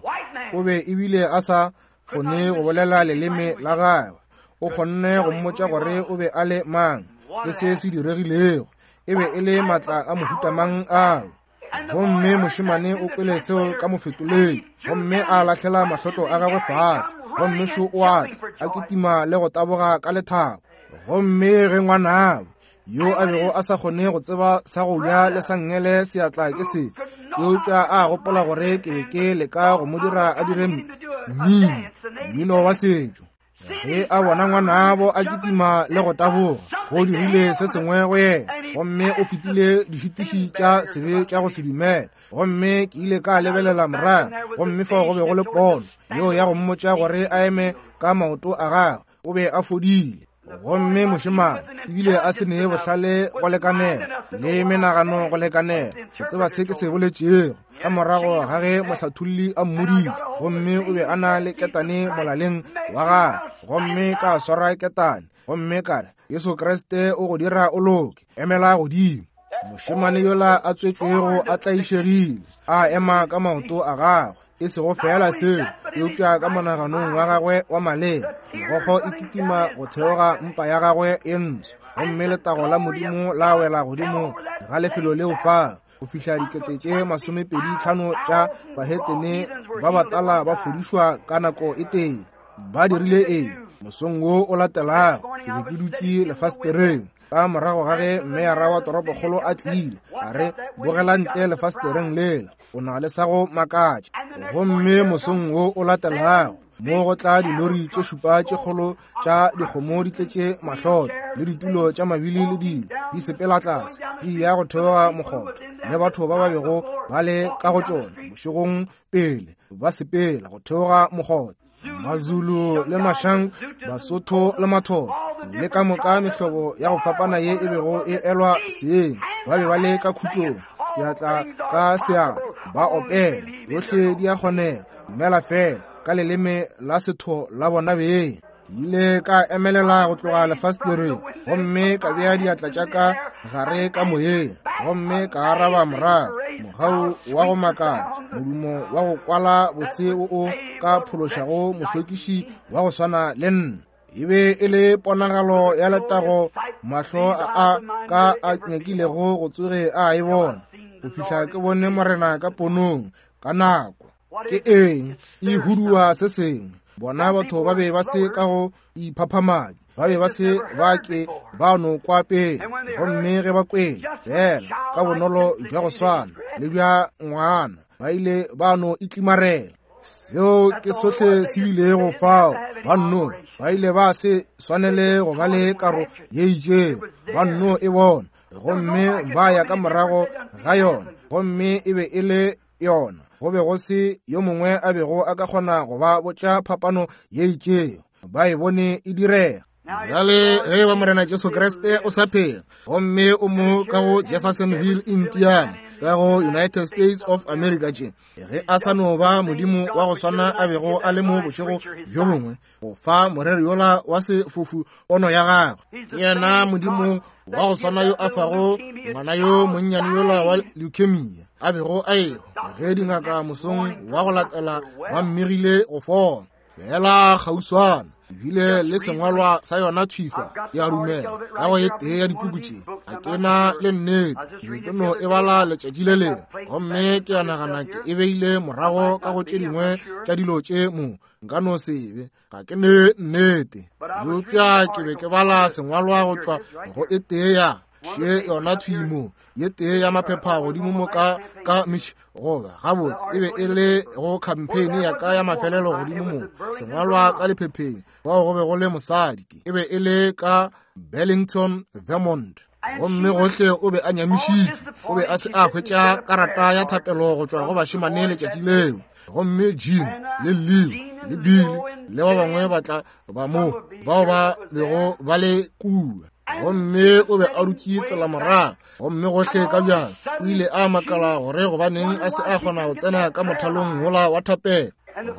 o be ebile a sa kgone go bolela leleme la gagwe, o kgonne go mmotša gore o be a le mang le se se diregilego, e be e le matla a mohuta mang ao. Gomme mošemane o kwele seo ka mofetoledi, gomme a lahlela mahlotlo a gagwe fase, gomme šo o a tla a kitima le go taboga ka lethabo. Gomme ge ngwanabo yo a bego a sa kgone go tseba sa go ja le sa nngele seatla ke sefe, eupša a gopola gore ke be ke leka go mo dira a dire mmino wa setšo, ge a bona ngwanabo a kitima le go taboga, go dirile se sengwe go yena, gomme o fetile dišitiši tša sebe tša go se dumela. Gomme ke ile ka lebelela morago, gomme fao go be go le pono yeo ya go mmotša gore a eme ka maoto a gagwe, o be a fodile. Gomme mošemane ebile a se nee bohlale go lekanela le menagano go lekanela go tseba se ke se boletšego, ka morago ga ge mohlatholli a mmoditše, gomme o be a na le ketane molaleng wa gagwe, gomme ka swara ketane, gomme ka re, Jesu Kriste o go dira o loke, emela godimo. Mošemane yola a tswetšwego a tlaišegile, a ema ka maoto a gagwe, e sego fela seo, eupša ka monaganong wa gagwe wa maleba, megokgo e kitima go theoga mpa ya gagwe e ntsho, gomme letago la Modimo la wela godimo ga lefelo leo fa, go fihla 25,000 tša bahetene ba batala ba fodišwa ka nako e tee. Ba dirile eng? Mosong wo o latelago, ke be ke dutše lefastereng, ka morago ga ge meyara wa toropokgolo a tlile, a re, bogela ntle lefastereng lela, o na le sa go makatša. Gomme mosong wo o latelago, mo go tla dilori tše šupa tše kgolo tša dikgomo di tletše mahlotlo le ditulo tša mabili le dilo di sepela tlase di ya go theoga mokgotho, le batho ba ba bego ba le ka go tšona bošegong pele ba sepela go theoga mokgotho, Mazulu le Mashang, Basotho le Mathosa, le ka moka mehlobo ya go fapana ye e bego e elwa seeng, ba be ba le ka khutšong, seatla ka seatla, ba opela, yohle di a kgonega, dumela fela, ka leleme la setho la bona beng. Ke ile ka emelela go tloga lefastereng, gomme ka bea diatla tša ka gare ka moyeng, gomme ka araba morago, mogau wa go makatša, modumo wa go kwala bose wo o ka phološago mošokiši wa go swana le nna. E be e le ponagalo ya letago mahlo a ka a nyakilego go tsoge a e bona, go fihla ke bone Morena ka ponong ka nako. Ke eng e hudua se sengwe? Bona batho ba be ba se ka go iphaphamadi, ba be ba se ba ke ba no kwa pele, gomme ge ba kwele fela ka bonolo bja go swana le bja ngwana, ba ile ba no itlimarela. Seo ke sohle se bilego fao. Ba nno ba ile ba se swanele go ba le karo ye itšego, ba nno e bona, gomme ba ya ka morago ga yona, gomme e be e le yona. Go be go se yo mongwe a bego a ka kgona go ba botša phapano ye itšego, ba e bone e direga. Bjale ge ba Morena Jesu Kriste o sa phela, gomme o mo ka go Jeffersonville, Indiana, ka go United States of America tše, ge a sa no ba Modimo wa go swana a bego a le mo bošego bjo bongwe, go fa moreri yola wa sefofu pono ya gagwe, ke yena Modimo wa go swana yo a fago ngwana yo monnyane yola wa leukemia a bego a ehwa, ge dingaka mosong wa go latela ba mmegile go fola. Feela kgauswana ebile le sengwalwa sa yona thwifa, ke a dumela, ka go e tee ya dipuku tše. Ga ke na le nnete, ke be ke no e bala letšatši le lengwe, gomme ke a nagana ke e beile morago ka go tše dingwe tša dilo tše mo, nka no se be, ga ke ne nnete. Eupša ke be ke bala sengwalwa go tšwa go e tee ya še yona thwi mo, ye tee ya maphepha godimo mo ka, ka Mich, goba gabotse e be e le go khampeine ya ka ya mafelelo godimo mo, sengwalwa ka lephepheng, fao go be go le mosadi, ke e be e le ka Burlington, Vermont. Gomme gohle o be a nyamišitšwe, o be a se a hwetša karata ya thapelo go tšwa go bašemane letšatši leo. Gomme Jean le Leo le Billy le ba bangwe ba tla ba mo bao ba bego ba le kua. Gomme o be a dutše tsela morago, gomme gohle ka bjang o ile a makala gore gobaneng a se a kgona go tsena ka mothalong wola wa thapelo.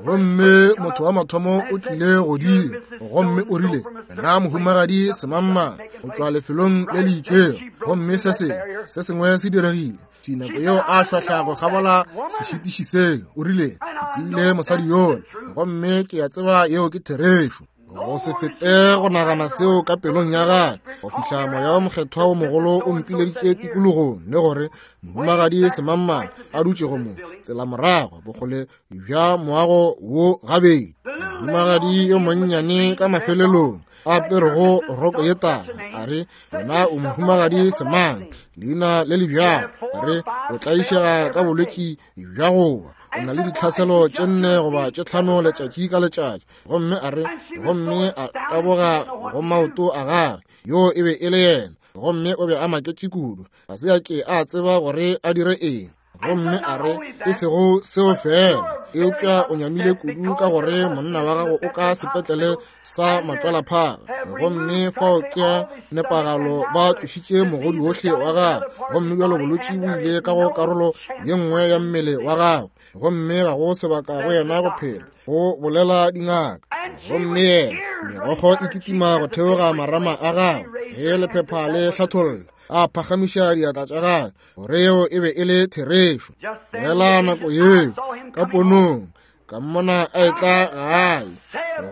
Gomme motho wa mathomo o tlile godimo gomme o rile, Nna mohumagadi semangmang go tšwa lefelong le le itšego, gomme se sengwe se sengwe se diregile. Thwi nako yeo a šwahla go kgabola sešitiši seo, o rile, Ke tsebile mosadi yola, gomme ke a tseba yeo ke therešo. Go se fete go nagana seo ka pelong ya gagwe go fihla Moya wo Mokgethwa wo mogolo o mpileditše tikologong, le gore mohumagadi semangmang a dutšego mo tsela morago bokgole bja moago wo gabedi, mohumagadi yo monnyane ka mafelelong a aperego roko ye tala, a re, Wena o mohumagadi semang, leina le le bjalo, a re, o tlaišega ka bolwetši bja go wa, o na le ditlhaselo tše 4 goba tše 5 letšatši ka letšatši. Gomme a re, gomme a taboga go maoto a gagwe, yoo e be e le yena. Gomme o be a maketše kudu, ga se a ke a tseba gore a dire eng. Gomme a re, e sego seo fela, eupša o nyamile kudu ka gore monna wa gago o ka sepetlele sa matšwalaphaga, gomme fao ke ya nepagalo ba tlošitše mogodi wohle wa gagwe, gomme bjalo bolwetši bo ile ka go karolo ye nngwe ya mmele wa gagwe, gomme ga go sebaka go yena go phela, go bolela dingaka. Gomme yena, megokgo e kitima go theoga marama a gagwe ge lephepha le hlatholla, a phagamiša diatla tša gagwe gore yeo e be e le therešo. Fela nako yeo ka ponong ka mmona a etla gae,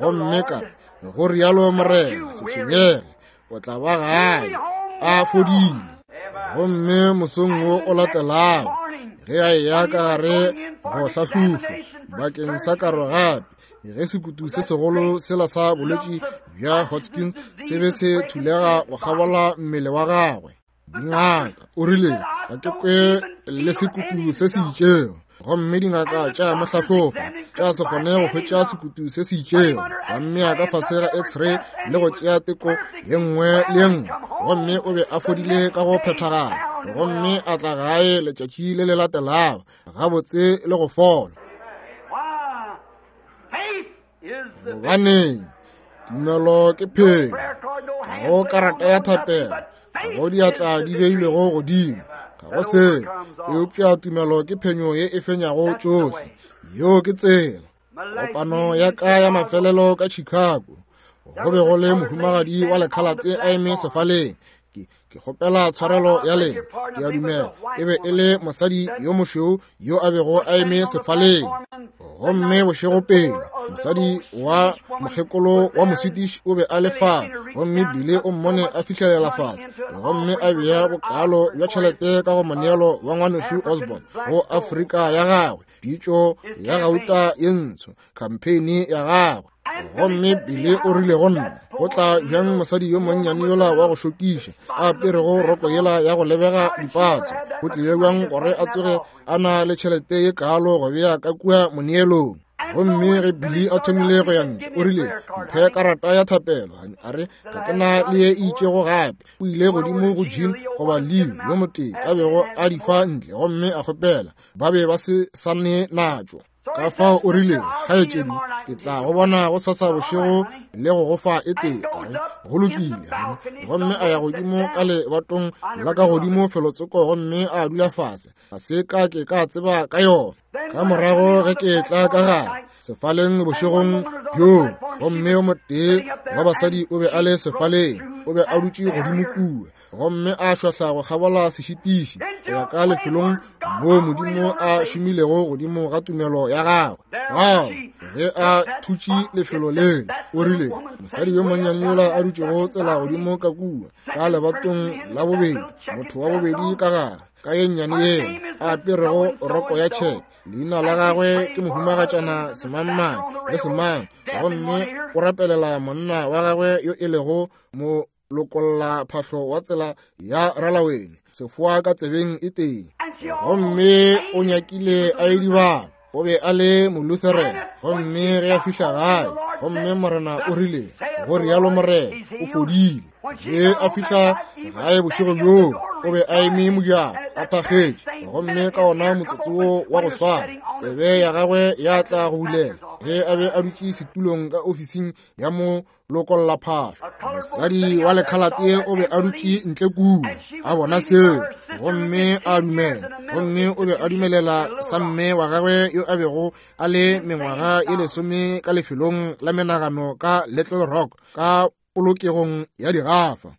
gomme ka re, go rialo Morena, se tshwenyege, o tla ba gae a fodile. Gomme mosong wo o latelago ge a eya ka gare go hlahlofa bakeng sa karo gape, ge sekutu se segolo sela sa bolwetši bja Hodgkins se be se thulega go kgabola mmele wa gagwe, dingaka o rile, ga ke kwe le sekutu se se itšego. Gomme dingaka tša mo hlahlofa, tša se kgone go hwetša sekutu se se itšego, ba mmea ka fase ga x-ray le go tšea teko ye nngwe le ye nngwe, gomme o be a fodile ka go phethagala. Gomme a tla gae letšatši le le latelago gabotse le go fola. Gobaneng? Tumelo ke phelo. Ga go karata ya thapelo, ga go diatla di beilwego godimo, ga go selo, eupša tumelo ke phenyo ye e fenyago tšohle. Yeo ke tsela. Kopano ya ka ya mafelelo ka Chicago, go be go le mohumagadi wa lekhalate a eme sefaleng. Ke kgopela tshwarelo ya lena, ke a dumela e be e le mosadi yo mošweu yo a bego a eme sefaleng. Gomme bošego pele, mosadi wa mokgekolo wa Moswedish o be a le fa, gomme Billy o mmone a fihlelela fase, gomme a bea bokalo bja tšhelete ka go moneelo wa ngwanešu Osborn go Afrika ya gagwe, pitšo ya gauta ye ntsho, khampeine ya gagwe. Gomme Billy o rile go nna, go tla bjang mosadi yo monnyane yola wa go šokiša a aperego roko yela ya go lebega dipatso, go tlile bjang gore a tsoge a na le tšhelete ye kaalo go bea ka kua moneelong? Gomme ge Billy a thomile go ya ntle, o rile, mphe karata ya thapelo. A re, ga ke na le ye e itšego gape. O ile godimo go Jean goba Leo yo motee a bego a di fa ntle, gomme a kgopela, ba be ba se sa ne natšo. Ka fao o rile, kgaetšedi, ke tla go bona go sasa bošego le go go fa e tee. A re, go lokile. Gomme a ya godimo ka lebatong la ka godimo felotsoko gomme a dula fase. Ga se ka ke ka tseba ka yona. Ka morago ge ke tla ka gare sefaleng bošegong bjoo, gomme yo motee wa basadi o be a le sefaleng. O be a dutše godimo kua gomme a šwahla go kgabola sešitiši go ya ka lefelong moo Modimo a šomilego godimo ga tumelo ya gagwe. Fao ge a thutše lefelo lele, o rile, mosadi yo monnyane yola a dutšego tsela godimo ka kua ka lebatong la bobedi, motho wa bobedi ka gare, ka ye nnyane yela a aperego roko ya tšheke, leina la gagwe ke mohumagatšana semangmang le semang, gomme o rapelela monna wa gagwe yo e lego mo lokolla phahlo wa tsela ya ralawene, sefoa ka tsebeng e tee, gomme o nyakile a edibala. O be a le Molutheran, gomme ge a fihla gae, gomme Morena o rile, go rialo Morena, o fodile. Ge a fihla gae bošego bjoo, o be a eme mojako a thakgetše, gomme ka ona motsotso wo wa go swana tsebe ya gagwe ya tla go bulela ge a be a dutše setulong ka ofising ya mo lokolla phahlo. Mosadi wa lekhalate o be a dutše ntle kua a bona seo, gomme a dumela, gomme o be a dumelela sa mme wa gagwe yo a bego a le mengwaga e lesome ka lefelong la menagano ka Little Rock ka polokegong ya digafa.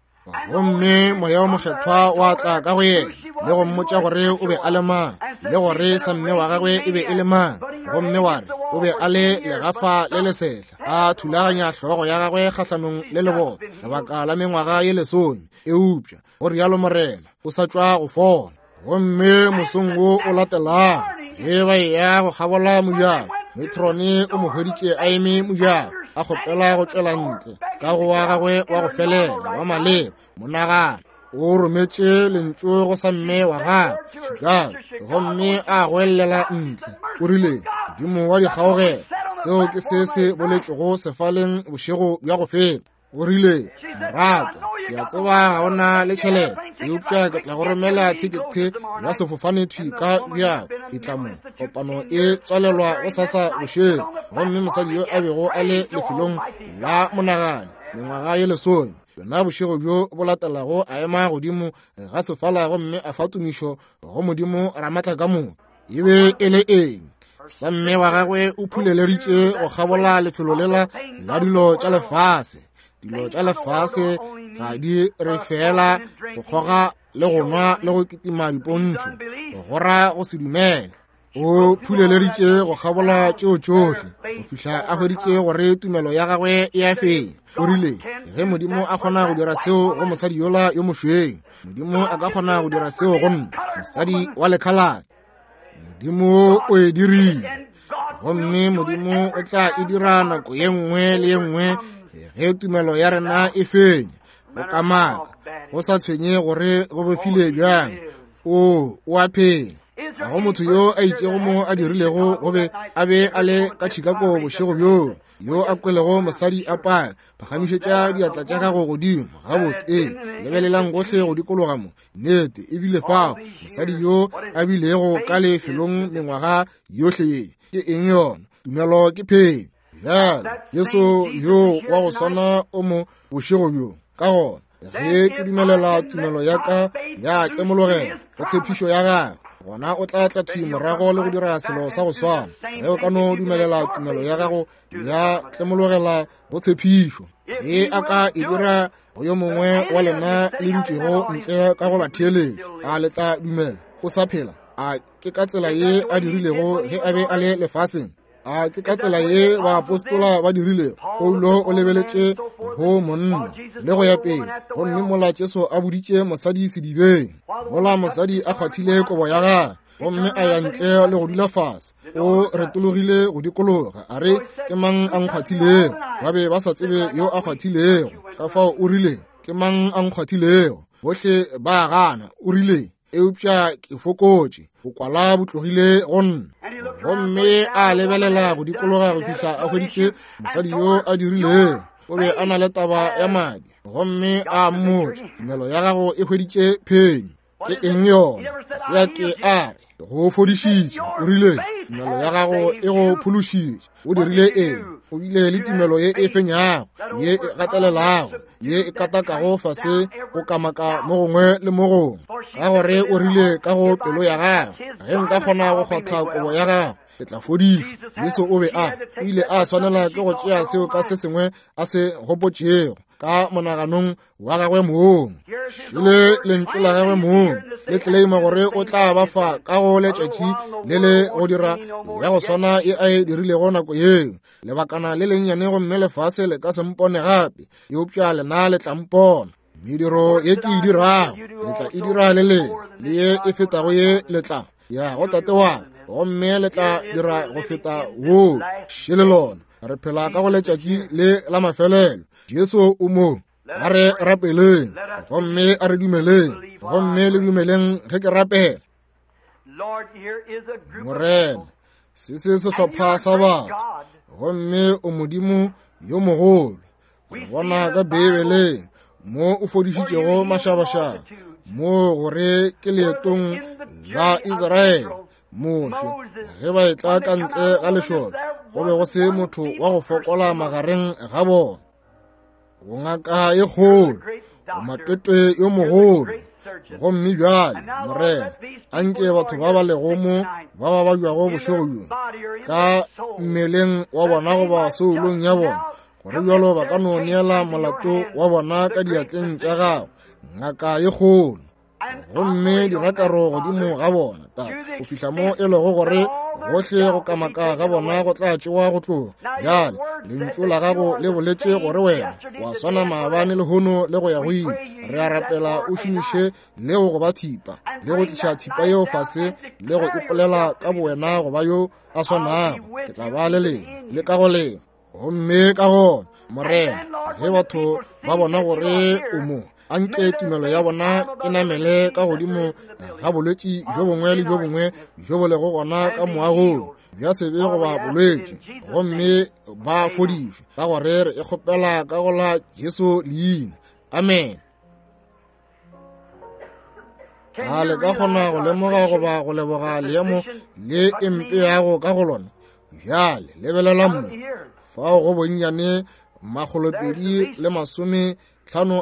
Gomme Moya wo Mokgethwa wa tla ka go yena le go mmotša gore o be a le mang, le gore sa mme wa gagwe e be e le mang, gomme wa re o be a le legafa le lesehla, a thulaganya hlogo ya gagwe kgahlanong le leboto lebaka la mengwaga ye lesome, eupša go rialo Morena, o sa tšwa go fola. Gomme mosong wo o latelago ge ba eya go kgabola mojako, Metrone o mo hweditše a eme mojako, a kgopela go tšwela ntle ka go wa gagwe wa go felela wa maleba monagano. O rometše lentšu go sa mme wa gagwe Chicago, gomme a goellela ntle, o rile, Modimo wa dikgaogelo, seo ke se se boletšwego sefaleng bošego bja go feta. O rile, Moratwa, ke a tseba ga o na le tšhelete, eupša ke tla go romela thekethe ya sefofane thwi ka bjako. E tla mo, kopano e tswalelwa go sasa bošego. Gomme mosadi yo a bego a le lefelong la monagano mengwaga ye lesome, yona bošego bjo bo latelago a ema godimo ga sefala gomme a fa tumišo go Modimo Ramatla ka moka. E be e le eng? Sa mme wa gagwe o phuleleditše go kgabola lefelo lela la dilo tša lefase. Dilo tša lefase ga di re fela go kgoga le go nwa le go kitima dipontšho, go ra go se dumele. O phuleleditše go kgabola tšeo tšohle go fihla a hweditše gore tumelo ya gagwe e a fenya. O rile, ge Modimo a kgona go dira seo go mosadi yola yo mošweu, Modimo a ka kgona go dira seo go nna, mosadi wa lekhalate. Modimo o e dirile, gomme Modimo o tla e dira nako ye nngwe le ye nngwe ge tumelo ya rena e fenya. Go kamaka, go sa tshwenye gore go befile bjang, o a phela. Ga go motho yo a itšego mo a dirilego go be a be a le ka Chicago bošego bjoo, yo a kwelego mosadi a paya, phagamišetša diatla tša gago godimo gabotse. Ee, lebelelang gohle go dikologa mo, nnete e bile fao mosadi yo a bilego ka lefelong mengwaga yohle ye. Ke eng yona? Tumelo ke phenyo. Bjale Jesu yo wa go swana o mo bošego bjo. Ka gona ge ke dumelela tumelo ya ka ya tlemologela go tshepišo ya gagwe, gona o tla tla thwi morago le go dira selo sa go swana. Ge o ka no dumelela tumelo ya gago ya tlemologela go tshepišo, ge a ka e dira go yo mongwe wa lena le dutšego ntle ka go ba theeletša, a le tla dumela o sa phela? A ke ka tsela ye a dirilego ge a be a le lefaseng? A ke ka tsela ye baapostola ba dirilego? Paulo o lebeletše go monna le go ya pele, gomme mola Jesu a boditše mosadi sedibeng, mola mosadi a kgwathile kobo ya gagwe gomme a ya ntle le go dula fase, o retologile go dikologa a re, ke mang a nkgwathilego? Ba be ba sa tsebe yo a kgwathilego, ka fao o rile, ke mang a nkgwathilego? Bohle ba gana. O rile, eupša ke fokotše, bokwala bo tlogile go nna. Gomme a lebelela go dikologa go fihla a hweditše mosadi yo a dirilego. O be a na le taba ya madi, gomme a mmotša, tumelo ya gago e hweditše phenyo. Ke eng yona? Se a ke a re go fodišitše. O rile, tumelo ya gago e go phološitše. O dirile eng? O bile le tumelo ye e fenyago, ye e gatelelago, ye e katakago fase go kamaka mo gongwe le mo gongwe, ka gore o rile ka go pelo ya gagwe, ge nka kgona go kgwatha kobo ya gagwe, ke tla fodišwa. Jesu o be a, o ile a swanela ke go tšea seo ka se sengwe a se gopotšego. ka monaganong wa gagwe mong. Šele lentšu la gagwe mong le tleleima gore o tla ba fa ka go letšatši le le go dira ya go swana e a e dirilego nako yeo. Lebakana le lennyane gomme lefase le ka se mpone gape, eupša lena le tla mpona. Mediro ye ke e dirago le tla e dira le lena, le ye e fetago ye le tla ya go Tate wa ka, gomme le tla dira go feta woo. Šele lona, re phela ka go letšatši le la mafelelo. Jesu o mo. A re rapeleng gomme a re dumeleng, gomme le dumeleng ge ke rapela. Morena, se se sehlopha sa batho, gomme o Modimo yo mogolo. Re bona ka Beibeleng mo o fodišitšego mašabašaba, mo gore ke leetong la Israele. Moshe, ge ba etla ka ntle ga lešole, go be go se motho wa go fokola magareng ga bona. O ngaka e kgolo, o matwetwe yo mogolo. Gomme bjale, Morena, anke batho ba ba lego mo ba ba babjago bošego bjo, ka mmeleng wa bona goba soulong ya bona, gore bjalo ba ka no neela molato wa bona ka diatleng tša gago, ngaka e kgolo. Gomme dirakaro godimo ga bona, Tate, go fihla mo e lego gore gohle go kamaka ga bona go tla tšewa go tloga. Bjale lentšu la gago le boletše gore wena wa swana maabane lehono le go ya go ile. Re a rapela o šomiše leo go ba thipa, le go tliša thipa yeo fase le go ipolela ka bowena go ba yo a swanago. Ke tla ba le lena le ka go lena. Gomme ka gona, Morena, ge batho ba bona gore o mo, anke tumelo ya bona e namele ka godimo ga bolwetši bjo bongwe le bjo bongwe bjo bo lego gona ka moagong, bja sebe goba bolwetši, gomme ba fodišwe, ka gore re e kgopela ka go la Jesu leina. Amen. A le ka kgona go lemoga goba go leboga leemo le e mpeago ka go lona? Bjale lebelela mo, fao go bonnyane 250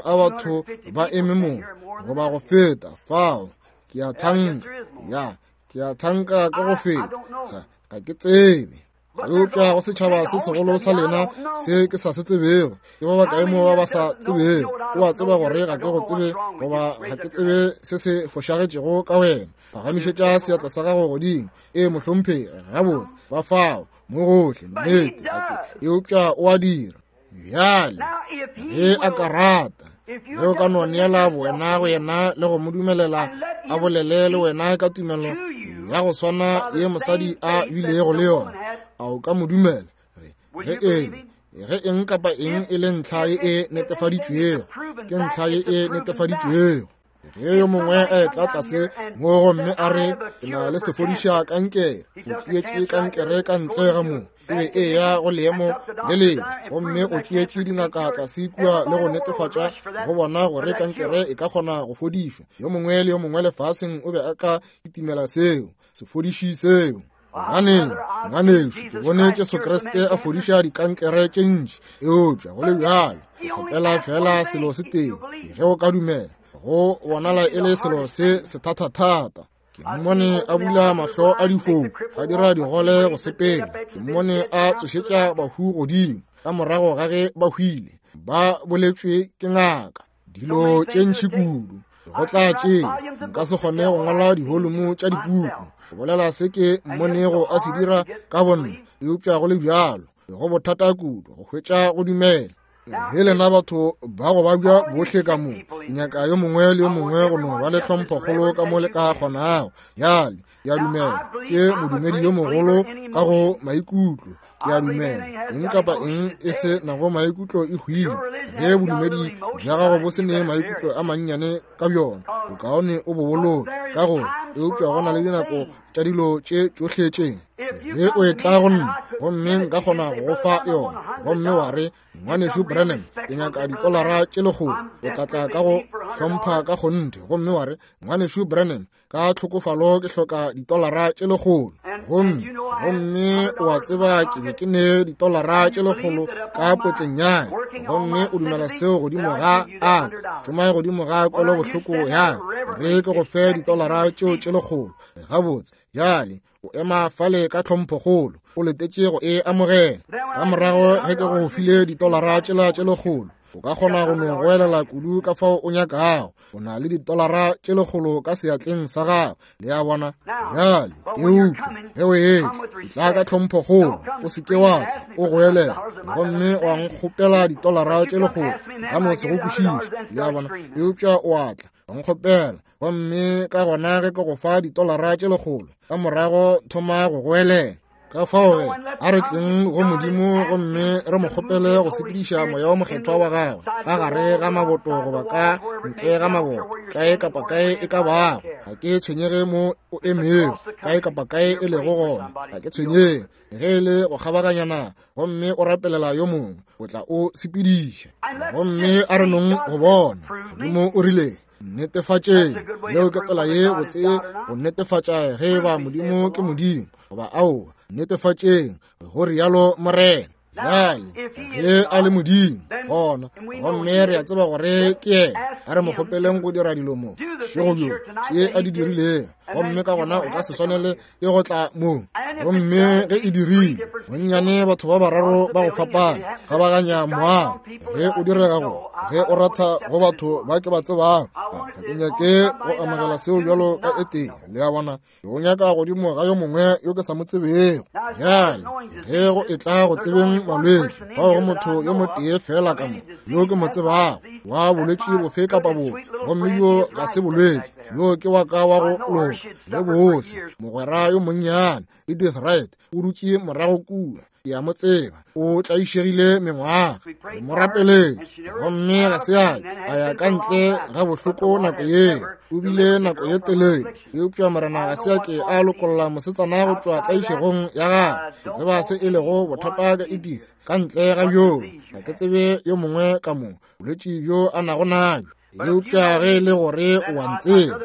a batho ba eme mo, goba go feta fao. Ke a thanka, ya, ke a thanka ka go feta, ga ke tsebe. Eupša go setšhaba se segolo sa lena se ke sa se tsebego, ke ba bakae mo ba ba sa tsebego? O a tseba gore ga ke go tsebe, goba ga ke tsebe se se fošagetšego ka wena. Phagamišetša seatla sa gago godimo. Ee, mohlomphegi, gabotse, ba fao mo gohle, nnete. Eupša o a dira. Bjale, ge a ka rata, ge o ka no neela bowena go yena le go mo dumelela a bolele le wena ka tumelo ya go swana ye mosadi a bilego le yona, a o ka mo dumela? Ge ge eng kapa eng e le ntlha ye e netefaditšwego, ke ntlha ye e netefaditšwego. Ge yo mongwe a etla tlase mo gomme a re, ke na le sefodiša kankere, o tšeetše kankere ka ntle ga mo, e be e ya go leemo le lengwe, gomme o tšeetše dingaka tlase kua le go netefatša go bona gore kankere e ka kgona go fodišwa. Yo mongwe le yo mongwe lefaseng o be a ka kitimela seo, sefodiši seo. Gobaneng, ngwanešu, ke bone Jesu Kriste a fodiša dikankere tše ntši, eupša go le bjalo ke kgopela fela selo se tee, ge o ka dumela. Go bonala e le selo se sethathathata. Ke mmone a bula mahlo a difofu, a dira digole go sepela. Ke mmone a tsošetša bahu godimo ka morago ga ge ba hwile, ba boletšwe ke ngaka. Dilo tše ntši kudu go tla tše nka se kgone go ngwala divolumo tša dipuku go bolela se ke mmonego a se dira ka bonna, eupša go le bjalo go bothata kudu go hwetša go dumela. Ge lena batho ba go babja bohle ka mo, nyaka yo mongwe le yo mongwe go no ba le tlhomphokgolo ka mo le ka kgonago. Bjale ke a dumela ke modumedi yo mogolo ka go maikutlo. Ke a dumela eng kapa eng e se nago maikutlo e hwile. Ge bodumedi bja gago bo se ne maikutlo a mannyane ka bjona, bokaone o bo boloke ka gore, eupša go na le dinako tša dilo tše tšohle tše. Ge o etla go nna gomme nka kgona go go fa yona, gomme wa re, Ngwanešu Branham, ke nyaka ditolara tše 100, o tla tla ka go hlompha ka kgonthe, gomme wa re, Ngwanešu Branham, ka tlhokofalo ke hloka ditolara tše 100, gomme o a tseba ke be ke ne ditolara tše 100 ka potleng ya ka, gomme o dumela seo godimo ga a šoma godimo ga kwelobohloko ya re ke go fe ditolara tšeo tše 100. Gabotse, bjale o ema fale ka tlhomphokgolo, o letetše go e amogela. Ka morago ge ke go file ditolara tšela tše 100, O ka kgona go no goelela kudu ka fao o nyakago. O na le ditolara tše 100 ka seatleng sa gago. Le a bona? Bjale, eupša ge o etla, etla ka tlhomphokgolo. O se ke wa tla o goelela gomme wa nkgopela ditolara tše 100. Nka no se go kwešiše. Le a bona? Eupša o a tla wa nkgopela, gomme ka gona ge ke go fa ditolara tše 100, ka morago thoma go goelela. Ka fao ge, a re tleng go Modimo gomme re mo kgopele go sepediša Moya wo Mokgethwa wa gagwe ka gare ga maboto goba ka ntle ga maboto, kae kapa kae e ka bago. Ga ke tshwenyege mo o emego, kae kapa kae e lego gona, ga ke tshwenyege ge e le go kgabaganya naga gomme o rapelela yo mongwe, o tla o sepediša. Gomme a re nong go bona Modimo o rile, netefatšeng. Yeo ke tsela ye botse go netefatša ge eba Modimo ke Modimo goba aowa. Netefatšeng, go rialo Morena. Bjale ge a le Modimo gona, gomme re a tseba gore ke yena, a re mo kgopeleng go dira dilo mo bošego bjo tše a di dirilego, gomme ka gona o ka se swanele ke go tla mo. Gomme ge e dirile bonnyane batho ba bararo ba go fapana kgabaganya moago, ge o direga go ge o ratha go batho ba ke ba tsebago, ga ke nyake go amogela seo bjalo ka e tee. Le a bona, o nyaka godimo ga yo mongwe yo ke sa mo tsebego. Bjale ge go etla go tsebeng malwetši, fao go motho yo motee fela ka mo yo ke mo tsebago wa bolwetši bofe kapa bofe, gomme yo ga se bolwetši, yo ke wa ka wa go loka le bose, mogwera yo monnyane Edith Wright o dutše morago kua. Ke a mo tseba, o tlaišegile mengwaga, re mo rapeletše, gomme ga se a a ya ka ntle ga bohloko nako yeo. O bile nako ye telele, eupša Morena ga se a ke a lokolla mosetsana go tšwa tlaišegong ya gagwe. Ke tseba se e lego bothata ka Edith, ka ntle ga bjoo ga ke tsebe yo mongwe ka mo bolwetši bjo a nago nabjo. Eupša ge e le gore o a ntseba,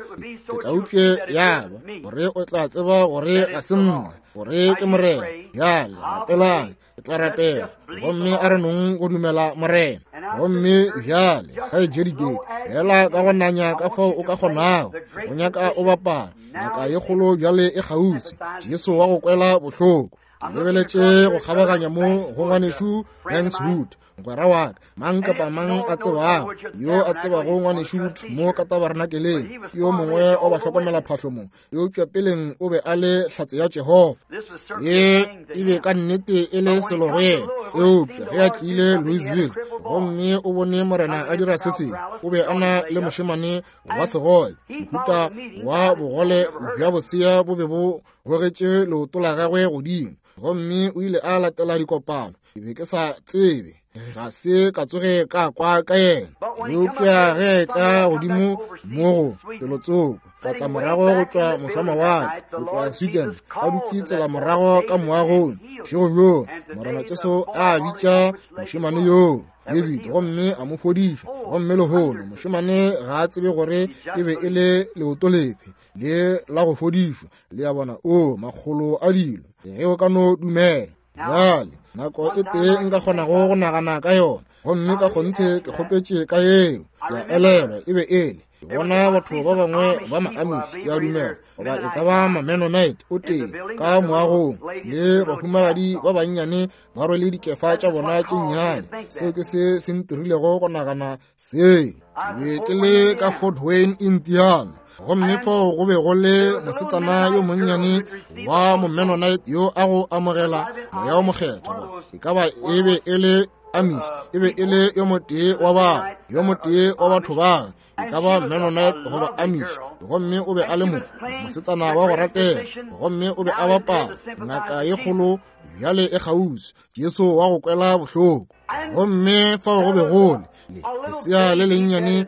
ke tla upše ya ba gore o tla tseba gore ga se nna, gore ke Morena. Bjale rapelang, ke tla rapela, gomme a re nong go dumela Morena. Gomme bjale kgaetšedi Gate, fela ka go nanya ka fao o ka kgonago, o nyaka o bapala ngaka ye kgolo bjale e kgauswi, Jesu wa go kwela bohloko. Ke lebeletše go kgabaganya mo go ngwanešu Banks Wood, mogwera wa ka, mang kapa mang a tsebago, yo a tsebago ngwanešu Wood mo ka tabernakeleng, ke yo mongwe wa bahlokomela phahlo mo, eupša peleng o be a le hlatse ya Jehofa. Se e be ka nnete e le selo go yena, eupša ge a tlile Louisville gomme o bone Morena a dira se sengwe, o be a na le mošemane wa segole, mohuta wa bogole bja bosea bo be bo gogetše leoto la gagwe godimo, gomme o ile a latela dikopano. Ke be ke sa tsebe, ga se ka tsoge ka kwa ka yena, eupša ge a etla godimo mo go felotsoko, ka tla morago go tšwa mošwamawatle, go tšwa Sweden, a dutše tsela morago ka moagong bošego bjoo, Morena Jesu a bitša mošemane yoo David gomme a mo fodiša. Gomme lehono mošemane ga a tsebe gore e be e le leoto lefe le la go fodišwa. Le a bona? O makgolo a dilo ge o ka no dumela. Bjale nako e tee nka kgonago go nagana ka yona, gomme ka kgonthe ke kgopetše ka yeo, ke a elelwa e be e le ke bona batho ba bangwe ba ma-Amish, ke a dumela goba e ka ba ma-Mennonite o tee ka moagong, le bahumagadi ba bannyane ba rwele dikefa tša bona tše nnyane. Seo ke se se ntirilego go nagana seo. Ke be ke le ka Fort Wayne, Indiana, gomme fao go be go le mosetsana yo monnyane wa mo-Mennonite yo a go amogela Moya wo Mokgethwa. E ka ba e be e le Amish, e be e le yo motee wa bao, yo motee wa batho bao, e ka ba Mennonite goba Amish, gomme o be a le mo mosetsana wa go ratega, gomme o be a bapala ngaka ye kgolo bjale e kgauswi, Jesu wa go kwela bohloko. Gomme fao go be go le lesea le lennyane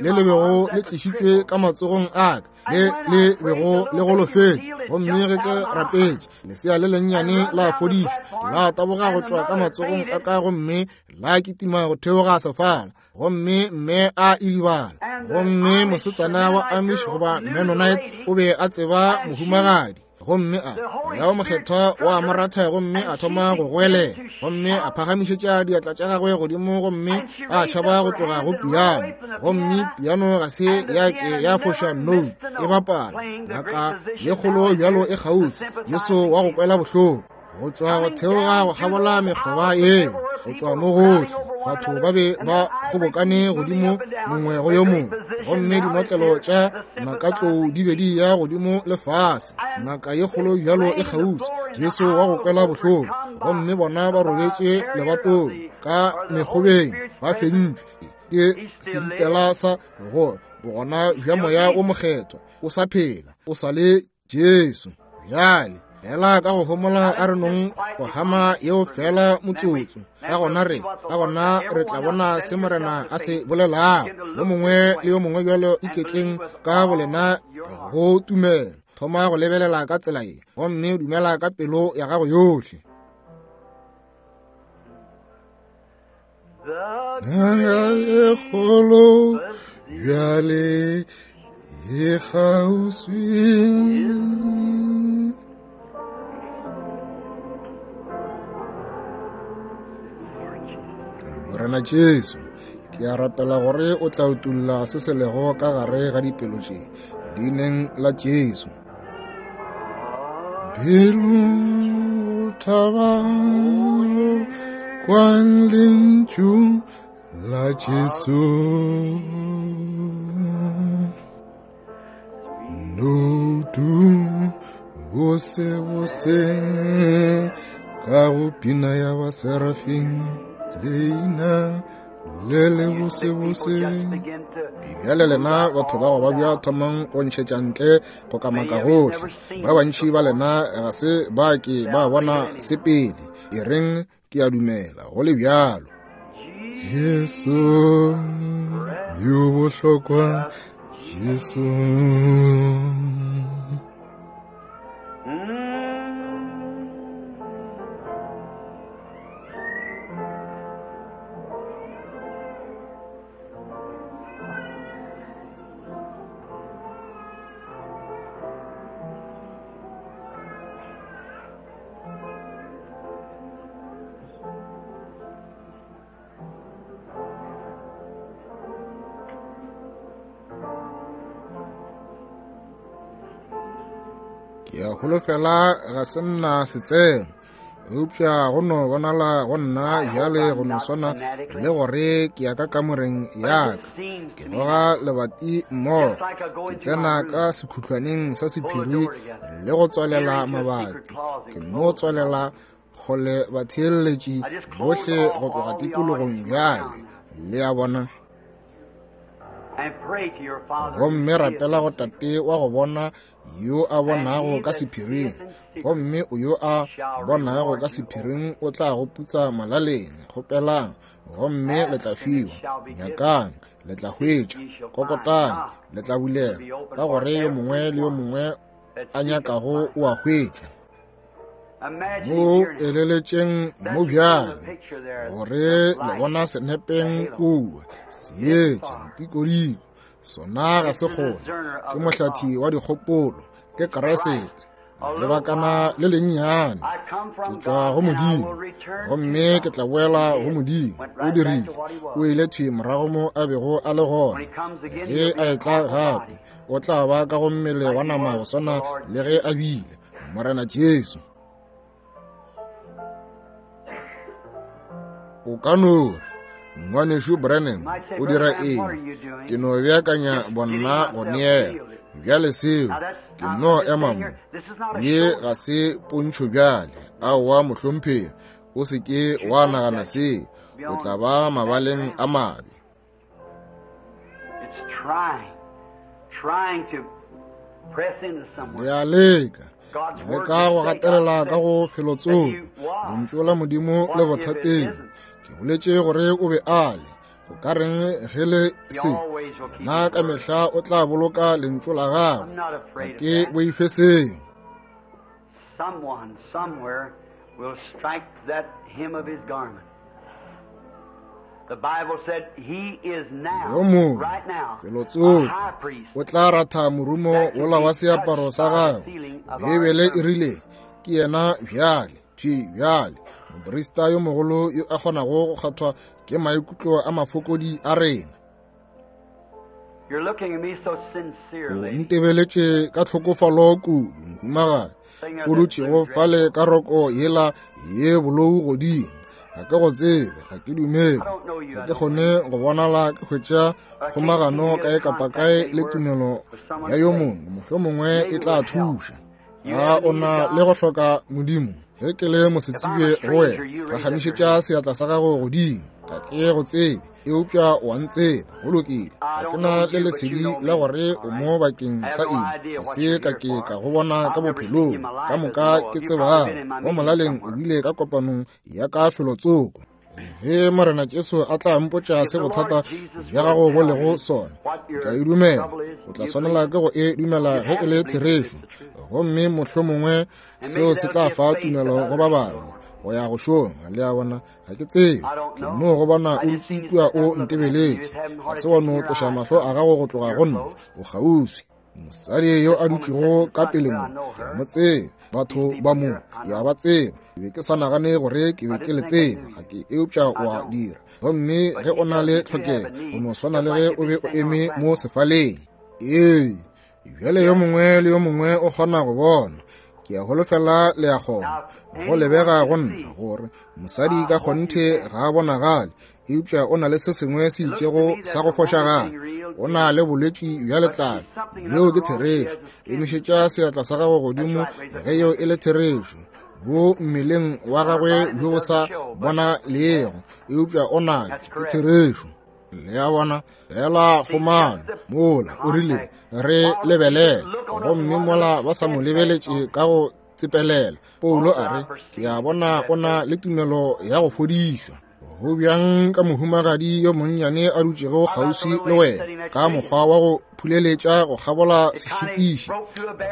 le le bego le tlišitšwe ka matsogong a ka, le le bego le golofetše. Gomme ge ke rapetše, lesea le lennyane la fodišwa, la taboga go tšwa ka matsogong a ka gomme la kitima go theoga sefala, gomme mme a idibala. Gomme mosetsana wa Amish goba Mennonite o be a tseba mohumagadi, gomme a Moya wo Mokgethwa wa mo ratha, gomme a thoma go goelela, gomme a phagamišetša diatla tša gagwe godimo, gomme a tšhaba go tloga go piano, gomme piano ga se ya ke ya foša note e bapala. Ngaka ye kgolo bjalo e kgautsi, Jesu wa go kwela bohloko, go tšwa go theoga go kgabola mekgoba yeo, go tšwa mo gohle. Batho ba be ba kgobokane godimo mongwe go yo mongwe, gomme dinotlelo tša nakatlou di be di ya godimo le fase. Ngaka ye kgolo bjalo e kgauswi, Jesu wa go kwela bohloko, gomme bona ba robetše lebatong ka mekgobeng, ba fentšwe ke seditela sa go bogona bja Moya o Mokgethwa. O sa phela, o sa le Jesu. Bjale fela ka go homola a re nong go hama yeo fela motsotso, ka gona re ka gona re tla bona se Morena a se bolelago. Yo mongwe le yo mongwe bjalo iketleng ka bolena go tumelo, thoma go lebelela ka tsela ye gomme dumela ka pelo ya gago yohle. E kgolo bjale e kgauswi. Morena Jesu, ke a rapela gore o tla utulla se se lego ka gare ga dipelo tše, leineng la Jesu. Pelo thabang kwang lentšu la Jesu. Notu bose bose ka go pina ya ba serafing, leina le le bose bose. Bjale lena batho ba go babja thomang go ntšhetša ntle go kamaka gohle. Ba bantši ba lena ga se ba ke ba bona se pele. E reng ke a dumela go le bjalo. Jesu yo bohlokwa, Jesu. Ke a holofela ga se nna setseno, eupša go no bonala go nna bjale go no swana le gore ke ya ka kamoreng ya ka, ke goga lebati mmogo, ke tsena ka sekhutlwaneng sa sephiri le go tswalela mabati, ke no tswalela kgole batheeletši bohle go tloga tikologong bjale, le a bona. Gomme rapela go Tate wa go bona yo a bonago ka sephiring, gomme o yo a bonago ka sephiring o tla go putsa molaleng. Kgopelang gomme le tla fiwa, nyakang le tla hwetša, kokotang le tla bulela, ka gore yo mongwe le yo mongwe a nyakago o a hwetša. Mo eleletšeng mo bjale gore le bona senepeng kua seetša ntikodiko, sona ga se kgone, ke mohlathi wa dikgopolo, ke Kriste. Lebakana le lennyane, ke tšwa go Modimo gomme ke tla boela go Modimo. O dirile, o ile thwi morago mo a bego a le gona. Ge a etla gape o tla ba ka go mmele wa nama go swana le ge a bile Morena Jesu. O ka no re, Ngwanešu Branham, o dira eng? Ke no beakanya bonna go neela. Bjale seo, ke no ema mo. Ye ga se pontšho bjale. Aowa, mohlomphegi, o se ke wa nagana seo. O tla ba mabaleng a mabe. It's trying, trying to press into somewhere. Le a leka, God's le word ka go will say, gatelela God ka go said felotsoko. that he was. Lentšu la Modimo le What if it bothateng. isn't? Ke boletše gore o be a le. Go ka reng ge le He se? always will keep Yena his ka word. mehla o tla boloka lentšu la gagwe. I'm not Ga afraid of ke that. boife seo. Someone somewhere will strike that hem of his garment. The Bible said he is now, Yo mongwe, right now, a felotsoko, high priest o tla ratha morumo wola wa seaparo sa gagwe. Beibele e rile ke yena bjale, thwi bjale, moprista yo mogolo yo a kgonago go kgathwa ke maikutlo a mafokodi a rena. You're looking at me so O sincerely. ntebeletše ka tlhokofalo kudu, mohumagadi, o dutšego fale ka roko yela ye bolou godimo. Ga ke go tsebe, ga ke dumele. Ga ke kgone go bonala ke hwetša kgomagano kae kapa kae le tumelo ya yo mongwe, mohlomongwe e tla thuša. A o na le go hloka Modimo? Ge ke le mosetsebje go wena, phagamišetša seatla sa gago godimo. Ga ke go tsebe, eupša o a ntseba. Go lokile. Ga ke na le lesedi la gore o mo bakeng sa eng. Ga se ka ke ka go bona ka bophelong ka moka ke tsebago. Mo molaleng o bile ka kopanong ya ka felotsoko. Ge Morena Jesu a tla mpotša se bothata bja gago bo lego sona, o tla e dumela. O tla swanela ke go e dumela ge e le therešo, gomme mohlomongwe seo se tla fa tumelo go ba bangwe go ya go šoma. Le a bona, ga ke tsebe, ke no go bona o dutše kua o ntebeletše. Ga se wa no tloša mahlo a gago go tloga go nna, o kgauswi. Mosadi yo a dutšego ka pele mo, ke a mo tseba. Batho ba mo, ke a ba tseba. Ke be ke sa nagane gore ke be ke le tseba, ga ke, eupša o a dira. Gomme ge o na le tlhokego, o no swana le ge o be o eme mo sefaleng. Ee, bjale yo mongwe le yo mongwe o kgona go bona. Ke a holofela le a kgona. Go lebega go nna gore mosadi ka kgonthe ga a bonagale, eupša o na le se sengwe se itšego sa go fošagala. O na le bolwetši bja letlalo. Yeo ke therešo. Emišetša seatla sa gago godimo ge yeo e le therešo. Bo mmeleng wa gagwe bjo bo sa bonalego, eupša o na ke therešo. Le a bona, fela kgomano mola o rile re lebelele, gomme mola ba sa mo lebeletše ka go tsepelela, Paulo a re, ke a bona o na le tumelo ya go fodišwa. Go bjang ka mohumagadi yo monnyane a dutšego kgauswi le wena, ka mokgwa wa go phuleletša go kgabola sešitiši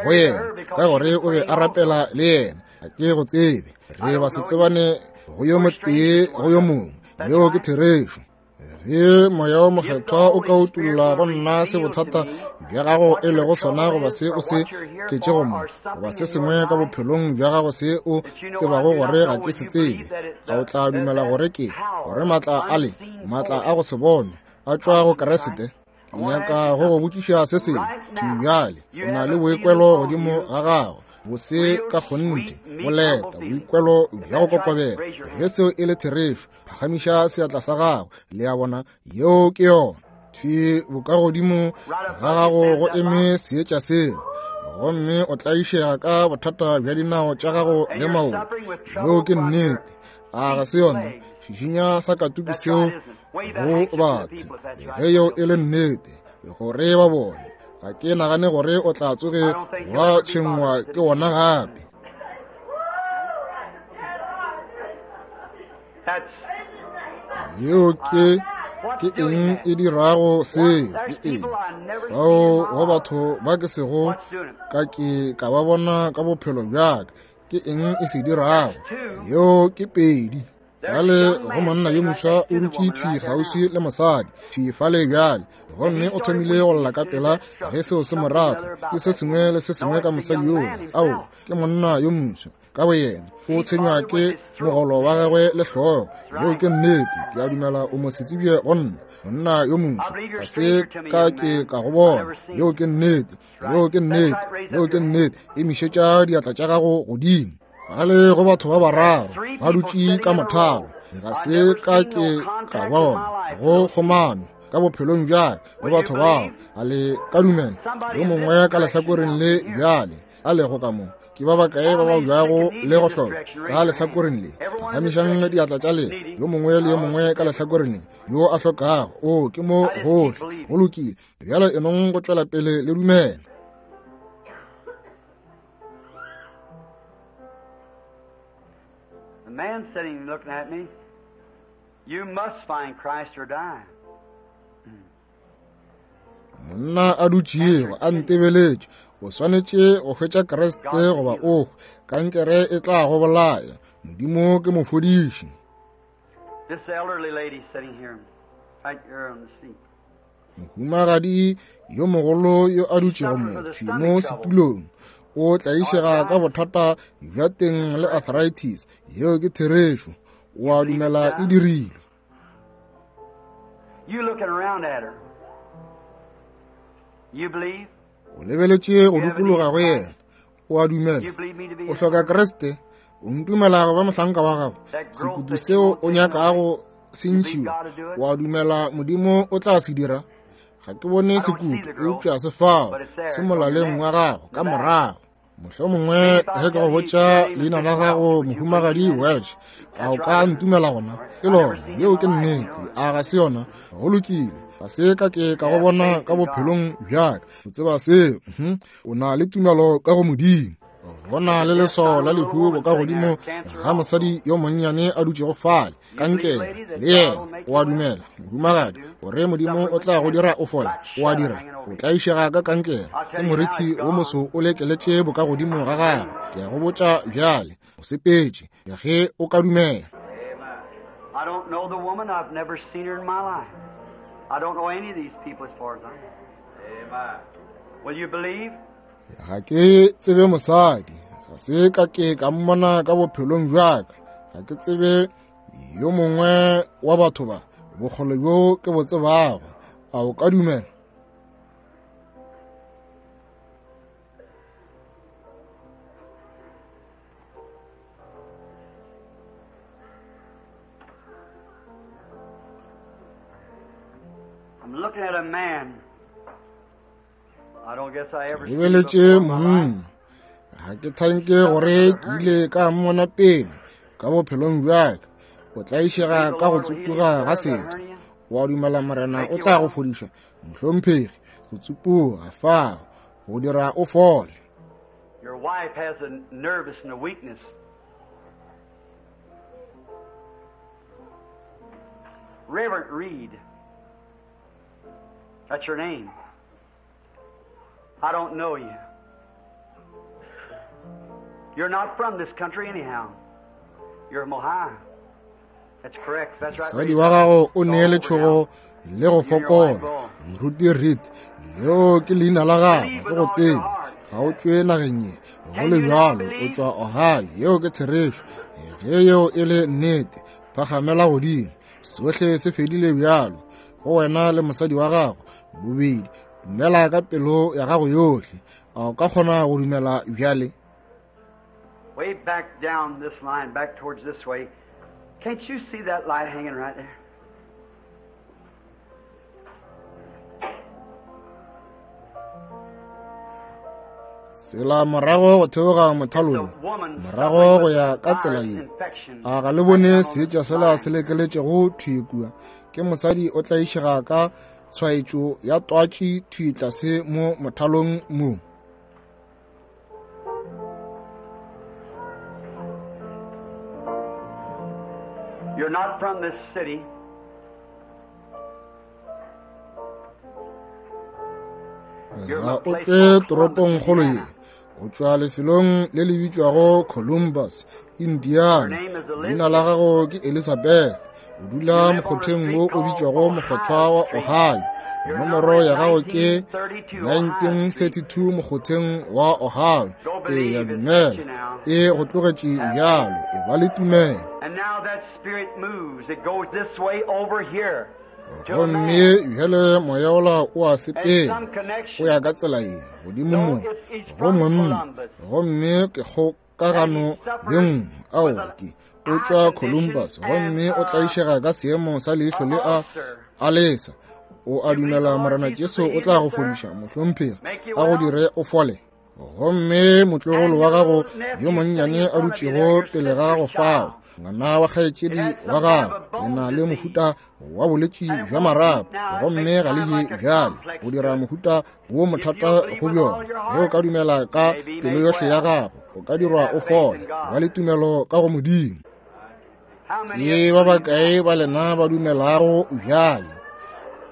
go yena, ka gore o be a rapela le yena. Ga ke go tsebe, re ba se tsebane go yo motee go yo mongwe. Yeo ke therešo. Ge Moya wo Mokgethwa o ka utolla go nna se bothata bja gago e lego sona, goba se o se tletšego mo, goba se sengwe ka bophelong bja gago se o tsebago gore ga ke se tsebe, a o tla dumela gore ke gore maatla a le, maatla a go se bonwe, a tšwa go Kriste? Ke nyaka go go botšiša se sengwe thwi bjale. O na le boikwelo godimo ga gago, bose ka kgonthe, boleta, boikwelo bja go kokobela. Ge seo e le therešo, phagamiša seatla sa gago. Le a bona, yeo ke yona. Thwi bokagodimo ga gago go eme seetša seo, gomme o tlaišega ka bothata bja dinao tša gago le maoto. Yeo ke nnete. A ga se yona? Šišinya sa katuku seo go batho. Ge yeo e le nnete, gore ba bone. Ga ke nagane gore o tla tsoge wa tshwenngwa ke wona gape. Yeo ke ke eng e dirago seo? Ke eng fao go batho ba ke sego ka ke ka ba bona ka bophelo bja ka? Ke eng e se dirago? Yeo ke pedi. Bjale go monna yo moswa o dutše thwi kgauswi le mosadi thwi fale bjale, gomme o thomile go lla ka pela ge seo se mo rata. Ke se sengwe le se sengwe ka mosadi yola. Ao, ke monna yo moswa ka boyena, o tshwenywa ke mogolo wa gagwe le hlogo. Yeo ke nnete. Ke a dumela o mosetsebje go nna, monna yo moswa. Ga se ka ke ka go bona. Yeo ke nnete. Yeo ke nnete. Yeo ke nnete. Emišetša diatla tša gago godimo. Fale go batho ba bararo ba dutše ka mothalo, ga se ka ke ka bona go kgomano ka bophelong bja le batho bao. A le ka dumela? Yo mongwe ka lehlakoreng le bjale a lego ka mo, ke ba bakae ba ba bjago le go hloka ka lehlakoreng le? Phagamišang diatla tša lena, yo mongwe le yo mongwe ka lehlakoreng le yo a hlokago. O ke mo gohle. Go lokile bjale, enong go tšwela pele le dumela. The man sitting looking at me, you must find Christ or die. Monna a dutšego a ntebeletše, o swanetše go hwetša Kriste goba o hwe. Kankere e tla go bolaya. Modimo ke mofodiši. This elderly lady sitting here, right here on the seat. Mohumagadi yo mogolo yo a dutšego mo thwi mo setulong o tlaišega ka bothata bja teng le arthritis. Yeo ke therešo. O a dumela e dirilwe. You looking around at her. You believe? O lebeletše go dikologa go yena. O a dumela. O hloka Kriste. O ntumela go ba mohlanka wa gago? Sekutu seo o nyakago se ntšhiwa, wa dumela Modimo o tla se dira? Ga ke bone sekutu, eupša se fao, se molaleng wa gago ka morago. Mohlomongwe ge ke go botša leina la gago, Mohumagadi Welsh, a o ka ntumela gona? Ke lona, yeo ke nnete, a ga se yona? Go lokile, ga se ka ke ka go bona ka bophelong bjaka. O tseba seo, o na le tumelo ka go Modimo. Go na le leswao la lehu bo ka godimo ga mosadi yo monnyane a dutšego fale, kankere, le yena. O a dumela, mohumagadi, gore Modimo o tla go dira o fole? O a dira. O tlaišega ka kankere, ke morithi wo moso o lekeletše bo ka godimo ga gago. Ke a go botša bjale, o sepetše, ge o ka dumela. I don't know the woman. I've never seen her in my life. I don't know any of these people as far as I know. Amen. Will you believe? Ga ke tsebe mosadi, ga se ka ke ka mmona ka bophelong bjaka. Ga ke tsebe yo mongwe wa batho ba, bokgole bjo ke bo tsebago. A o ka dumela? I'm looking at a man. Lebeletše monna, ga ke thanke gore ke ile ka mmona pele ka bophelong bjaka. O tlaišega ka go tsupuga ga setho. Wa dumela Morena o tla go fodiša, mohlomphegi? Go tsupuga fao go dira o fole. Your wife has a nervous and a weakness. Reverend Reed. That's your name. I don't know you. You're not from this country anyhow. You're from Ohio. That's correct. That's right. Mosadi wa gago o neele tšhogo le go fokola. Moruti Reed, leo ke leina la gago, ke go tsebe. Ga o tšwe nageng ye, go le bjalo, o tšwa Ohio. Yeo ke therešo. Ge yeo e le nnete, phagamela godimo. Sohle se fedile bjalo go wena le mosadi wa gago bobedi. Dumela ka pelo ya gago yohle. A o ka kgona go dumela bjale? Way back down this line, back towards this way. Can't you see that light hanging right there? Tsela morago go theoga mothalong, morago go ya ka tsela ye. A ga le bone seetša sela se lekeletšego thwi kua? Ke mosadi o tlaišega ka tshwaetšo ya twatši thwi tlase mo mothalong mo. You're not from this city. Ga o tšwe toropongkgolo ye, o tšwa lefelong le le bitšwago Columbus, Indiana. Leina la gago ke Elizabeth. O dula mokgotheng wo o bitšwago mokgothwa wa Ohio. Nomoro ya gago ke 1932 mokgotheng wa Ohio. Ke ya dumela e go tlogetše bjalo. E ba le tumelo. And now that spirit moves. It goes this way over here. Gomme bjale moya ola o a sepela, o ya ka tsela ye godimo mo go monna. Gomme ke kgokagano ye nngwe. Aowa, ke o tšwa Columbus, gomme o tlaišega ka seemo sa leihlo le a alesa. O a dumela Morena Jesu o tla go fodiša, mohlomphegi, a go dire o fole? Gomme motlogolo wa gago yo monnyane a dutšego pele ga gago fao, ngwana wa kgaetšedi wa gago, le na le mohuta wa bolwetši bja marapo, gomme ga le je bjale, go dira mohuta wo mothata go bjona. Ge o ka dumela ka pelo yohle ya gago, o ka dirwa o fole. Ba le tumelo ka go Modimo. Ke ba bakae ba lena ba dumelago bjale?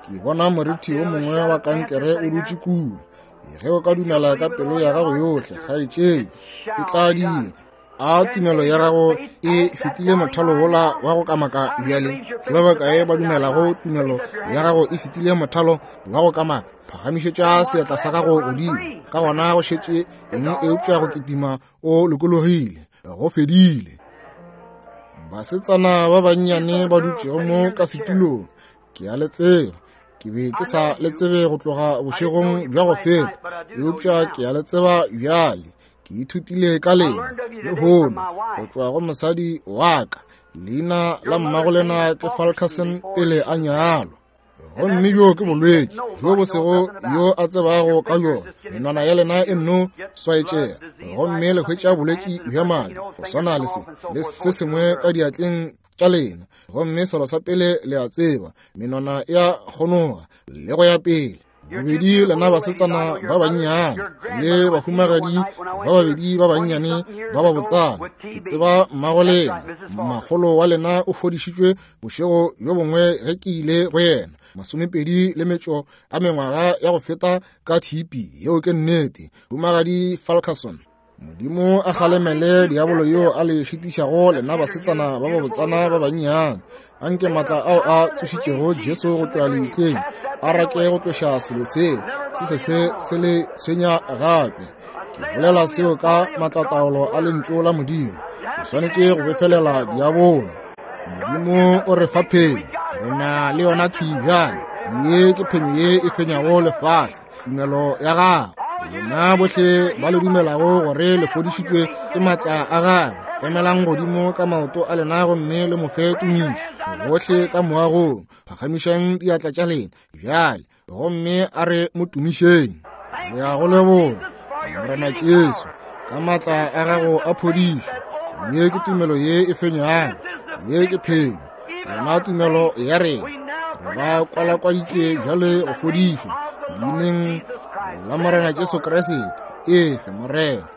Ke bona morithi wo mongwe wa kankere o dutše kua. Ge o ka dumela ka pelo ya gago yohle, kgaetšedi, e tla dira. A tumelo ya gago e fetile mothalo wola wa go kamaka bjale? Ke ba bakae ba dumelago tumelo ya gago e fetile mothalo wa go kamaka? Phagamišetša seatla sa gago godimo. Ka gona go šetše eng eupša go kitima o lokologile? Go fedile. Basetsana ba bannyane ba dutšego mo ka setulong, ke a le tseba. Ke be ke sa le tsebe go tloga bošegong bja go feta, eupša ke a le tseba bjale. Ke ithutile ka lena lehono go tšwa go mosadi wa ka. Leina la mmago lena ke Falkerson pele a nyalwa. Gomme bjo ke bolwetši bjo bo sego yo a tsebago ka bjona. Menwana ya lena e nno swaetšega, gomme le hwetša bolwetši bja madi go swana le se le se sengwe ka diatleng tša lena. Gomme selo sa pele le a tseba, menwana ya kgonoga le go ya pele. Bobedi lena basetsana ba bannyane le bahumagadi ba babedi ba bannyane ba ba botsana, ke tseba mmago lena, makgolo wa lena o fodišitšwe bošego bjo bongwe ge ke ile go yena, 28 a mengwaga ya go feta ka TB. Yeo ke nnete, humagadi Falkerson. Modimo a kgalemele diabolo yo a le šitišago lena basetsana ba ba botsana ba bannyane. Anke maatla ao a tsošitšego Jesu go tšwa lebitleng a rake go tloša selo se se sehlwe se le tshwenya gape. Ke bolela seo ka maatlataolo a lentšu la Modimo. O swanetše go befelela diabolo. Modimo o re fa phenyo, re na le yona thwi bjale. Ye ke phenyo ye e fenyago lefase, tumelo ya gago. Lena bohle ba le dumelago gore le fodišitšwe ke maatla a gagwe, emelang godimo ka maoto a lena gomme le mo fe tumišo. Bohle ka moagong, phagamišang diatla tša lena bjale gomme a re mo tumišeng. Re ya go leboga Morena Jesu ka maatla a gago a phodišo. Ye ke tumelo ye e fenyago, ye ke phenyo. Rena tumelo ya rena re ba kwalakwaditše bjale go fodišwa leineng la Morena Jesu Kriste. Efe Morena.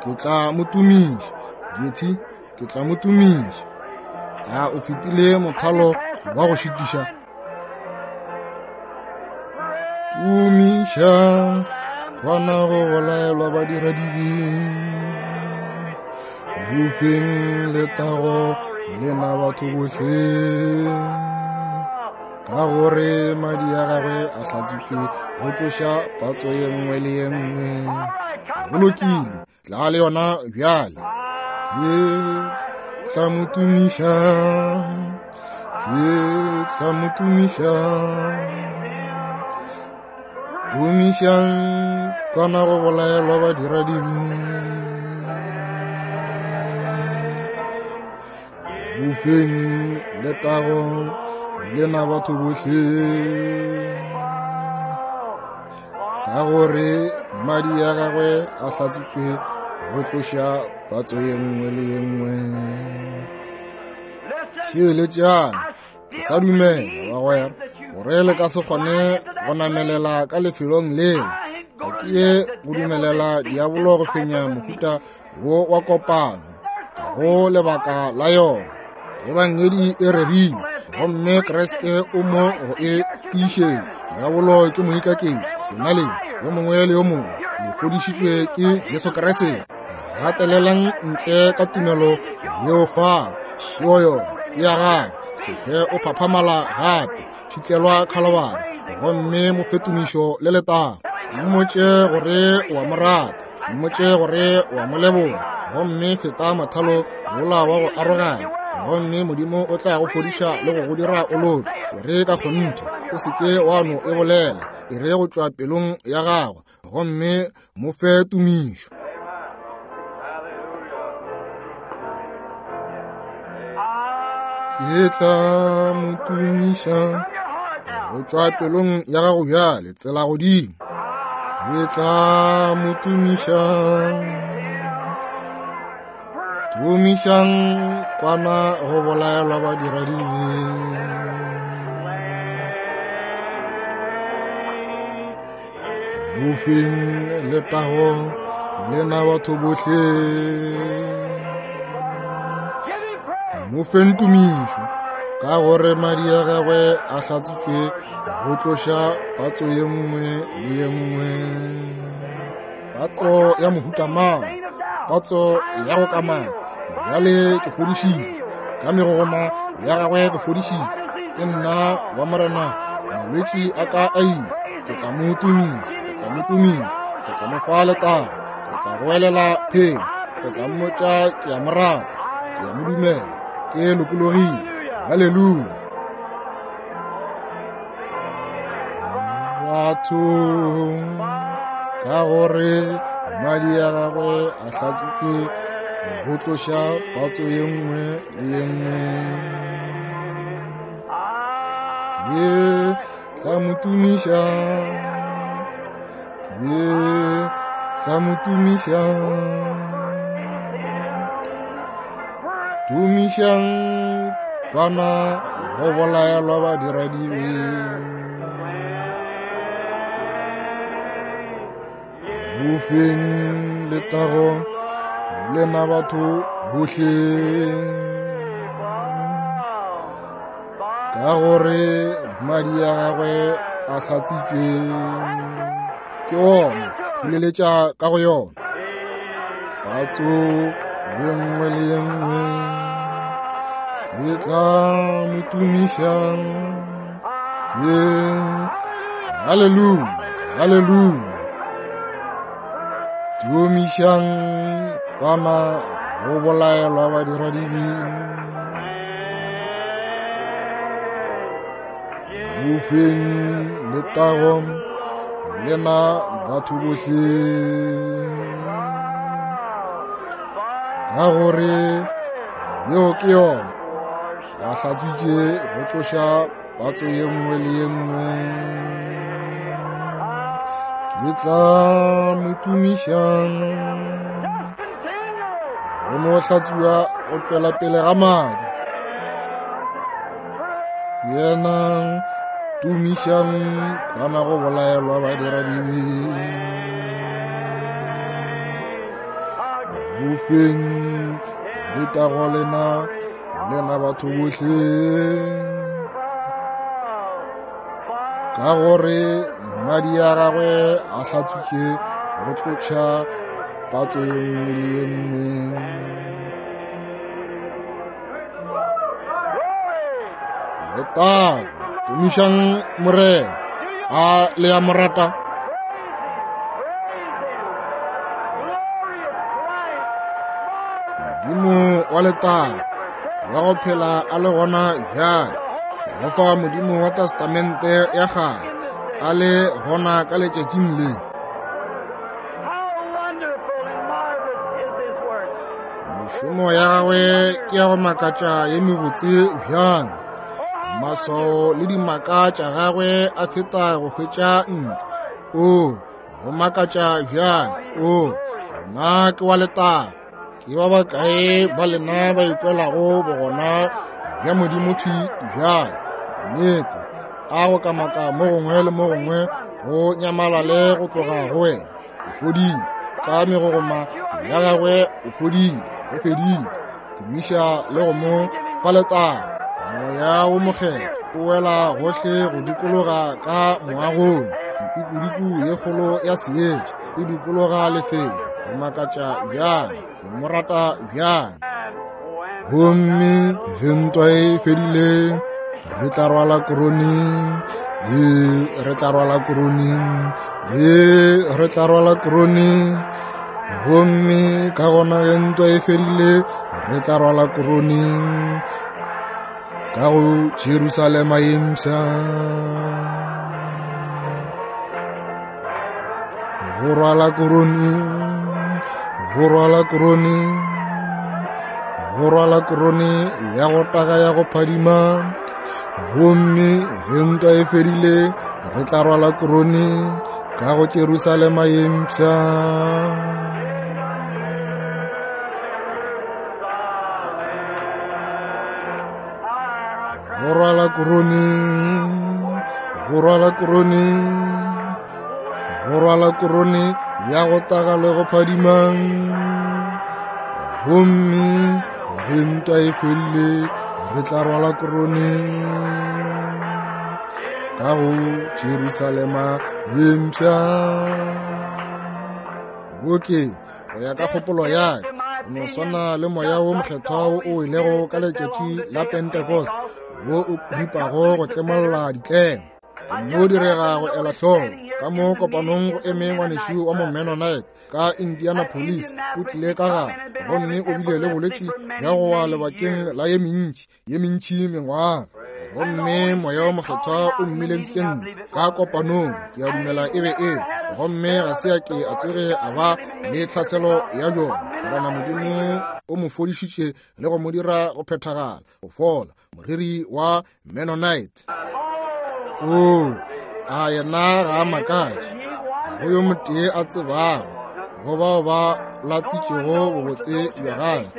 Ke tla mo tumiša, Getty, ke tla mo tumiša. A o fetile mothalo wa go šitiša? Tumiša kwana go bolaelwa badiradibe. Bofeng letago lena batho bohle, ka gore madi a gagwe a hlatswitšwe go tloša patso ye nngwe le ye nngwe. Go lokile, tla le yona bjale. Ke tla mo tumiša, ke tla mo tumiša. Tumišang kwana go bolaelwa badiradibe. Bofeng letago lena batho bohle, ka gore madi a gagwe a hlatswitšwe go tloša patso ye nngwe le ye nngwe. Theeletšang, ke sa dumela bagwera gore le ka se kgone go namelela ka lefelong leo. Ga ke ye go dumelela diabolo go fenya mohuta wo wa kopano, ga go lebaka la yona. Ebangedi e rerilwe gomme Kriste o mo go e tiišetša. Diabolo ke moikaketši. Lena le yo mongwe le yo mongwe le fodišitšwe ke Jesu Kriste. Gatelelang ntle ka tumelo yeo fao. Šio yona ke ya gago. Sehle o phaphamala gape, tšhitlelwa Khalabari gomme mo fe tumišo le letago. Mmotše gore o a mo rata, mmotše gore o a mo leboga, gomme feta mothalo wola wa go aroganya, gomme Modimo o tla go fodiša le go go dira o loke. E re ka kgonthe, o se ke wa no e bolela, e re go tšwa pelong ya gago, gomme mo fe tumišo. Ke tla mo tumiša go tšwa pelong ya gago bjale, tsela godimo. Ke tla mo tumiša. Tumišang kwana go bolaelwa badiradibe. Bofeng letago lena batho bohle. Mo feng tumišo ka gore madi a gagwe a hlatswitšwe go tloša patso ye nngwe le ye nngwe. Patso ya mohuta mang, patso ya go kamana. Bjale ke fodišitšwe ka megogoma ya gagwe, ke fodišitšwe ke nna wa Morena. Malwetši a ka a ile, ke tla mo tumiša, ke tla mo tumiša, ke tla mo fa letago, ke tla goelela phenyo, ke tla mmotša ke a mo rata, ke a mo dumela, ke lokologile. Haleluya. Bathong, ka gore madi a gagwe a hlatswitšwe go tloša patso ye nngwe le ye nngwe. Ye tla mo tumiša, ye tla mo tumiša. Tumišang kwana go bolaelwa badiradibe. Bofeng letago lena batho bohle, ka gore madi a gagwe a hlatsitšwe ke ona. Phuleletša ka go yona patso ye nngwe le ye nngwe. Ke tla mo tumiša, ke haleluya, haleluya. Tumišang kwana go bolaelwa badiradibe. Bofeng letago lena batho bohle, ka gore yeo ke yona a hlatswitše go tloša patso ye nngwe le ye nngwe. Ke tla mo tumiša go no hlatswiwa go tšwela pele ga madi. Yena tumišang kwana go bolaelwa badiradibe. Bofeng letago lena lena batho bohle, ka gore madi a gagwe a hlatswitše go tloša patso ye nngwe le ye nngwe. Letago, tumišang Morena. A le a mo rata? Modimo wa letago wa go phela a le gona bjale, Jehofa Modimo wa Testamente ya kgale a le gona ka letšatšing le. Mešomo ya gagwe ke ya go makatša ye mebotse bjang. Maswao le dimaka tša gagwe a feta go hwetša ntle. O go makatša bjang. O yena ke wa letago. Ke ba bakae ba lena ba ikwelago bogona bja Modimo thwi bjale? Nnete, a go kamaka mo gongwe le mo gongwe go nyamalale go tloga go wena. O fodile ka megogoma ya gagwe, o fodile, go fedile. Tumiša le go mo fa letago. Moya wo mokgethwa o wela gohle go dikologa ka moagong. Ntikodiko ye kgolo ya seetša e dikologa lefelo. Go makatša bjang, go mo rata bjang. Gomme ge ntwa e fedile, re tla rwala korone, ee, re tla rwala korone, ee, re tla rwala korone. Gomme ka gona ge ntwa e fedile, re tla rwala korone ka go Jerusalema ye mpsha. Go rwala korone, go rwala korone, go rwala korone ya go taga ya go phadima. Gomme ge ntwa e fedile, re tla rwala korone ka go Jerusalema ye mpsha. Go rwala korone, go rwala korone, go rwala korone ya go taga le go phadima. Gomme ge ntwa e fedile, re tla rwala korone ka go Jerusalema ye mpsha. Oke, go ya ka kgopolo ya ka, go no swana le moya wo mokgethwa wo o ilego ka letšatši la Pentecost, wo o ripago go tlemolla ditlemo. Mo direga go ela hloko ka mo kopanong go eme ngwanešu wa mo Mennonite ka Indianapolis, o tlile ka gare gomme o bile le bolwetši bja go wa lebakeng la ye mentši mengwaga. Gomme Moya wo Mokgethwa o mmileditše ntle ka kopanong, ke a dumela e be e, gomme ga se a ke a tsoge a ba le tlhaselo ya bjona. Morena Modimo o mo fodišitše le go mo dira go phethagala, go fola, moriri wa Mennonite. Oo, a yena ga a makatše. Ga go yo motee a tsebago go bao ba latsitšego bobotse bja gagwe,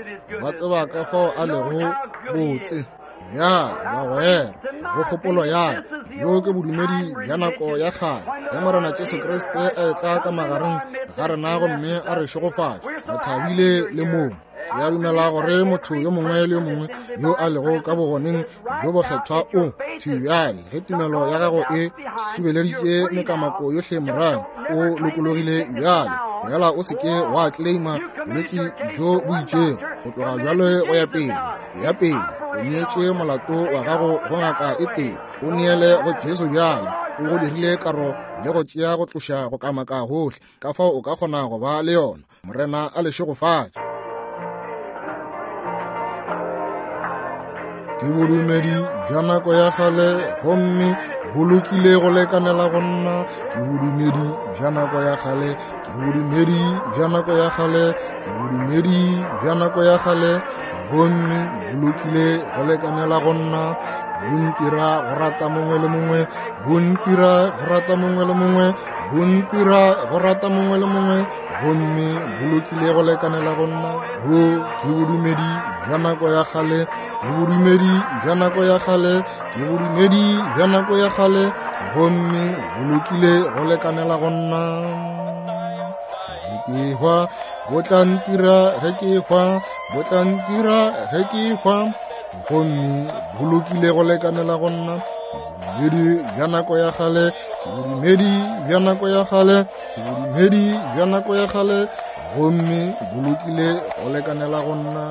ba tseba ka fao a lego botse. Bjale, bagwera, go kgopolo ya bjo ke bodumedi bja nako ya kgale ge Morena Jesu Kriste a etla ka magareng ga rena gomme a re šegofatša, re thabile le moo. Ke a dumela gore motho yo mongwe le yo mongwe yo a lego ka bogoneng bjo bokgethwa o thwi bjale, ge tumelo ya gago e subeleditše mekamako yohle morago, o lokologile bjale. Fela o se ke wa claima bolwetši bjo bo itšego go tloga bjale go ya pele. Ya pele, o neetše molato wa gago go ngaka e tee, o neele go Jesu bjale. O go dirile karo le go tšea go tloša go kamaka gohle, ka fao o ka kgona go ba le yona. Morena a le šegofatše. Ke bodumedi bja nako ya kgale gomme bo lokile go lekanela go nna. Ke bodumedi bja nako ya kgale, ke bodumedi bja nako ya kgale, ke bodumedi bja nako ya kgale gomme bo lokile go lekanela go nna. Bo ntira go rata mongwe le mongwe, bo ntira go rata mongwe le mongwe, bo ntira go rata mongwe le mongwe gomme bo lokile go lekanela go nna. Bo ke bodumedi bja nako ya kgale, ke bodumedi bja nako ya kgale, ke bodumedi bja nako ya kgale gomme bo lokile go lekanela go nna. Ge ke hwa bo tla ntira, ge ke hwa bo tla ntira, ge ke hwa gomme bo lokile go lekanela go nna. Ke bodumedi bja nako ya kgale, ke bodumedi bja nako ya kgale, ke bodumedi bja nako ya kgale gomme bo lokile go lekanela go nna.